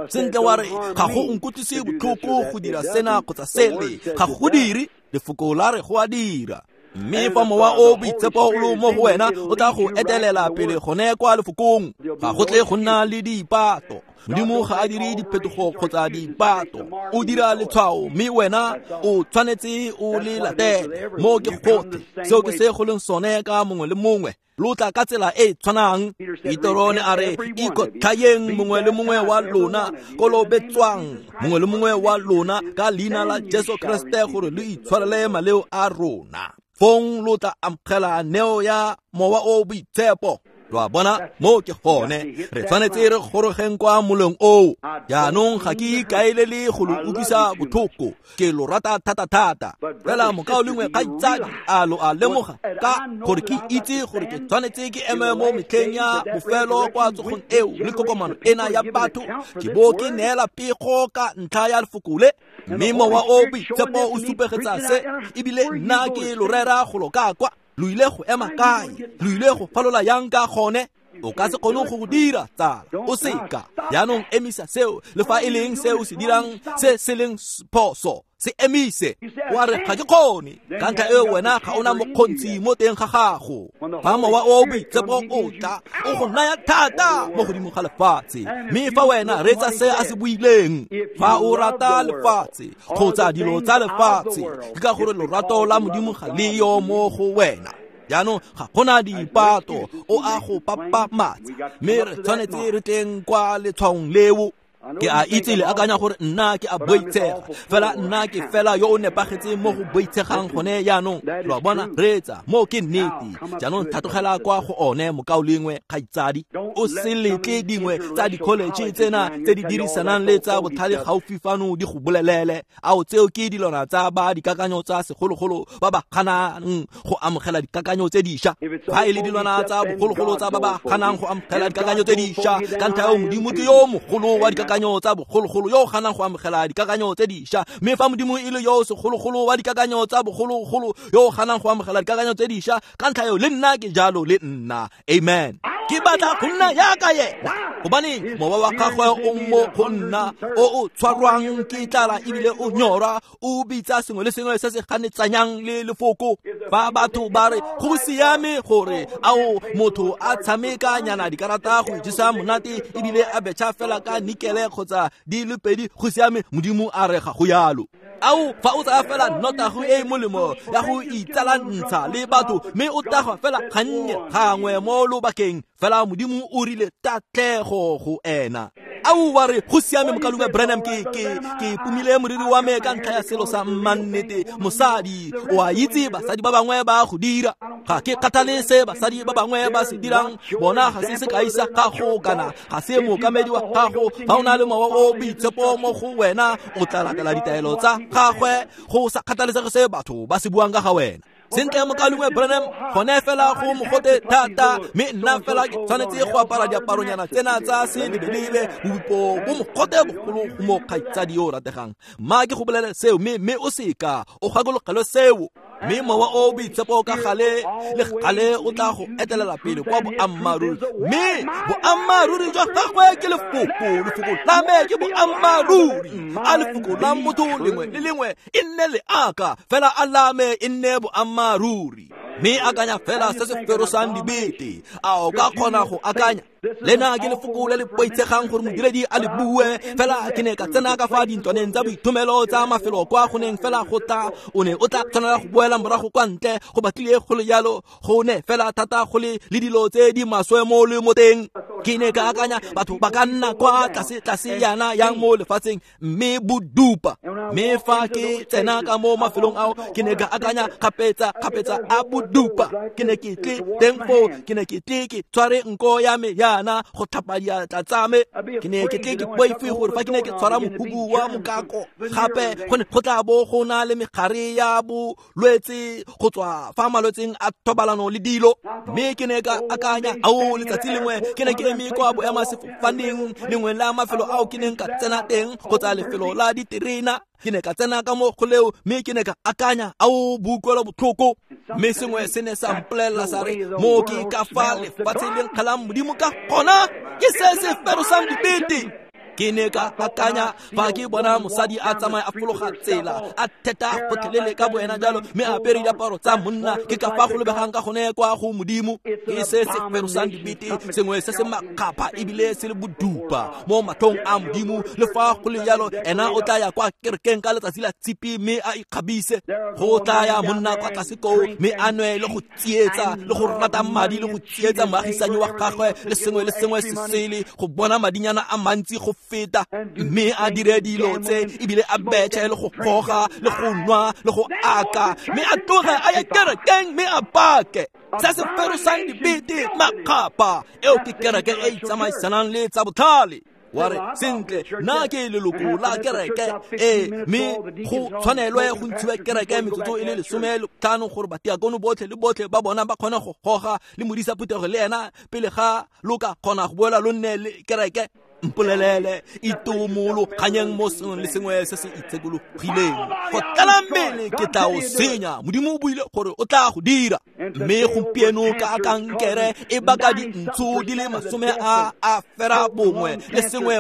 Sentle wa re ga go nkutlwise botlhoko go dira sena kgotsa sele, ga go dire, lefoko la re go a dira. Mme fa mowa o boitshepo o le mo go wena, o tla go etelela pele gone kwa lefokong. Ga go tle go nna le diipato. Modimo ga a dire diphetogo kgotsa diipato, o dira letshwao, mme wena o tshwanetse o le latele. Mo ke gotlhe, seo ke se go leng sone ka mongwe le mongwe. Lo tla ka tsela e tshwanang. Petero ne a re ikotlhayeng mongwe le mongwe wa lona, kolobetswang mongwe le mongwe wa lona ka leina la Jesu Keresete gore lo itshwarele maleo a rona. Fong lo tla amogela neo ya mowa o boitshepo. Lo a bona, mo ke gone re tshwanetse re gorogeng kwa moleng oo. Jaanong ga ke ikaelele go lo utlwisa botlhoko, ke lo rata thata-thata. Fela mokaulengwe kgaitsadi, a lo a lemoga ka gore ke itse gore ke tshwanetse ke eme mo metlheng ya bofelo kwa tsogong eo le kokomano ena ya batho, ke bo ke neela pego ka ntlha ya lefoko le. Mme Mowa o Boitshepo o supegetsa se, ebile nna ke lo rera golo ka kwa. Lo ile go ema kae? Lo ile go falola yang ka gone? O ka se kgone go dira, tsala, o seka. Jaanong emisa seo, le fa e leng se o se dirang se se leng phoso, se emise. Wa re ga ke kgone, ka ntlha eo wena ga ona mokgontsi mo teng ga gago. Fa Mowa o Boitshepo o tla, o go naya thata mo godimo ga lefatshe. Mme fa wena reetsa se a se buileng, fa o rata lefatshe kgotsa dilo tsa lefatshe, ke ka gore lorato la Modimo ga le yo mo go wena. Jaanong ga gona dipato, o a go papamatsa, mme re tshwanetse re tleng kwa letshwaong leo. Ke a itse le akanya gore nna ke a boitshega, fela nna ke fela yo o nepagetseng mo go boitshegang gone jaanong. Lo a bona, reetsa, mo ke nnete. Jaanong tlhatlogela kwa go one, mokaulengwe kgaitsadi. O se letle dingwe tsa di-college tsena tse di dirisanang le tsa botlhale gaufi fano di go bolelele. Ao, tseo ke dilwana tsa ba dikakanyo tsa segologolo ba ba ganang go amogela dikakanyo tse dišwa. Fa e le dilwana tsa bogologolo tsa ba ba ganang go amogela dikakanyo tse dišwa, ka ntlha eo Modimo ke yo mogolo wa dikakanyo tsa bogologolo yo ganang go amogela dikakanyo tse dišwa. Mme fa Modimo e le yo segologolo wa dikakanyo tsa bogologolo yo ganang go amogela dikakanyo tse dišwa, ka ntlha eo le nna ke jalo le nna. Amen. Ke batla go nna yaka yena, gobane mowa wa gagwe o mo go nna, o o tshwarwang ke tlala ebile o nyorwa, o bitsa sengwe le sengwe se se ganetsanyang le lefoko. Fa batho ba re go siame gore ao motho a tshameka nyana dikarata go ijesa monate ebile a betšha fela ka nikele kgotsa di le pedi, go siame, Modimo a re ga go yalo. Ao, fa o tsaya fela nnotago e e molemo ya go itsalantsha le batho, mme o tagwa fela gannye gangwe mo lobakeng, fela Modimo o rile tatlego go ena. Ao, wa re go siame mokaulengwe Branham, ke pumile moriri wa me ka ntlha ya selo sa mmannete. Mosadi, o a itse basadi ba bangwe ba go dira. Ga ke kgathale se basadi ba bangwe ba se dirang, bona ga se sekai sa gago kana ga se mookamedi wa gago. Fa o na le Mowa o Boitshepo mo go wena, o tla latela ditaelo tsa gagwe go sa kgathalesege se batho ba se buang ka ga wena. Sentle mokaulengwe Branham, gone fela go mogote thata, mme nna fela ke tshwanetse go apara diaparonyana tsena tsa selebelebe, bobipo bo mogote bogolo go mo kgaitsadi yo o rategang. Mma ke go bolele seo, mme o seka o gakologelwe seo. Mme Mowa o Boitshepo ka gale le gale o tla go etelela pele kwa boammaaruri, mme boammaaruri jwa gagwe ke lefoko. Lefoko la me ke boammaaruri. A lefoko la motho lengwe le lengwe e nne leaka, fela a la me e nne boammaaruri. Mme akanya fela se se ferosang dibete. A o ka kgona go akanya? Lena ke lefoko le le boitshegang gore modiredi a le bue, fela ke ne ka tsena ka fa dintlwaneng tsa boithomelo tsa mafelo kwa go neng fela go tla, o ne o tla tshwanela go boela morago kwa ntle, go batlile go le jalo, go ne fela thata go le le dilo tse di maswe mo le mo teng. Ke ne ka akanya batho ba ka nna kwa tlase tlase yana yang mo lefatsheng, mme bodupa. Mme fa ke tsena ka mo mafelong ao, ke ne ka akanya kgapetsa kgapetsa a bodupa. Ke ne ke tle teng foo, ke ne ke tle ke tshware nko ya me yana go tlhapa diatla tsa me. Ke ne ke tle ke boife gore fa ke ne ke tshwara mohubu wa mokako gape, go ne go tla bo go na le megare ya bolwetse go tswa fa malwetseng a thobalano le dilo. Mme ke ne ka akanya, ao, letsatsi lengwe ke ne ke eme kwa boemasefofaneng lengwe la mafelo ao ke neng ka tsena teng, kgotsa lefelo la diterena. Ke ne ka tsena ka mo go leo, mme ke ne ka akanya, ao, boutlwelo botlhoko. Mme sengwe se ne sa mpolelela sa re, mo ke ka fa lefatshe le nkgalang Modimo ka gona, ke se se ferosang dibete. Ke ne ka akanya fa ke bona mosadi a tsamaya a fologa tsela, a theta gotlhelele ka boena jalo, mme a apere diaparo tsa monna, ke ka fa go lebegang ka gone kwa go Modimo. Ke se se ferosang dibete, sengwe se se makgapha ebile se le bodupa mo matlhong a Modimo. Le fa go le jalo, ena o tla ya kwa kerekeng ka letsatsi la tshipi mme a ikgabise. Go tla ya monna kwa tlase koo, mme a nwe le go tsietsa le go rata madi le go tsietsa moagisanyi wa gagwe le sengwe le sengwe se sele, go bona madinyana a mantsi go feta, mme a dire dilo tse ebile a betšhe le go goga le go nwa le go aka, mme a tloge a ye kerekeng mme a pake. Se se ferosang dibete makgapa, eo ke kereke e itsamaisanang le tsa botlhale. Wa re sentle, nna ke leloko la kereke e, mme go tshwanelwe go ntshiwe kereke metsotso e le 15 gore batiakono botlhe le botlhe ba bona ba kgone go goga le modisa phuthego le ena pele ga lo ka kgona go boela lo nne le kereke. Mpolelele itomolo kganyeng mo sengwe le sengwe se se itshekologileng. Go tlala mmele ke tla o senya. Modimo o buile gore o tla go dira. Mme gompieno ka kankere e baka dintsho di le 91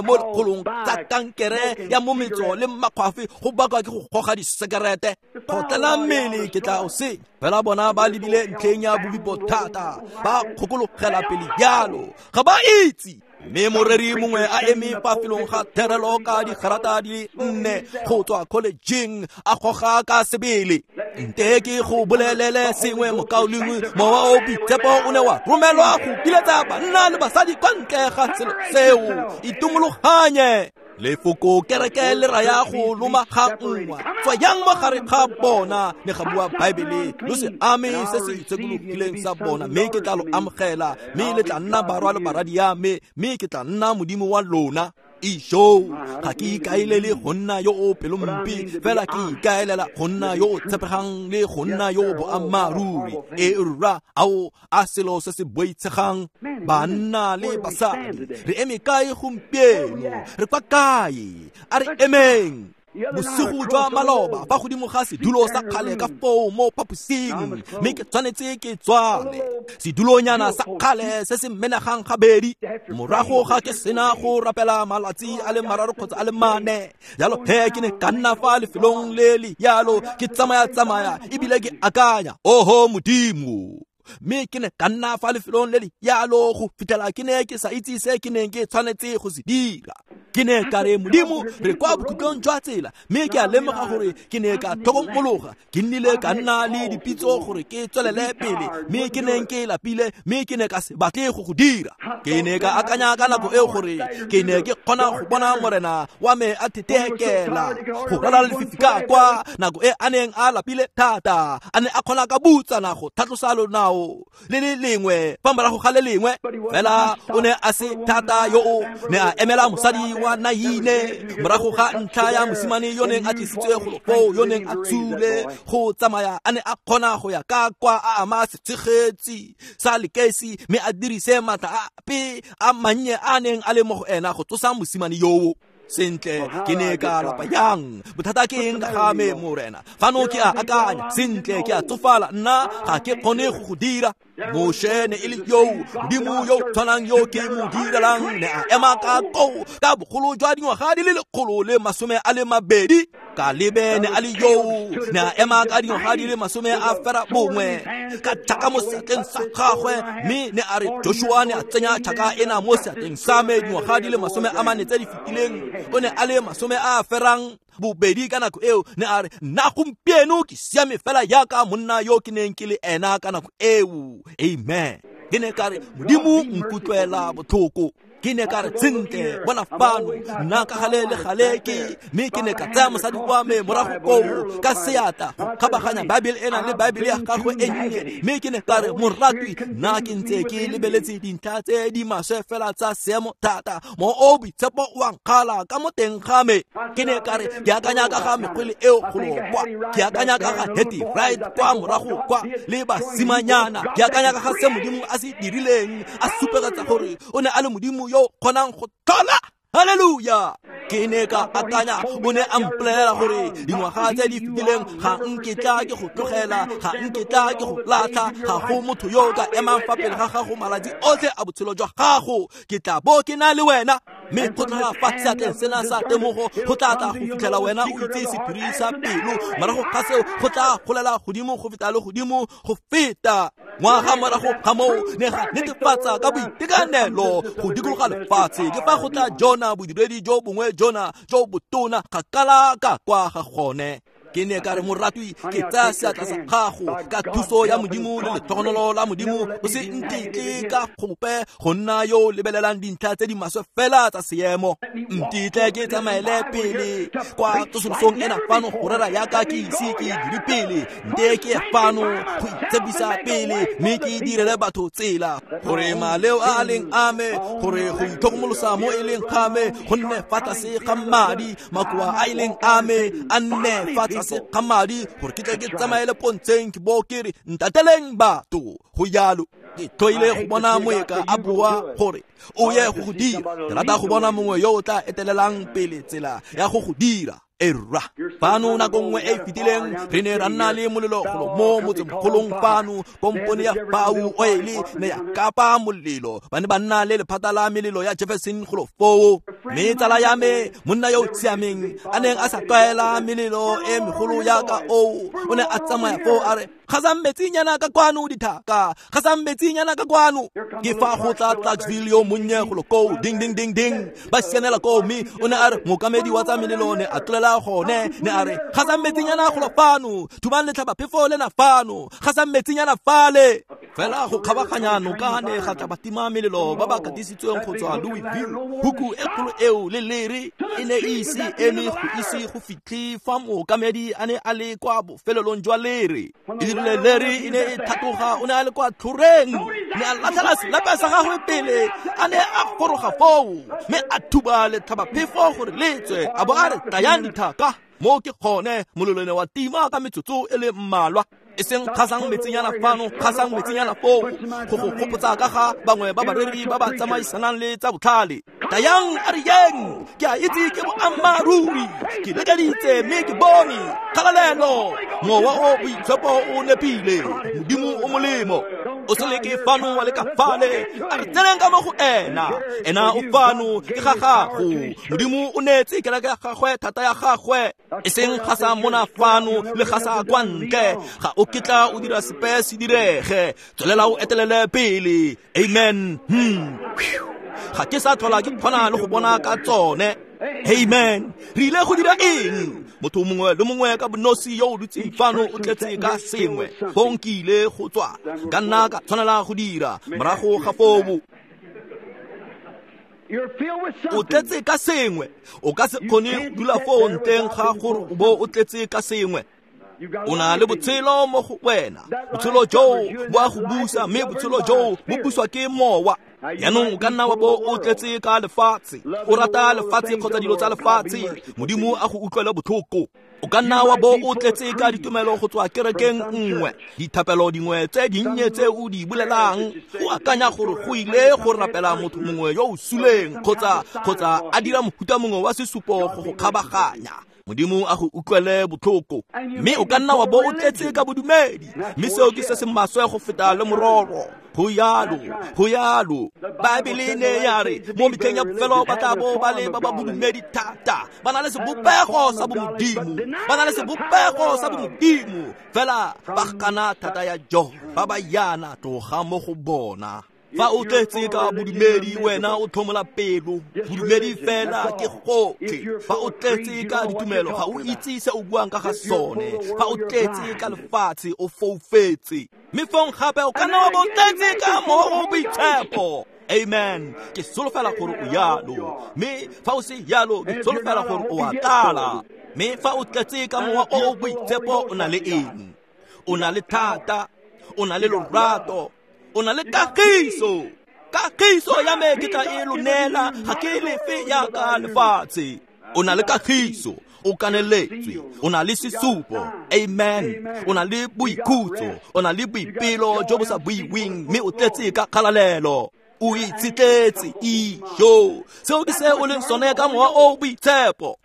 mo lekgolong tsa kankere ya mo metso le makgwafe go bakwa ke go goga disekerete. Go tlala mmele ke tla o senya. Fela bona ba lebile ntlheng ya bobipo thata, ba kgokologela pele jalo, ga ba itse. Mme moreri mongwe a eme fa felong ga therelo ka digarata di le 4 go tswa collegeng a goga ka sebele. Nte ke go bolelele sengwe mokaulengwe, mowa o boitshepo o ne wa romelwa go biletsa banna le basadi kwa ntle ga selo seo. Itumologanye. Lefoko kereke le raya go loma ga nngwa. Tswayang mo gare ga bona, ne ga bua Baebele, lo se ame se se itshekologileng sa bona, mme ke tla lo amogela, mme le tla nna barwa le baradi ya me, mme ke tla nna Modimo wa lona. Isho, ga ke ikaelele go nna yo o pelompe, fela ke ikaelela go nna yo o tshepegang le go nna yo o boammaaruri. E rra, ao a selo se se boitshegang. Banna le basadi, re eme kae gompieno? Re kwa kae? A re emeng. Bosigo jwa maloba fa godimo ga sedulo sa kgale ka foo mo phaposing, mme ke tshwanetse ke tswale sedulonyana sa kgale se se menegang gabedi. Morago ga ke sena go rapela malatsi a le 3 kgotsa a le 4 jalo he ke ne ka nna fa lefelong le le jalo, ke tsamaya-tsamaya ebile ke akanya, oho Modimo. Mme ke ne ka nna fa lefelong le le jalo go fitlhela ke ne ke sa itse se ke neng ke tshwanetse go se dira. Ke ne ka re, Modimo, re kwa bokhutlong jwa tsela, mme ke a lemoga gore ke ne ka tlhokomologa. Ke nnile ka nna le dipitso gore ke tswelele pele, mme ke neng ke lapile, mme ke ne ka se batle go go dira. Ke ne ka akanya ka nako eo gore ke ne ke kgona go bona morena wa me a thetekela go ralala lefifi ka kwa nako e a neng a lapile thata, a ne a kgona ka butsana go tlhatlosa lonao le le lengwe fa morago ga le lengwe. Fela o ne a se thata yo o ne a emela mosadi wa Naine morago ga ntlha ya mosimane yo neng a tlisitswe golo foo, yo neng a tsule go tsamaya, a ne a kgona go ya ka kwa a ama setshegetsi sa lekesi, mme a dirise maatla ape a mannye a neng a le mo go ena go tsosa mosimane yoo. Sentle, ke ne ka lapa yang? Bothata ke eng ka ga me, morena? Fano ke a akanya, sentle, ke a tsofala, nna ga ke kgone go go dira. Moshe ne e le yo Modimo yo tshwanang yo ke mo direlang, ne a ema ka koo ka bogolo jwa dingwaga di le 120. Kalebe ne a le yo, ne a ema ka dingwaga di le 91 ka tšhaka mo seatleng sa gagwe, mme ne a re Joshua ne a tsenya tšhaka ena mo seatleng sa me dingwaga di le 40 tse di fetileng. O ne a le 82 ka nako eo. Ne a re, nna gompieno ke siame fela jaaka monna yo ke neng ke le ena ka nako eo. Amen. Ke ne ka re, Modimo nkutlwela botlhoko. Ke ne ka re, sentle, bona fano, nna ka gale le gale ke, mme ke ne ka tsaya mosadi wa me morago koo ka seatla go kgabaganya Baebele ena le Baebele ya gagwe e nnye, mme ke ne ka re, moratwi, nna ke ntse ke lebeletse dintlha tse di maswe fela tsa seemo thata, mo o boitshepo o a nkgala ka mo teng ga me. Ke ne ka re, ke akanya ka ga mekgwele eo golo kwa, ke akanya ka ga Hetty Wright kwa morago kwa le basimanyana, ke akanya ka ga se Modimo a se dirileng, a supegetsa gore o ne a le Modimo yo kgonang go tlhola. Hallelujah. Ke ne ka akanya, o ne a mpolelela gore dingwaga tse di fetileng ga nketla ke go tlogela, ga nketla ke go latlha, ga go motho yo o ka emang fa pele ga gago malatsi otlhe a botshelo jwa gago, ke tla bo ke na le wena. Mme go tloga fa seatleng sena sa temogo go tla tla go fitlhela wena o itse sephiri sa pelo, morago ga seo go tla golela godimo go feta le godimo go feta. Ngwaga morago ga moo ne ga netefatsa ka boitekanelo go dikologa lefatshe. Ke fa go tla Jona, bodiredi jo bongwe Jona jo botona kgakala ka kwa ga gone. Ke ne ka re moratwi ke tsaya seatla sa gago ka thuso ya Modimo le letlhogonolo la Modimo o se ntetle ka gope go nna yo o lebelelang dintlha tse di maswe fela tsa seemo. Ntetle ke tsamaele pele kwa tsosolosong ena fano go rera yaka ke ise ke dire pele. Nte ke fano go itshepisa pele mme ke direle batho tsela gore maleo a a leng a me, gore go itlhokomolosa mo e leng ga me go nne fa tlase ga madi, makoa a e leng a me a nne fa tlase ga madi, gore ke tle ke tsamaele pontsheng ke bo ke re ntateleng batho. Go jalo ke tlhoile go bona moeka a bua gore o ye go go dira. Ke rata go bona mongwe yo o tla etelelang pele tsela ya go go dira. Erra fano nako nngwe e fetileng re ne ra nna le molelo golo mo motsemogolong fano, kompone ya Pau Oil ne ya kapa molelo. Ba ne ba nna le lephata la melelo ya Jefferson golo foo. Mme tsala ya me, monna yo o siameng a neng a sa tlwaela melelo e megolo yaka oo, o ne a tsamaya foo a re gasang metsinyana ka kwano dithaka, gasang metsinyana ka kwano. Ke fa go tla Clarksville yo monnye golo koo, ding ding ding ding, ba sianela koo. Mme o ne a re mookamedi wa tsa melelo ne a tlolela gone, ne a re gasang metsinyana golo fano, thubang letlhabaphefo lena fano, gasang metsinyana fale. Fela go kgabaganya noka ne ga tla batima melelo ba ba katisitsweng go tswa Louisville. Huku e kgolo eo le lere e ne e ise eme go ise go fitlhe fa mookamedi a ne a le kwa bofelelong jwa lere. E dirile lere e ne e tlhatloga, o ne a le kwa tlhoreng, ne a latlhela selepe sa gagwe pele a ne a goroga foo, mme a thuba letlhabaphefo gore le tswe, a bo a re tlayang dithaka. Mo ke gone molelo ne wa tima ka metsotso e le mmalwa. E seng gasang metsinyana fano, gasang metsinyana foo, go go gopotsa ka ga bangwe ba bareri ba ba tsamaisanang le tsa botlhale. Tayang a re yeng, ke a itse ke boammaaruri, ke lekeditse mme ke bone kgalalelo. Mowa o boitshepo o nepile, Modimo o molemo. O se leke fano wa leka fale, a re tseneng ka mo go ena. Ena o fano ke ga gago. Modimo o neetse kereke ya gagwe thata ya gagwe. E seng gasa mona fano le gasa kwa ntle, ga o ketla o dira sepe se direge. Tswelela o etelele pele. Amen. Ga ke sa tlhola ke kgona le go bona ka tsone. Amen. Re ile go dira eng? Motho mongwe le mongwe ka bonosi yo o dutseng fano o tletse ka sengwe. Fong ke ile go tswa, ka nna ka tshwanela go dira morago ga foo. O tletse ka sengwe. O ka se kgone go dula foo ntleng ga gore o bo o tletse ka sengwe. O na le botshelo mo go wena. Botshelo joo bo a go busa, mme botshelo joo bo buswa ke mowa. Jaanong o ka nna wa bo o tletse ka lefatshe, o rata lefatshe kgotsa dilo tsa lefatshe, Modimo a go utlwele botlhoko. O ka nna wa bo o tletse ka ditumelo go tswa kerekeng nngwe, dithapelo dingwe tse dinnye tse o di bolelang, o akanya gore go ile go rapela motho mongwe yo o suleng kgotsa a dira mohuta mongwe wa sesupo go go kgabaganya. Modimo a go utlwele botlhoko. Mme o ka nna wa bo o tletse ka bodumedi, mme seo ke se se maswe go feta le mororo. Go yalo, go yalo. Baebele ne ya re mo metlheng ya bofelo ba tla bo ba le ba ba bodumedi thata, ba na le sebopego sa bomodimo, ba na le sebopego sa bomodimo, fela ba gana thata ya jo, ba ba yana tloga mo go bona. Fa o tletse ka bodumedi wena o tlhomola pelo, bodumedi fela ke gotlhe. Fa o tletse ka ditumelo ga o itse se o buang ka ga sone. Fa o tletse ka lefatshe o foufetse. Mme fong gape o ka nna wa bo o tletse ka mowa o boitshepo. Amen. Ke solofela gore o yalo, mme fa o se yalo ke solofela gore o a tlala. Mme fa o tletse ka mowa o o boitshepo o na le eng? O na le thata, o na le lorato, o na le kagiso. Kagiso ya me ke tla e lo neela, ga ke lefe yaka lefatshe. O na le kagiso, o kaneletswe, o na le sesupo. Amen. O na le boikhutso, o na le boipelo jo bo sa buiweng, mme o tletse ka kgalalelo. O itshetletse ijo. Seo ke se o leng sone ka mowa o boitshepo.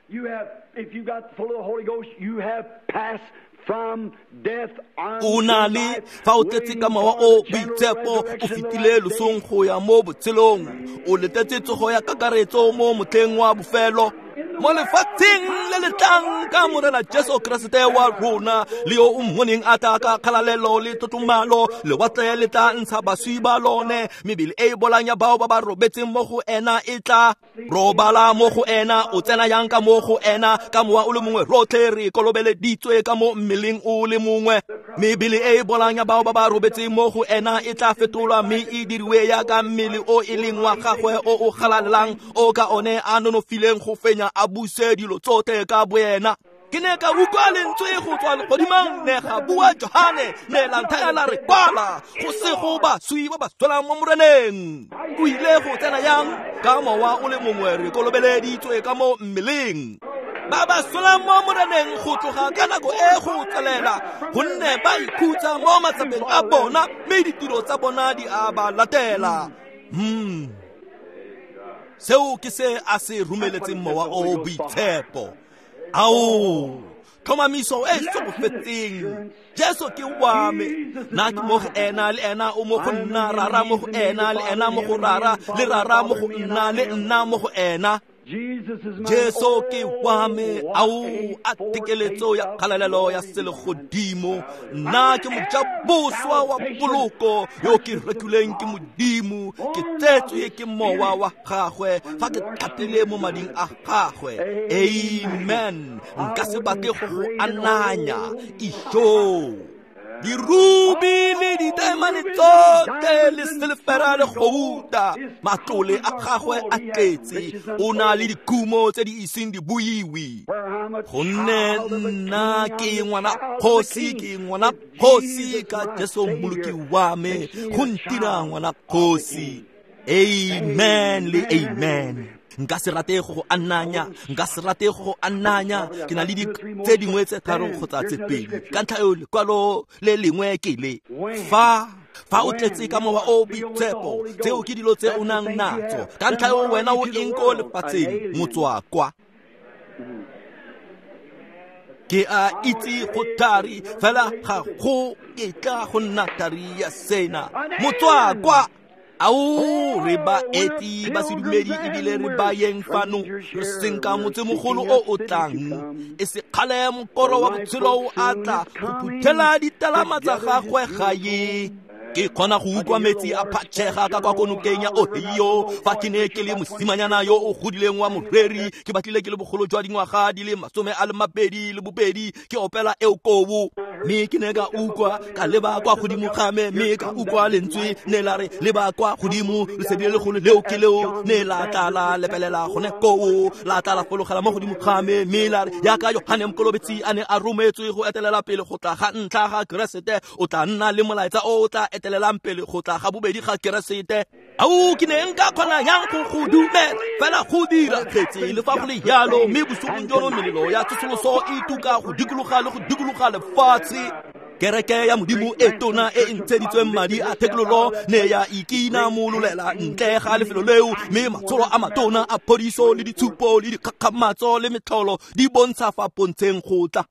O na le fa o tletse ka mowa o boitshepo, o fetile losong go ya mo botshelong. O letetse tsogo ya kakaretso mo motlheng wa bofelo. Mo lefatsheng le le tlang ka Morena Jesu Keresete wa rona, le yo o mmoneng a tla ka kgalalelo le tlotlomalo, lewatle le tla ntsha baswi ba lone, mebele e e bolang ya bao ba ba robetseng mo go ena e tla robala mo go ena. O tsena yang ka mo go ena? Ka mowa o le mongwe rotlhe re kolobeleditswe ka mo mmeleng o le mongwe. Mebele e e bolang ya bao ba ba robetseng mo go ena e tla fetolwa mme e diriwe yaka mmele o e leng wa gagwe o o galalelang, o ka one a nonofileng go fenya a buse dilo tsotlhe ka boena. Ke ne ka utlwa lentswe go tswa legodimong, ne ga bua Johane, ne la nthaya la re, kwala, go sego baswi ba ba tswelang mo Moreneng. O ile go tsena yang? Ka mowa o le mongwe re kolobeleditswe ka mo mmeleng. Ba ba solang mo Moreneng go tloga ka nako e go tswelela, gonne ba ikhutsa mo matsapeng a bona, mme ditiro tsa bona di a ba latela. Seo ke se a se romeletseng mowa o boitshepo. Ao, tlhomamiso e sogofetseng. Jesu ke wa me, nna ke mo go ena, le ena o mo go nna, rara mo go ena, le ena mo go rara, le rara mo go nna, le nna mo go ena. Jesu ke wa me, ao a tekeletso ya kgalalelo ya selegodimo. Nna ke mojaboswa wa poloko yo ke rekilweng ke Modimo, ke tsetswe ke mowa wa gagwe fa ke tlhapile mo mading a gagwe. Amen. Nka se batle go go ananya. Isho. Dirubi le ditaemane tsotlhe le silefera le gouta, matlole a gagwe a tletse, o na le dikhumo tse di iseng di buiwe. Gonne nna ke ngwana kgosi, ke ngwana kgosi ka Jesu Mmoloki wa me, go ntira ngwana kgosi. Amen le amen. Nka se rate go ananya, nka se rate go ananya. Ke na le tse dingwe tse tharo kgotsa tse pedi. Ka ntlha eo lekwalo le lengwe ke le. Fa o tletse ka mowa o boitshepo, tseo ke dilo tse o nang natso. Ka ntlha eo wena o eng ko lefatsheng, motswakwa. Ke a itse go thari, fela ga go ketla go nna thari ya sena. Motswakwa. Ao, re baeti ba sedumedi ebile re bayeng fano, re senka motsemogolo o o tlang. E se kgale mokoro wa botshelo o a tla go phuthela ditalama tsa gagwe gae. Ke kgona go utlwa metsi a phatšhega ka kwa konokeng ya Ohio. Fa ke ne ke le mosimanyana yo o godileng wa moreri, ke batlile ke le bogolo jwa dingwaga di le 22, ke opela eo kobo. Mme ke ne ka utlwa, ka leba kwa godimo ga me, mme ka utlwa lentswe ne la re, leba kwa godimo, lesedi le legolo leo ke leo, ne la tla la lepelela gone koo, la tla la fologela mo godimo ga me, mme la re, yaka Johane Mokolobetsi a ne a rometswe go etelela pele go tla ga ntlha ga Keresete, o tla nna le molaetsa o o tla etelelang pele go tla ga bobedi ga Keresete. Ao, ke ne nka kgona yang go go dumela, fela go dira kgetse le fa go le jalo. Mme bosigong jono melelo ya tsosoloso e tuka go dikologa le go dikologa lefatshe. Kereke ya Modimo e tona e ntsheditsweng madi a thekololo ne ya ikinamololela ntle ga lefelo leo, mme matsholo a matona a phodiso le ditshupo le dikgakgamatso le metlholo di bontsha fa pontsheng go tla.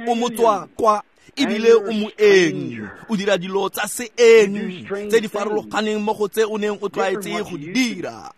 O motswakwa ebile o moeng, o dira dilo tsa seeng tse di farologaneng mo go tse o neng o tlwaetse go di dira.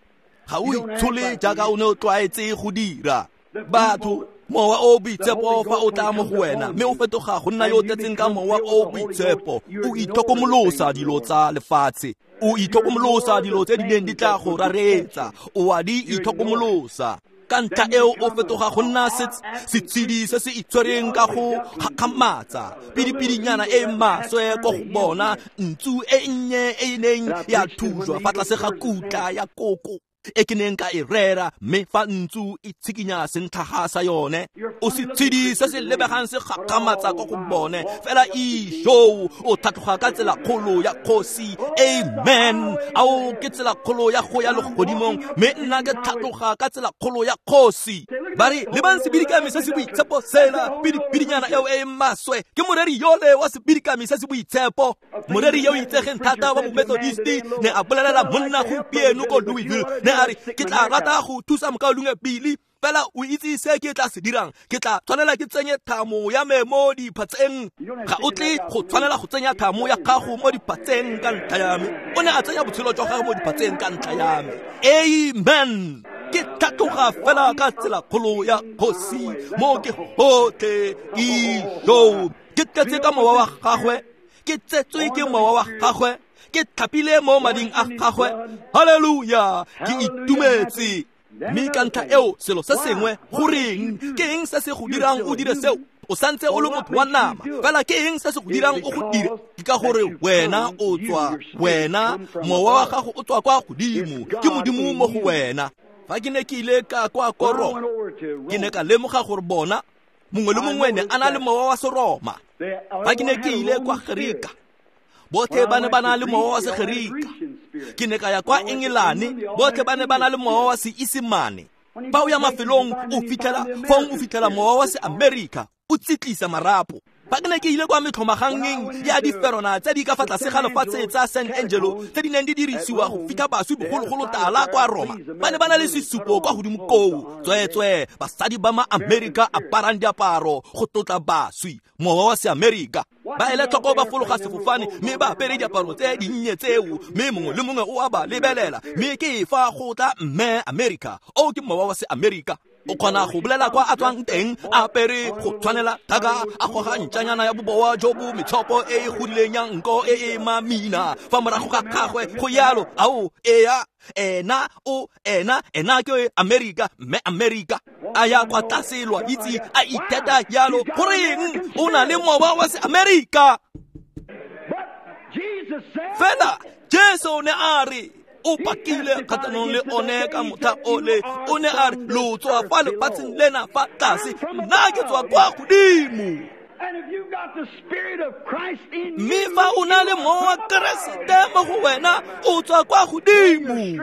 Ga o itshole jaaka o ne o tlwaetse go dira. Batho, mowa o boitshepo fa o tla mo go wena, mme o fetoga go nna yo o tletseng ka mowa o boitshepo, o itlhokomolosa dilo tsa lefatshe, o itlhokomolosa dilo tse di neng di tla go rareetsa, o a di itlhokomolosa. Ka ntlha eo o fetoga go nna setshedi se se itshwereng ka go gakgamatsa, pidipidinyana e maswe ko go bona, ntsu e nnye e e neng ya thujwa fa tlase ga kutla ya koko e ke neng ka e rera, mme fa ntsu e tshikinya sentlhaga sa yone. O setshedi se se lebegang se gakgamatsa ko go bone, fela isho o tlhatloga ka tsela kgolo ya kgosi. Amen. Ao, ke tsela kgolo ya go ya legodimong, mme nna ke tlhatloga ka tsela kgolo ya kgosi. Ba re, lebang sebidikami se se boitshepo sela, pidipidinyana eo e maswe. Ke moreri yole wa sebidikami se se boitshepo, moreri yo o itsegeng thata wa Momethodisti, ne a bolelela monna gompieno ko Louisville, ne a re, ke tla rata go thusa mokaulengwe Billy, fela o itse se ke tla se dirang, ke tla tshwanela ke tsenye thamo ya me mo diphatseng. Ga o tle go tshwanela go tsenya thamo ya gago mo diphatseng ka ntlha ya me. O ne a tsenya botshelo jwa gagwe mo diphatseng ka ntlha ya me. Amen. Ke tlhatloga fela ka tsela kgolo ya kgosi mo ke gotlhe ijo. Ke tletse ka mowa wa gagwe, ke tsetswe ke mowa wa gagwe, ke tlhapile mo mading a gagwe. Haleluya, ke itumetse. Mme ka ntlha eo selo se sengwe, goreng ke eng se se go dirang o dire seo? O santse o le motho wa nama, fela ke eng se se go dirang o go dire? Ke ka gore wena o tswa, wena mowa wa gago o tswa kwa godimo, ke Modimo mo go wena. Fa ke ne ke ile ka kwa Roma, ke ne ka lemoga gore bona mongwe le mongwe ne a na le mowa wa Seroma. Fa ke ne ke ile kwa Gerika, botlhe ba ne ba na le mowa wa Segerika. Ke ne ka ya kwa Engelane, botlhe ba ne ba na le mowa wa Seesemane. Fa o ya mafelong o fitlhela, fong o fitlhela mowa wa Seamerika o tsitlisa marapo. Fa ke ne ke ile kwa metlhomagangeng ya diferona tse di ka fa tlase ga lefatshe tsa San Angelo tse di neng di dirisiwa go fitlha baswi bogologolo tala kwa Roma, ba ne ba na le sesupo kwa godimo koo, tsweetswee basadi ba ma-Amerika aparang diaparo go tlotla baswi, mowa wa Seamerika. Ba ele tlhoko ba fologa sefofane mme ba apere diaparo tse dinnye tseo, mme mongwe le mongwe o a ba lebelela, mme ke fa go tla mme Amerika. O ke mowa wa Seamerika. O kgona go bolela kwa a tswang teng, a apere go tshwanela thaka, a goga ntšanyana ya bobowa jo bo metshopo e e godileng ya nko e e mamina fa morago ga gagwe go yalo. Ao, ea, ena o ena, ena ke Amerika, mme Amerika a ya kwa tlase lwa itse a itheta yalo. Goreng o na le mowa wa Seamerika? Fela Jesu ne a re o pakile kgatlhanong le one ka motlha ole, o ne a re lo tswa fa lefatsheng lena fa tlase, nna ke tswa kwa godimo. Mme fa o na le mowa wa Keresete mo go wena, o tswa kwa godimo.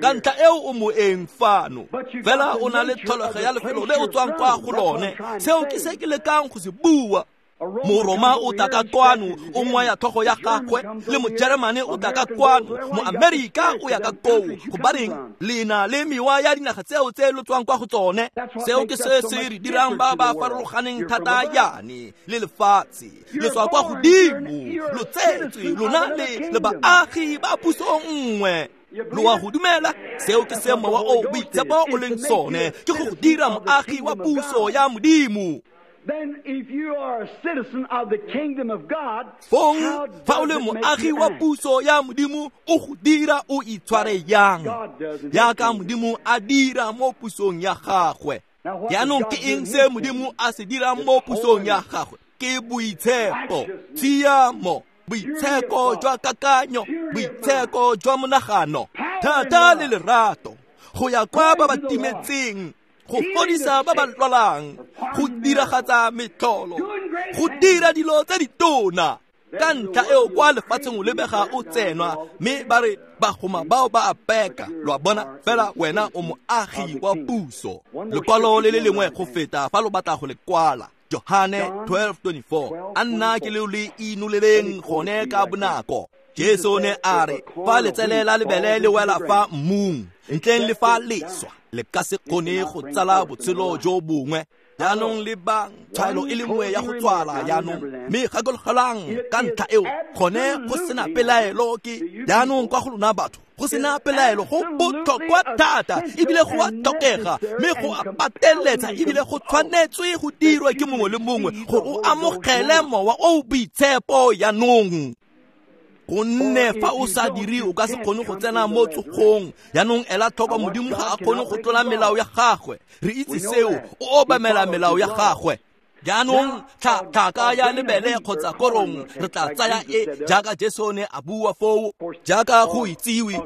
Ka ntlha eo o moeng fano, fela o na le tlholego ya lefelo le o tswang kwa go lone. Seo ke se ke lekang go se bua. Moroma o tla ka kwano, o ngwaya tlhogo ya gagwe, le Mojeremane o tla ka kwano, Moamerika o ya ka koo. Gobaneng le na le mewa ya dinaga tseo tse lo tswang kwa go tsone? Seo ke se se re dirang ba ba farologaneng thata yane le lefatshe. Le tswa kwa godimo, lo tsetswe lona le baagi ba puso nngwe. Lo a go dumela? Seo ke se mowa o boitshepo o leng sone, ke go go dira moagi wa puso ya Modimo. Then if you are a citizen of the kingdom of God, fong fa o le moagi wa puso ya Modimo, o go dira o itshware yang jaaka Modimo a dira mo pusong ya gagwe. Jaanong ke eng se Modimo a se dirang mo pusong ya gagwe? Ke boitshepo, tshiamo, boitsheko jwa kakanyo, boitsheko jwa monagano, thata le lerato, go ya kwa ba ba timetseng, go fodisa ba ba lwalang, go diragatsa metlholo, go dira dilo tse ditona. Ka ntlha eo kwa lefatsheng o lebega o tsenwa, mme ba re bagoma bao ba a peka. Lo a bona, fela wena o moagi wa puso. Lekwalo le le lengwe go feta fa lo batla go le kwala, Johane 12:24. A nna ke leo le inoleleng gone ka bonako. Jesu ne a re fa letsele la lebele le wela fa mmung, ntleng le fa leswa, le ka se kgone go tsala botshelo jo bongwe. Jaanong lebang tshwaelo e le nngwe ya go tswala jaanong, mme gakologelang ka ntlha eo gone go sena pelaelo ke jaanong kwa go lona batho, go sena pelaelo go botlhokwa thata ebile go a tlhokega, mme go a pateletsa ebile go tshwanetswe go dirwa ke mongwe le mongwe gore o amogele mowa o boitshepo jaanong. Gonne fa o sa dire o ka se kgone go tsena mo tsogong. Jaanong ela tlhoko, Modimo ga a kgone go tlola melao ya gagwe. Re itse seo, o obamela melao ya gagwe. Jaanong tlhaka ya lebele kgotsa korong re tla tsaya e jaaka Jesu ne a bua foo, jaaka go itsiwe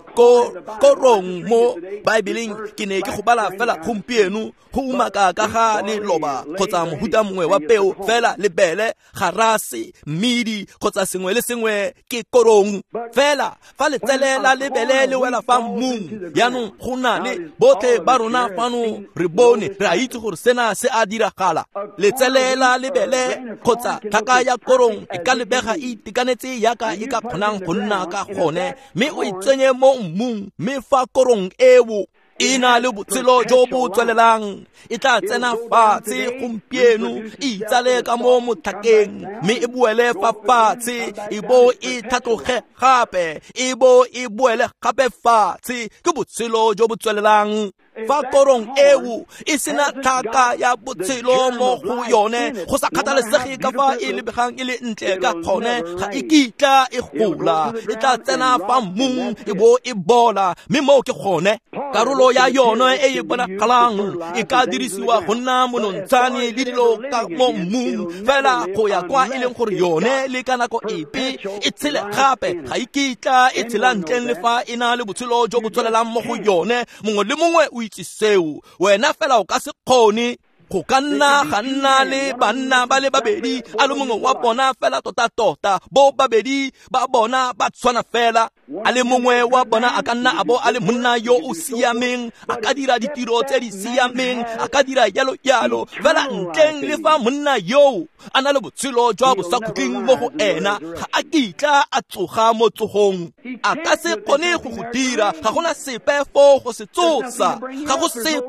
korong mo Baebeleng. Ke ne ke go bala fela gompieno go umaka ka ga leloba kgotsa mohuta mongwe wa peo, fela lebele, garase, mmidi kgotsa sengwe le sengwe ke korong. Fela fa letsele la lebele le wela fa mmung, jaanong go na le botlhe ba rona fano re bone, re a itse gore sena se a diragala. Letsele la lebele kgotsa tlhaka ya korong e ka lebega e itekanetse yaka e ka kgonang go nna ka gone, mme o e tsenye mo mmung, mme fa korong eo e na le botshelo jo bo tswelelang, e tla tsena fatshe gompieno, e itsale ka mo motlhakeng, mme e boele fa fatshe, e bo e tlhatloge gape, e bo e boele gape fatshe. Ke botshelo jo bo tswelelang. Fa korong eo e sena tlhaka ya botshelo mo go yone, go sa kgathalesege ka fa e lebegang e le ntle ka gone, ga e kitla e gola, e tla tsena fa mmung e bo e bola, mme moo ke gone. Karolo ya yone e e bonagalang e ka dirisiwa go nna monontshane le dilo ka mo mmung, fela go ya kwa e leng gore yone le ka nako epe e tshele gape, ga e kitla e tshela ntleng le fa e na le botshelo jo bo tswelelang mo go yone. Mongwe le mongwe o itse seo, wena fela o ka se kgone. Go ka nna ga nna le banna ba le babedi, a le mongwe wa bona fela tota-tota, bo babedi ba bona ba tshwana fela. A le mongwe wa bona a ka nna a bo a le monna yo o siameng, a ka dira ditiro tse di siameng, a ka dira jalo jalo, fela ntleng le fa monna yoo a na le botshelo jwa bosakhutleng mo go ena, ga a kitla a tsoga mo tsogong. A ka se kgone go go dira, ga gona sepe foo go se tsosa, ga go sepe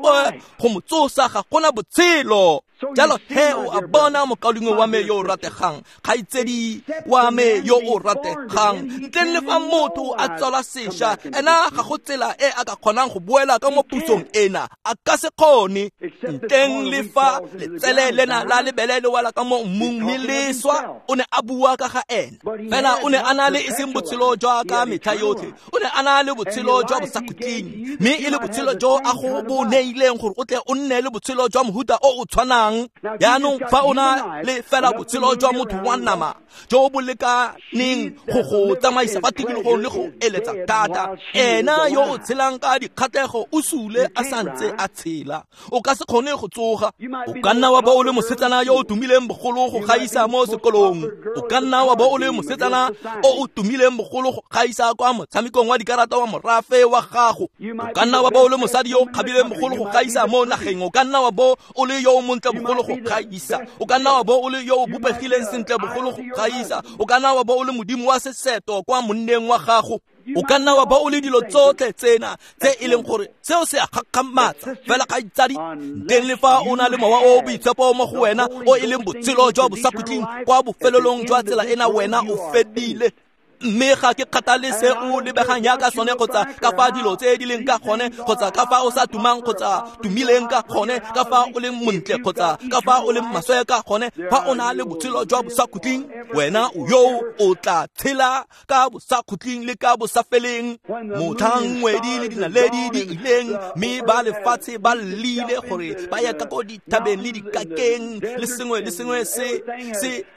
go mo tsosa, ga gona botshelo. Jalo he o a bona, mokaulengwe wa me yo o rategang, kgaitsedi wa me yo o rategang, ntleng le fa motho a tswalwa sešwa, ena ga go tsela e a ka kgonang go boela ka mo pusong ena, a ka se kgone. Ntleng le fa letsele lena la lebele le wela ka mo mmung mme le swa, o ne a bua ka ga ena. Fela o ne a na le e seng botshelo jwa ka metlha yotlhe, o ne a na le botshelo jwa bosakhutleng, mme e le botshelo jo a go bo neileng gore o tle o nne le botshelo jwa mohuta o o tshwanang. Jaanong fa o na le fela botshelo jwa motho wa nama jo bo lekaneng go go tsamaisa fa tikologong le go eletsa thata, ena yo o tshelang ka dikgatlhego o sule a santse a tshela, o ka se kgone go tsoga. O ka nna wa bo o le mosetsana yo o tumileng bogolo go gaisa mo sekolong, o ka nna wa bo o le mosetsana o o tumileng bogolo go gaisa kwa motshamekong wa dikarata wa morafe wa gago, o ka nna wa bo o le mosadi yo o kgabileng bogolo go gaisa mo nageng, o ka nna wa bo o le yo o montle bogolo go gaisa, o ka nna wa bo o le yo o bopegileng sentle bogolo go gaisa, o ka nna wa bo o le modimo wa seseto kwa monneng wa gago, o ka nna wa bo o le dilo tsotlhe tsena tse e leng gore seo se a gakgamatsa. Fela kgaitsadi, ntleng le fa o na le mowa o boitshepo mo go wena o e leng botshelo jwa bosakhutleng, kwa bofelelong jwa tsela ena wena o fedile. Mme ga ke kgathale se o lebegang jaaka sone, kgotsa ka fa dilo tse di leng ka gone, kgotsa ka fa o sa tumang kgotsa tumileng ka gone, ka fa o leng montle kgotsa ka fa o leng maswe ka gone, fa o na le botshelo jwa bosakhutleng, wena o yo o tla tshela ka bosakhutleng le ka bosafeleng. Motlhang ngwedi le dinaledi di ileng, mme ba lefatshe ba llile gore ba ya ka ko dithabeng le dikakeng, le sengwe le sengwe se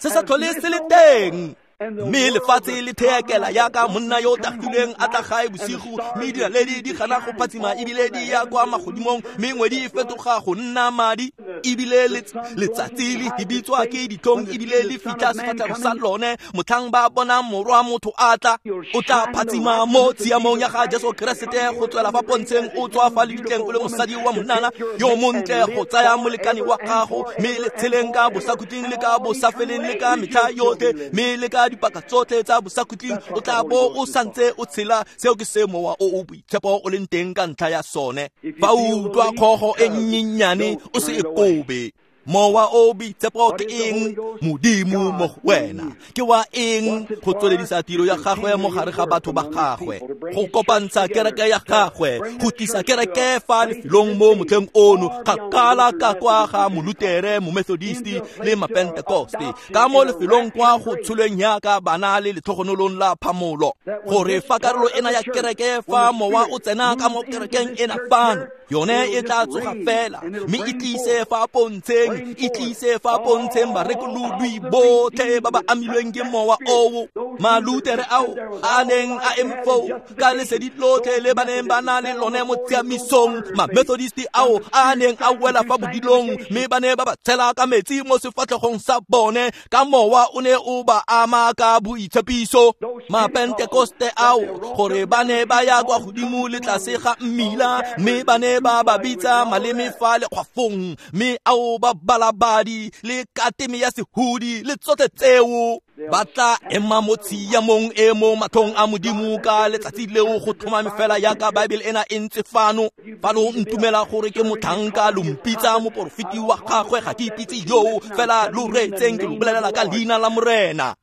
se sa tlhole se le teng. Mme lefatshe le theekela yaka monna yo o tagileng a tla gae bosigo, mme dinaledi di gana go phatsima ebile di ya kwa magodimong, mme ngwedi e fetoga go nna madi, ebile letsatsi le hibitswa ke ditlhong ebile le fitlha sefatlhego sa lone. Motlhang ba bona morwa motho a tla, o tla phatsima mo tshiamong ya ga Jesu Keresete go tswela fa pontsheng, o tswa fa lebitleng o le mosadi wa monana yo montle go tsaya molekane wa gago, mme le tsheleng ka bosakhutleng le ka bosafeleng le ka metlha yotlhe, mme le ka dipaka tsotlhe tsa bosakhutleng o tla bo o santse o tshela. Seo ke se mowa o o boitshepo o leng teng ka ntlha ya sone. Fa o utlwa kgogo e nnyenyane, o se e kobe. Mowa o boitshepo ke eng? Modimo mo go wena. Ke wa eng? Go tsweledisa tiro ya gagwe mo gare ga batho ba gagwe, go kopantsha kereke ya gagwe, go tlisa kereke fa lefelong mo motlheng ono, kgakala ka kwa ga Molutere, Momethodisti le Mapentekoste, ka mo lefelong kwa go tsholweng yaka bana le letlhogonolong la phamolo, gore fa karolo ena ya kereke, fa mowa o tsena ka mo kerekeng ena fano, yone e tla tsoga fela, mme e tlise fa pontsheng, e tlise fa pontsheng barekolodwi botlhe ba ba amilweng ke mowa oo, Malutere ao a neng a eme foo ka lesedi lotlhe le ba neng ba na le lone mo tshiamisong, Mamethodisti ao a neng a wela fa bodilong, mme ba ne ba ba tshela ka metsi mo sefatlhegong sa bone, ka mowa o ne o ba ama ka boitshepiso. Mapentekoste ao gore ba ne ba ya kwa godimo le tlase ga mmila, mme ba ne ba ba bitsa maleme fa lekgwafong, mme ao ba balabadi le kateme ya sehudi le tsotlhe tseo, ba tla ema mo tshiamong e mo matlhong a Modimo ka letsatsi leo go tlhomame fela yaka Bible ena e ntse fano. Fa lo ntumela gore ke motlhanka, lo mpitsa moporofeti wa gagwe, ga ke ipitse yoo, fela lo reetseng ke lo bolelela ka leina la Morena.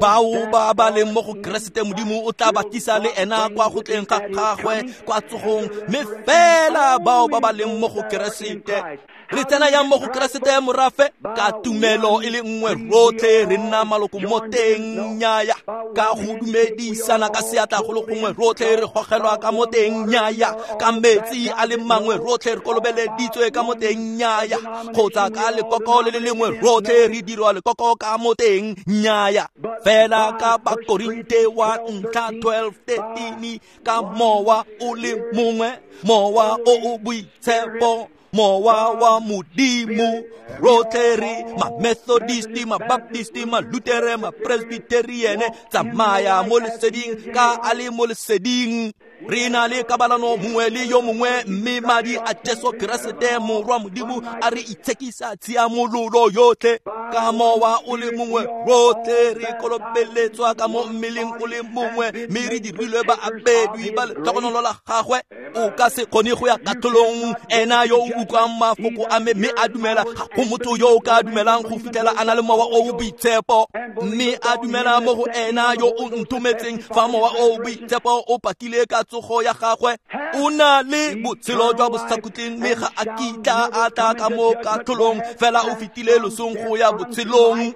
Bao ba ba leng mo go Keresete Modimo o tla ba tlisa le ena kwa go tleng ga gagwe kwa tsogong, mme fela bao ba ba leng mo go Keresete. Re tsena yang mo go Keresete morafe? Ka tumelo e le nngwe rotlhe re nna maloko mo teng, nnyaya. Ka go dumedisana ka seatla go le gongwe rotlhe re gogelwa ka mo teng, nnyaya. Ka metsi a le mangwe rotlhe re kolobeleditswe ka mo teng, nnyaya. Kgotsa ka lekoko le le lengwe rotlhe re dirwa lekoko ka mo teng, nnyaya. Fela ka Bakorinte wa ntlha 12:13, ka mowa o le mongwe, mowa o o boitshepo, mowa wa Modimo, rotlhe re ma-Methodisti, ma-Baptisti, ma-Lutere, ma-Presbyteriene, tsamaya mo leseding ka a le mo leseding. Re na le kabalano mongwe le yo mongwe, mme madi a Jesu Keresete morwa Modimo a re itshekisa tshiamololo yotlhe. Ka mowa o le mongwe rotlhe re kolobeletswa ka mo mmeleng o le mongwe, mme re dirilwe baabedwi ba letlhogonolo la gagwe. O ka se kgone go ya katlholong, ena yo o utlwang mafoko a me mme a dumela, ga go motho yo o ka dumelang go fitlhela a na le mowa o o boitshepo, mme a dumela mo go ena yo o nthometseng. Fa mowa o o boitshepo o pakile ka tsogo ya gagwe, o na le botshelo jwa bosakhutleng, mme ga a kitla a tla ka mo katlholong, fela o fetile losong go ya botshelong.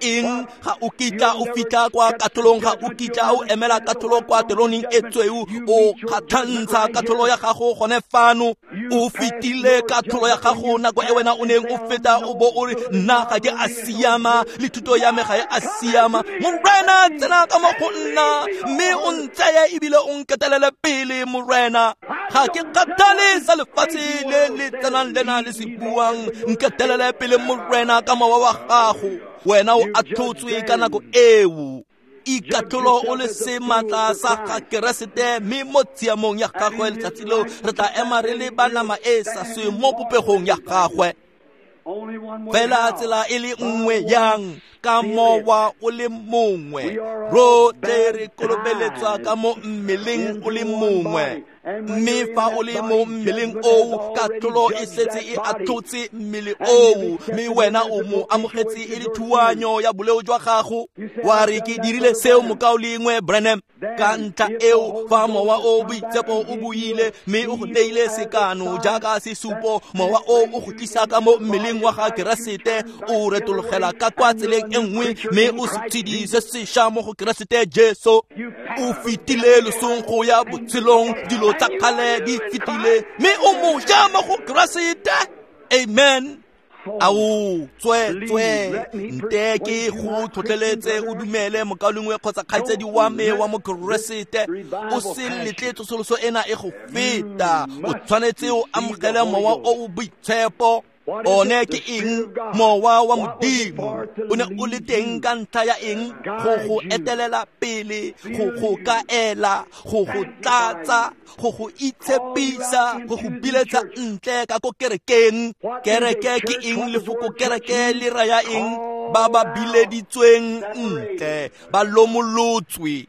Eng? Ga o kitla o fitlha kwa katlholong, ga o kitla o emela katlholo kwa teroneng e tsweu. O kgatlhantsha katlholo ya gago gone fano. O fetile katlholo ya gago nako e wena o neng o feta o bo o re, nna ga ke a siama, le thuto ya me ga e a siama. Morena, tsena ka mo go nna, mme o ntseye ebile o nketelele pele, Morena. Ga ke kgathale sa lefatshe le le tsenang lena le se buang, nketelele pele, Morena, ka mowa wa gago. Wena o atlhotswe ka nako eo. Ikatlholo o le sematla sa ga Keresete, mme mo tshiamong ya gagwe letsatsi leo re tla ema re le ba nama e sa sweng mo popegong ya gagwe. Fela tsela e le nngwe yang, ka mowa o le mongwe, rotlhe re kolobeletswa ka mo mmeleng o le mongwe. Mme fa o le mo mmeleng oo, katlholo e setse e atlhotse mmele oo, mme wena o mo amogetse e le thuanyo ya boleo jwa gago. Wa re, ke dirile seo, mokaulengwe Branham. Ka ntlha eo, fa mowa o boitshepo o buile mme o go neile sekano jaaka sesupo, mowa o o go tlisa ka mo mmeleng wa ga Keresete, o retologela ka kwa tseleng e nngwe, mme o se tshedi se sešwa mo go Keresete Jesu. O fetile losong go ya botshelong, dilo tsa kgale di fetile, mme o moja mo go Keresete. Amen. Ao, tswe tswe, nte ke go tlhotlheletse o dumele, mokaulengwe kgotsa kgaitsedi wa me wa mo Keresete. O se letle tsosoloso ena e go feta. O tshwanetse o amogele mowa o o boitshepo. One ke eng? Mowa wa Modimo. O ne o le teng ka ntlha ya eng? Go go etelela pele, go go kaela, go go tlatsa, go go itshepisa, go go biletsa ntle ka ko kerekeng. Kereke ke eng? Lefoko kereke le raya eng? Ba ba bileditsweng ntle, ba lomolotswe.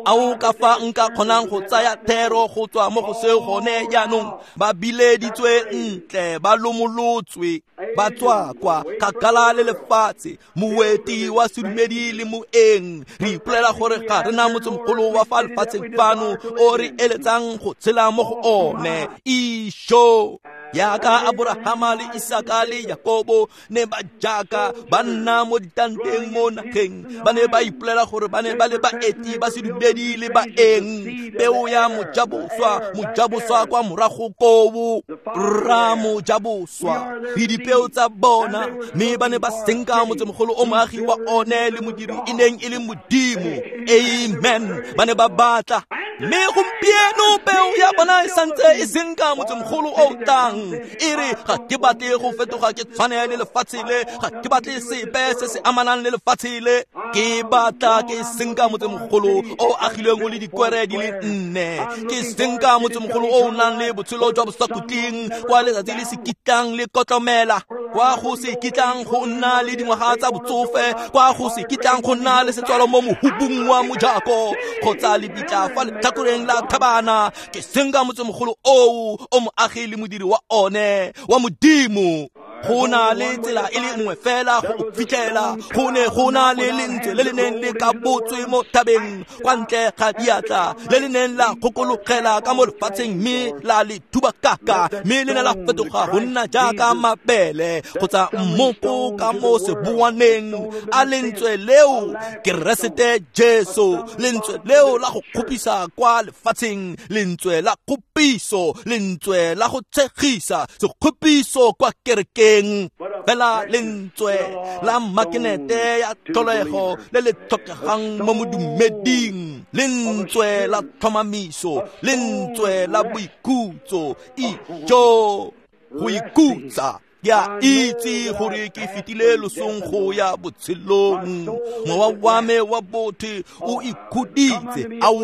Ao ka fa nka kgonang go tsaya thero go tswa mo go seo gone jaanong. Ba bileditswe ntle, ba lomolotswe, ba tswa kwa kgakala le lefatshe, moeti wa sedumedi le moeng. Re ipolela gore ga re na motsemogolo wa fa lefatsheng fano o re eletsang go tshela mo go one. Isho! Yaka Abrahama le Isaka le Jakobo ne ba jaaka ba nna mo ditanteng mo nageng, ba ne ba ipolela gore ba ne ba le baeti ba sedumedi le baeng. Peo ya mojaboswa, mojaboswa kwa morago koo, rra mojaboswa, le dipeo tsa bona, mme ba ne ba senka motsemogolo o moagi wa one le modiri e neng e le Modimo. Amen. Ba ne ba batla, mme gompieno peo ya bona e santse e senka motsemogolo o tlang. E re, ga ke batle go fetoga ke tshwane le lefatshe le, ga ke batle sepe se se amanang le lefatshe le. Ke batla ke senka motsemogolo o agilweng o le dikwere di le nne. Ke senka motsemogolo o o nang le botshelo jwa bosakhutleng, kwa letsatsi le se kitlang le kotlomela, kwa go se kitlang go nna le dingwaga tsa botsofe, kwa go se kitlang go nna le setswalo mo mohubung wa mojako kgotsa lebitla fa letlhakoreng la thabana. Ke senka motsemogolo oo o moagi le modiri wa one wa Modimo. Go na le tsela e le nngwe fela go fitlhela. Go ne go na le lentswe le le neng le ka botswe mo thabeng kwa ntle ga diatla, le le neng la kgokologela ka mo lefatsheng mme la le thubakaka, mme le ne la fetoga go nna jaaka mabele kgotsa mmoko ka mo seboaneng. A lentswe leo Keresete Jesu, lentswe leo la go kgopisa kwa lefatsheng, lentswe la kgopiso, lentswe la go tshegisa, sekgopiso kwa kerekeng, fela lentswe la makenete ya tlholego le le tlhokegang mo modumeding, lentswe la tlhomamiso, lentswe la boikhutso. Ijo, go ikhutsa. Ke a itse gore ke fetile losong go ya botshelong. Mowa wa me wa botho o ikhuditse. Ao,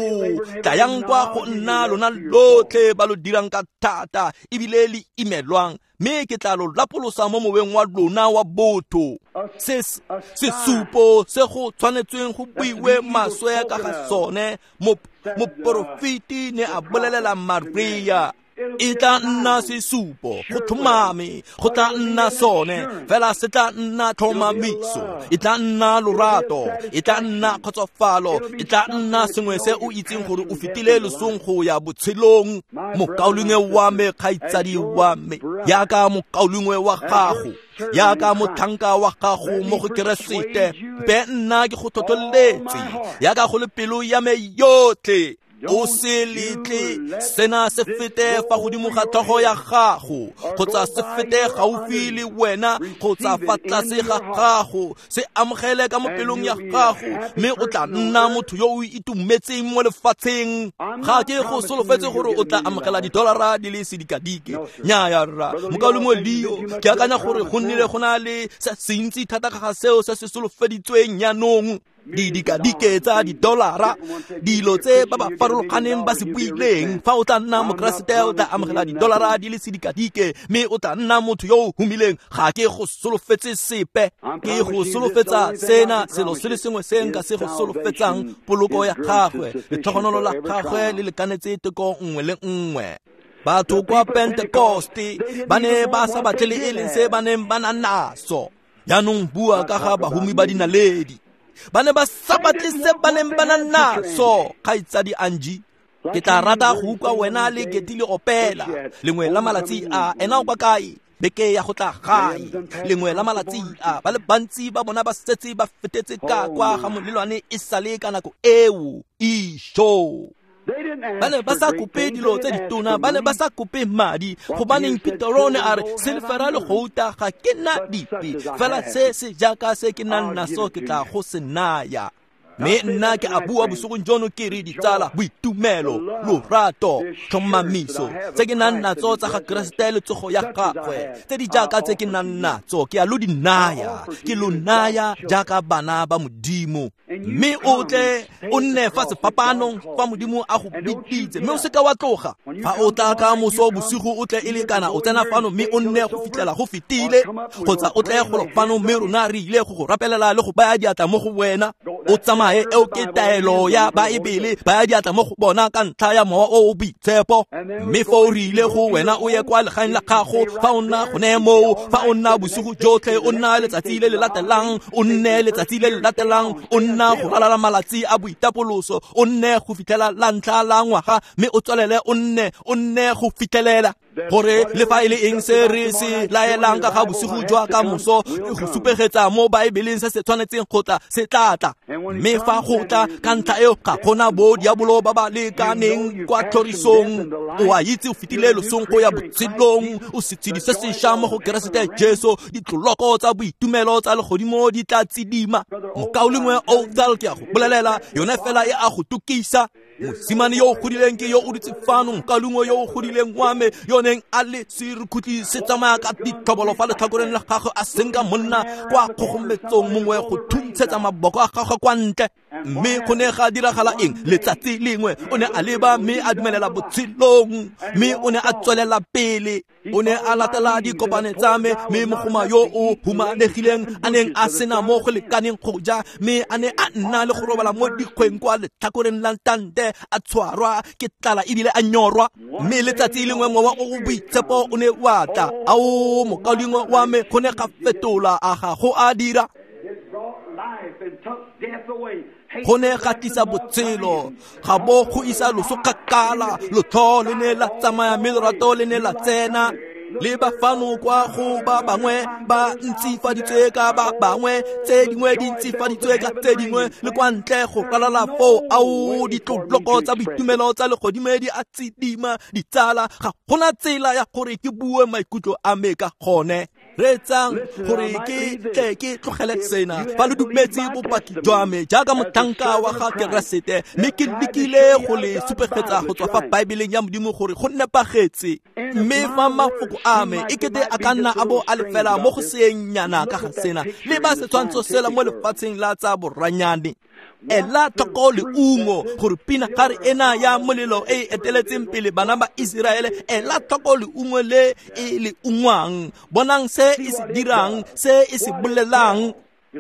tlayang kwa go nna lona lotlhe ba lo dirang ka thata ebile le imelwang, mme ke tla lo lapolosa mo moweng wa lona wa botho. Sesupo se go tshwanetsweng go buiwe maswe ka ga sone, moporofeti ne a bolelela Maria, e tla nna sesupo go tlhomame, go tla nna sone fela, se tla nna tlhomamiso, e tla nna lorato, e tla nna kgotsofalo, e tla nna sengwe se o itseng gore o fetile losong go ya botshelong. Mokaulengwe wa me, kgaitsadi wa me, jaaka mokaulengwe wa gago, jaaka motlhanka wa gago mo go Keresete, be nna ke go tlhotlheletse jaaka go le pelo ya me yotlhe. O se letle sena se fete fa godimo ga tlhogo ya gago, kgotsa se fete gaufi le wena, kgotsa fa tlase ga gago. Se amogele ka mo pelong ya gago, mme o tla nna motho yo o itumetseng mo lefatsheng. Ga ke go solofetse gore o tla amogela didolara di le sedikadike. Nnyaya rra, mokaulengwe Leo, ke akanya gore go nnile go na le se sentsi thata ka ga seo se se solofeditsweng jaanong. Didikadike tsa didolara, dilo tse ba ba farologaneng ba se buileng. Fa o tla nna mokeresete, o tla amogela didolara di le sedikadike, mme o tla nna motho yo o humileng. Ga ke go solofetse sepe, ke go solofetsa sena, selo se le sengwe se nka se go solofetsang, poloko ya gagwe, letlhogonolo la gagwe le lekanetse teko nngwe le nngwe. Batho kwa Pentekoste ba ne ba sa batle le e leng se ba neng ba na naso. Jaanong bua ka ga bahumi ba dinaledi, ba ne ba sa batle se ba neng ba na naso. Kgaitsadi Angie, ke tla rata go utlwa wena le Keti le opela lengwe la malatsi a. Ena o kwa kae? Beke ya go tla gae lengwe la malatsi a. Ba le bantsi ba bona ba setse ba fetetse ka kwa ga molelwane e sale ka nako eo. Isho, ba ne ba sa kope dilo tse ditona, ba ne ba sa kope madi. Gobaneng Petero ne a re, silefera le gouta ga ke na dipe, fela se se jaaka se ke nang naso ke tla go se naya. Mme nna ke a bua bosigong jono ke re, ditsala, boitumelo, lorato, tlhomamiso tse ke nang natso tsa ga Keresete le tsogo ya gagwe, tse di jaaka tse ke nang natso, ke a lo di naya, ke lo naya jaaka bana ba Modimo. Mme o tle o nne fa sefapanong fa Modimo a go biditse, mme o seka wa tloga. Fa o tla ka moso bosigo, o tle e le kana o tsena fano mme o nne go fitlhela go fetile, kgotsa o tle golo fano mme rona re ile go go rapelela le go baya diatla mo go wena. O tsamaye, eo ke taelo ya Baebele, baya diatla mo go bona ka ntlha ya Mowa o o Boitshepo. Mme foo re ile go wena o ye kwa legaeng la gago. Fa o nna gone moo, fa o nna bosigo jotlhe, o nna letsatsi le le latelang, o nne letsatsi le le latelang, o nna go ralala malatsi a boitapoloso, o nne go fitlhela la ntlha la ngwaga, mme o tswelele o nne go fitlhelela gore le fa e le eng se re se laelang ka ga bosigo jwa ka moso, go supegetsa mo Baebeleng se se tshwanetseng go tla, se tla tla. Mme fa go tla ka ntlha eo, ga gona bo diabolo ba ba lekaneng kwa tlhorisong. O a itse o fetile losong go ya botshelong, o setshedi se sešwa mo go Keresete Jesu. Ditloloko tsa boitumelo tsa legodimo di tla tsidima. Mokaulengwe Othal, ke a go bolelela, yone fela e a go tukisa. Mosimane yo o godileng ke yo o dutse fano, mokaulengwe yo o godileng wa me, yo neng a le serukutlhi se tsamaya ka ditlhobolo fa letlhakoreng la gagwe, a senka monna kwa kgogometsong mongwe go thuntsa ntshetsa maboko a gagwe kwa ntle. Mme go ne ga diragala eng? Letsatsi lengwe o ne a leba mme a dumelela botshelong, mme o ne a tswelela pele. O ne a latela dikopane tsa me, mme mogoma yo o humanegileng a neng a sena mo go lekaneng go ja, mme a ne a nna le go robala mo dikgweng kwa letlhakoreng la ntante, a tshwarwa ke tlala ebile a nyorwa. Mme letsatsi lengwe mowa o o boitshepo o ne wa tla. Ao, mokaulengwe wa me, go ne ga fetola a ga go a dira. Go ne ga tlisa botshelo, ga bo go isa loso kgakala. Lotlho le ne la tsamaya mme lorato le ne la tsena. Le ba fano kwa go ba bangwe ba ntsifaditswe ka ba bangwe, tse dingwe di ntsifaditswe ka tse dingwe, le kwa ntle go ralala foo. Ao, ditloloko tsa boitumelo tsa legodimo di a tsidima, ditsala. Ga gona tsela ya gore ke bue maikutlo a me ka gone. Reetsang gore ke tle ke tlogele sena. Fa lo dumetse bopaki jwa me jaaka motlhanka wa ga Keresete, mme ke lekile go le supegetsa go tswa fa Baebeleng ya Modimo gore go nepagetse, mme fa mafoko a me e kete a ka nna a bo a le fela mo go seengnyana ka ga sena, le ba setshwantsho sela mo lefatsheng la tsa boranyane. Ela tlhoko leungo gore pinagare ena ya molelo e e eteletseng pele bana ba Iseraele, ela tlhoko leungo le e le ungwang. Bonang se e se dirang, se e se bolelang.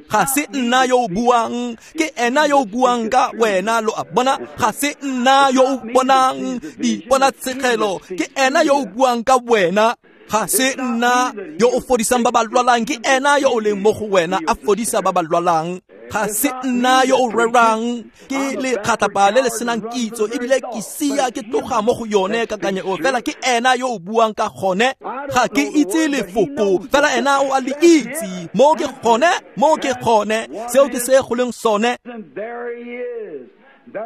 Ga se nna yo o buang, ke ena yo o buang ka wena. Lo a bona? Ga se nna yo o bonang diponatshegelo, ke ena yo o buang ka wena. Ga se nna yo o fodisang ba ba lwalang, ke ena yo o leng mo go wena a fodisa ba ba lwalang. Ga se nna yo o rerang, ke lekgatlapa le le senang kitso, ebile ke sia ke tloga mo go yone kakanyo eo, fela ke ena yo o buang ka gone. Ga ke itse lefoko, fela ena o a le itse. Mo ke gone, mo ke gone, seo ke se go leng sone.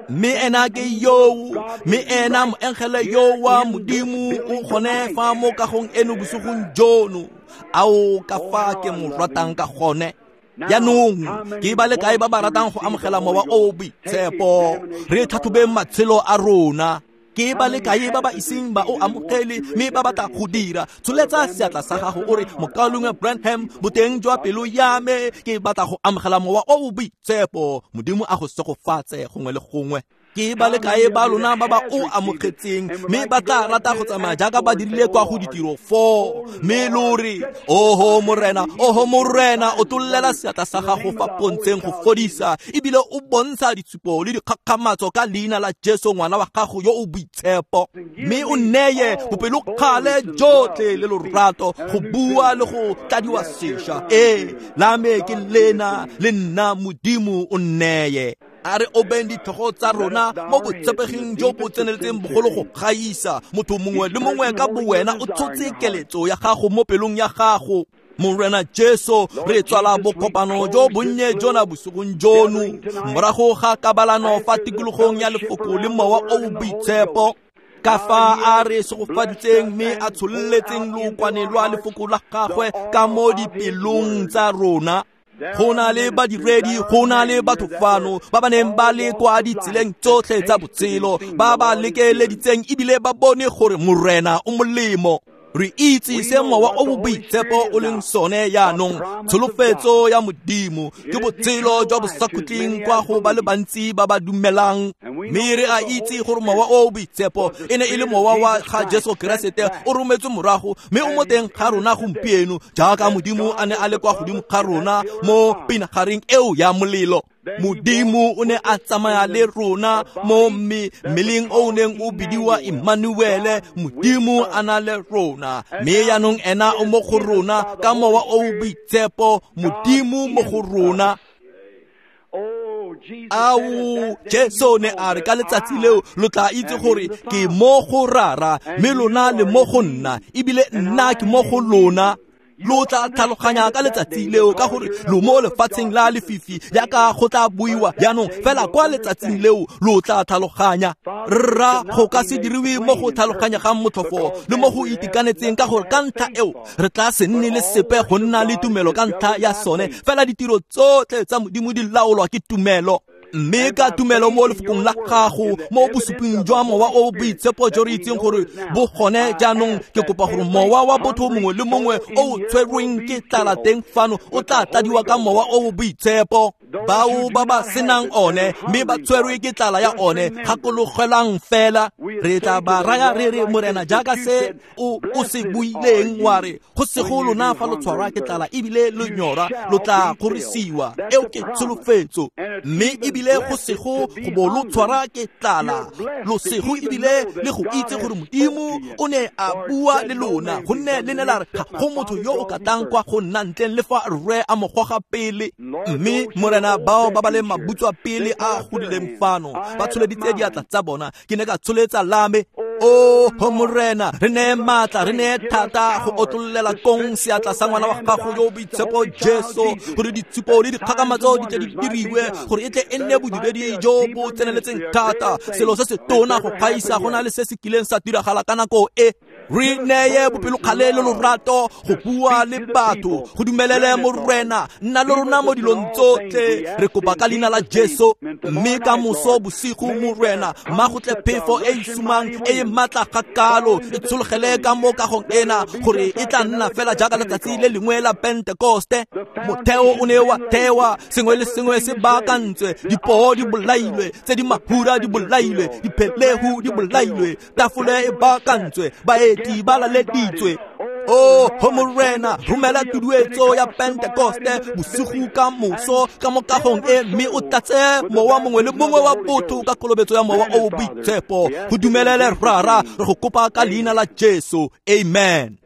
Mme ena ke yoo, mme ena moengele yo wa Modimo o gone fa mo kagong eno bosigong jono. Ao, ka fa ke mo ratang ka gone. Jaanong ke ba le kae ba ba ratang go amogela mowa o o boitshepo? Re tlhatlhobeng matshelo a rona. Ke ba le kae ba ba iseng ba o amogele mme ba batla go dira? Tsholetsa seatla sa gago o re, mokaulengwe Branham, boteng jwa pelo ya me ke batla go amogela mowa o o boitshepo. Modimo a go segofatse gongwe le gongwe. Ke ba le kae ba lona ba ba o amogetseng mme ba tla rata go tsamaya jaaka ba dirile kwa go ditiro 4, mme lo re, oho Morena, oho Morena, o tollela seatla sa gago fa pontsheng go fodisa, ebile o bontsha ditshupo le dikgakgamatso ka leina la Jesu ngwana wa gago yo o boitshepo, mme o neye bopelokgale jotlhe le lorato go bua le go tladiwa sešwa. Ee, la me ke lena, le nna Modimo o nneye. A re obeng ditlhogo tsa rona mo botshepeging jo bo tseneletseng bogolo go gaisa. Motho mongwe le mongwe ka bowena o tshotse keletso ya gago mo pelong ya gago. Morena Jesu, re tswala bokopano jo bonnye jona bosigong jono morago ga kabalano fa tikologong ya lefoko le mowa o o boitshepo. Ka fa a re segofaditseng mme a tshololetseng lookwane lwa lefoko la gagwe ka mo dipelong tsa rona. Go na le badiredi, go na le batho fano ba ba neng ba le kwa ditseleng tsotlhe tsa botshelo, ba ba lekeleditseng ebile ba bone gore Morena o molemo. Re itse se mowa o boitshepo o leng sone jaanong, tsholofetso ya Modimo ke botshelo jwa bosakhutleng kwa go ba le bantsi ba ba dumelang. Mme re a itse gore mowa o boitshepo e ne e le mowa wa ga Jesu Keresete o rometswe morago, mme o mo teng ga rona gompieno jaaka Modimo a ne a le kwa godimo ga rona mo pinagareng eo ya molelo. Modimo o ne a tsamaya le rona mo mmeleng o neng o bidiwa Emmanuele, Modimo a na le rona. Mme jaanong ena o mo go rona ka mowa o boitshepo, Modimo mo go rona. Ao, Jesu ne a re ka letsatsi leo lo tla itse gore ke mo go Rara, mme lona le mo go nna, ebile nna ke mo go lona. Lo tla tlhaloganya ka letsatsi leo ka gore lo mo lefatsheng la lefifi jaaka go tla buiwa jaanong, fela kwa letsatsing leo lo tla tlhaloganya. Rra, go ka se diriwe mo go tlhaloganyegang motlhofo le mo go itekanetseng, ka gore ka ntlha eo re tla se nne le sepe go nna le tumelo ka ntlha ya sone, fela ditiro tsotlhe tsa Modimo di laolwa ke tumelo. Mme ka tumelo mo lefokong la gago, mo bosuping jwa mowa o boitshepo jo re itseng gore bo gone jaanong, ke kopa gore mowa wa botho mongwe le mongwe o o tshwerweng ke tlala teng fano o tla tladiwa ka mowa o boitshepo. Bao ba ba senang one mme ba tshwerwe ke tlala ya one, gakologelang fela re tla ba raya re re Morena jaaka se o se buileng wa re go sego lona fa lo tshwarwa ke tlala ebile lo nyora lo tla kgorisiwa. Eo ke tsholofetso. Mme ebile go sego go bo lo tshwara ke tlala, lo sego ebile le go itse gore Modimo o ne a bua le lona, gonne le ne la re ga go motho yo o ka tlang kwa go nna ntleng le fa rre a mo goga pele. Mme Morena, bao ba ba leng mabutswa pele a godileng fano ba tsholeditse diatla tsa bona, ke ne ka tsholetsa lame. O ho Morena, re neye maatla, re neye thata go otlololela kong seatla sa ngwana wa gago yo o boitshepo Jesu, gore ditshupo le dikgakamatso di tle di diriwe, gore e tle e nne bodiredi jo bo tseneletseng thata, selo se se tona go gaisa go na le se se kileng sa diragala ka nako e. Re neye bopelokgale le lorato go bua le batho, go dumelele Morena, nna le rona mo dilong tsotlhe. Re kopa ka leina la Jesu. Mme ka moso bosigo Morena, mma go tle phefo e e sumang e e maatla ga kalo e tshologele ka mo kagong ena, gore e tla nna fela jaaka letsatsi le lengwe la Pentekoste. Motheo o ne wa thewa, sengwe le sengwe se baakantswe, dipoo di bolailwe, tse di mahura di bolailwe, diphelehu di bolailwe, tafole e baakantswe, baeti ba laleditswe. O ho Morena, romela tuduetso ya Pentekoste bosigo ka moso ka mo kagong e, mme o tlatse mowa mongwe le mongwe wa botho ka kolobetso ya mowa o o boitshepo. Go dumelele Rara, re go kopa ka leina la Jesu. Amen.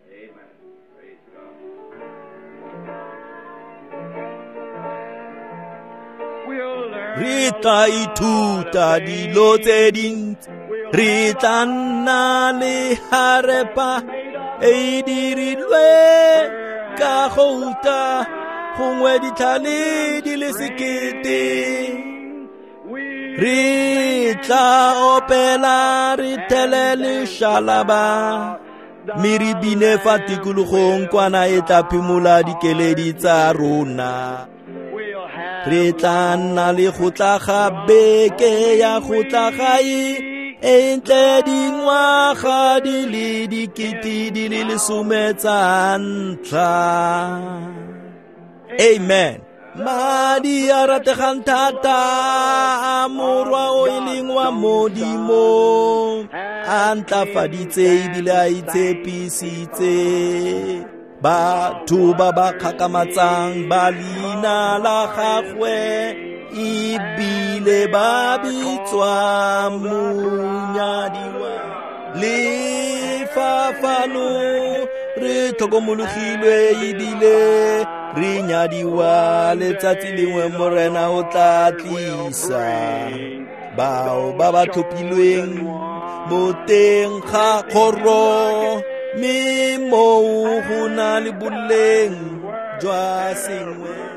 Re tla ithuta dilo tse dintsi, re tla nna le harepa e dirilwe ka gouta, gongwe ditlhale di le sekete. Re tla opela re thele lešalaba, mme re bine fa tikologong kwana e tla phimola dikeledi tsa rona. Re tla nna le go tla ga beke ya go tla gae e ntle dingwaga di le 10 di le 10 tsa ntlha. Amen. Madi a rategang thata a morwa o e leng wa Modimo a ntlafaditse ebile a itshepisitse batho ba ba kgakamatsang ba leina la gagwe ebile ba bitswa monyadiwa. Le fa fano re tlhokomologilwe ebile re nyadiwa, letsatsi lengwe Morena o tla tlisa bao ba ba tlhophilweng mo teng ga kgoro, mme moo go na le boleng jwa sengwe.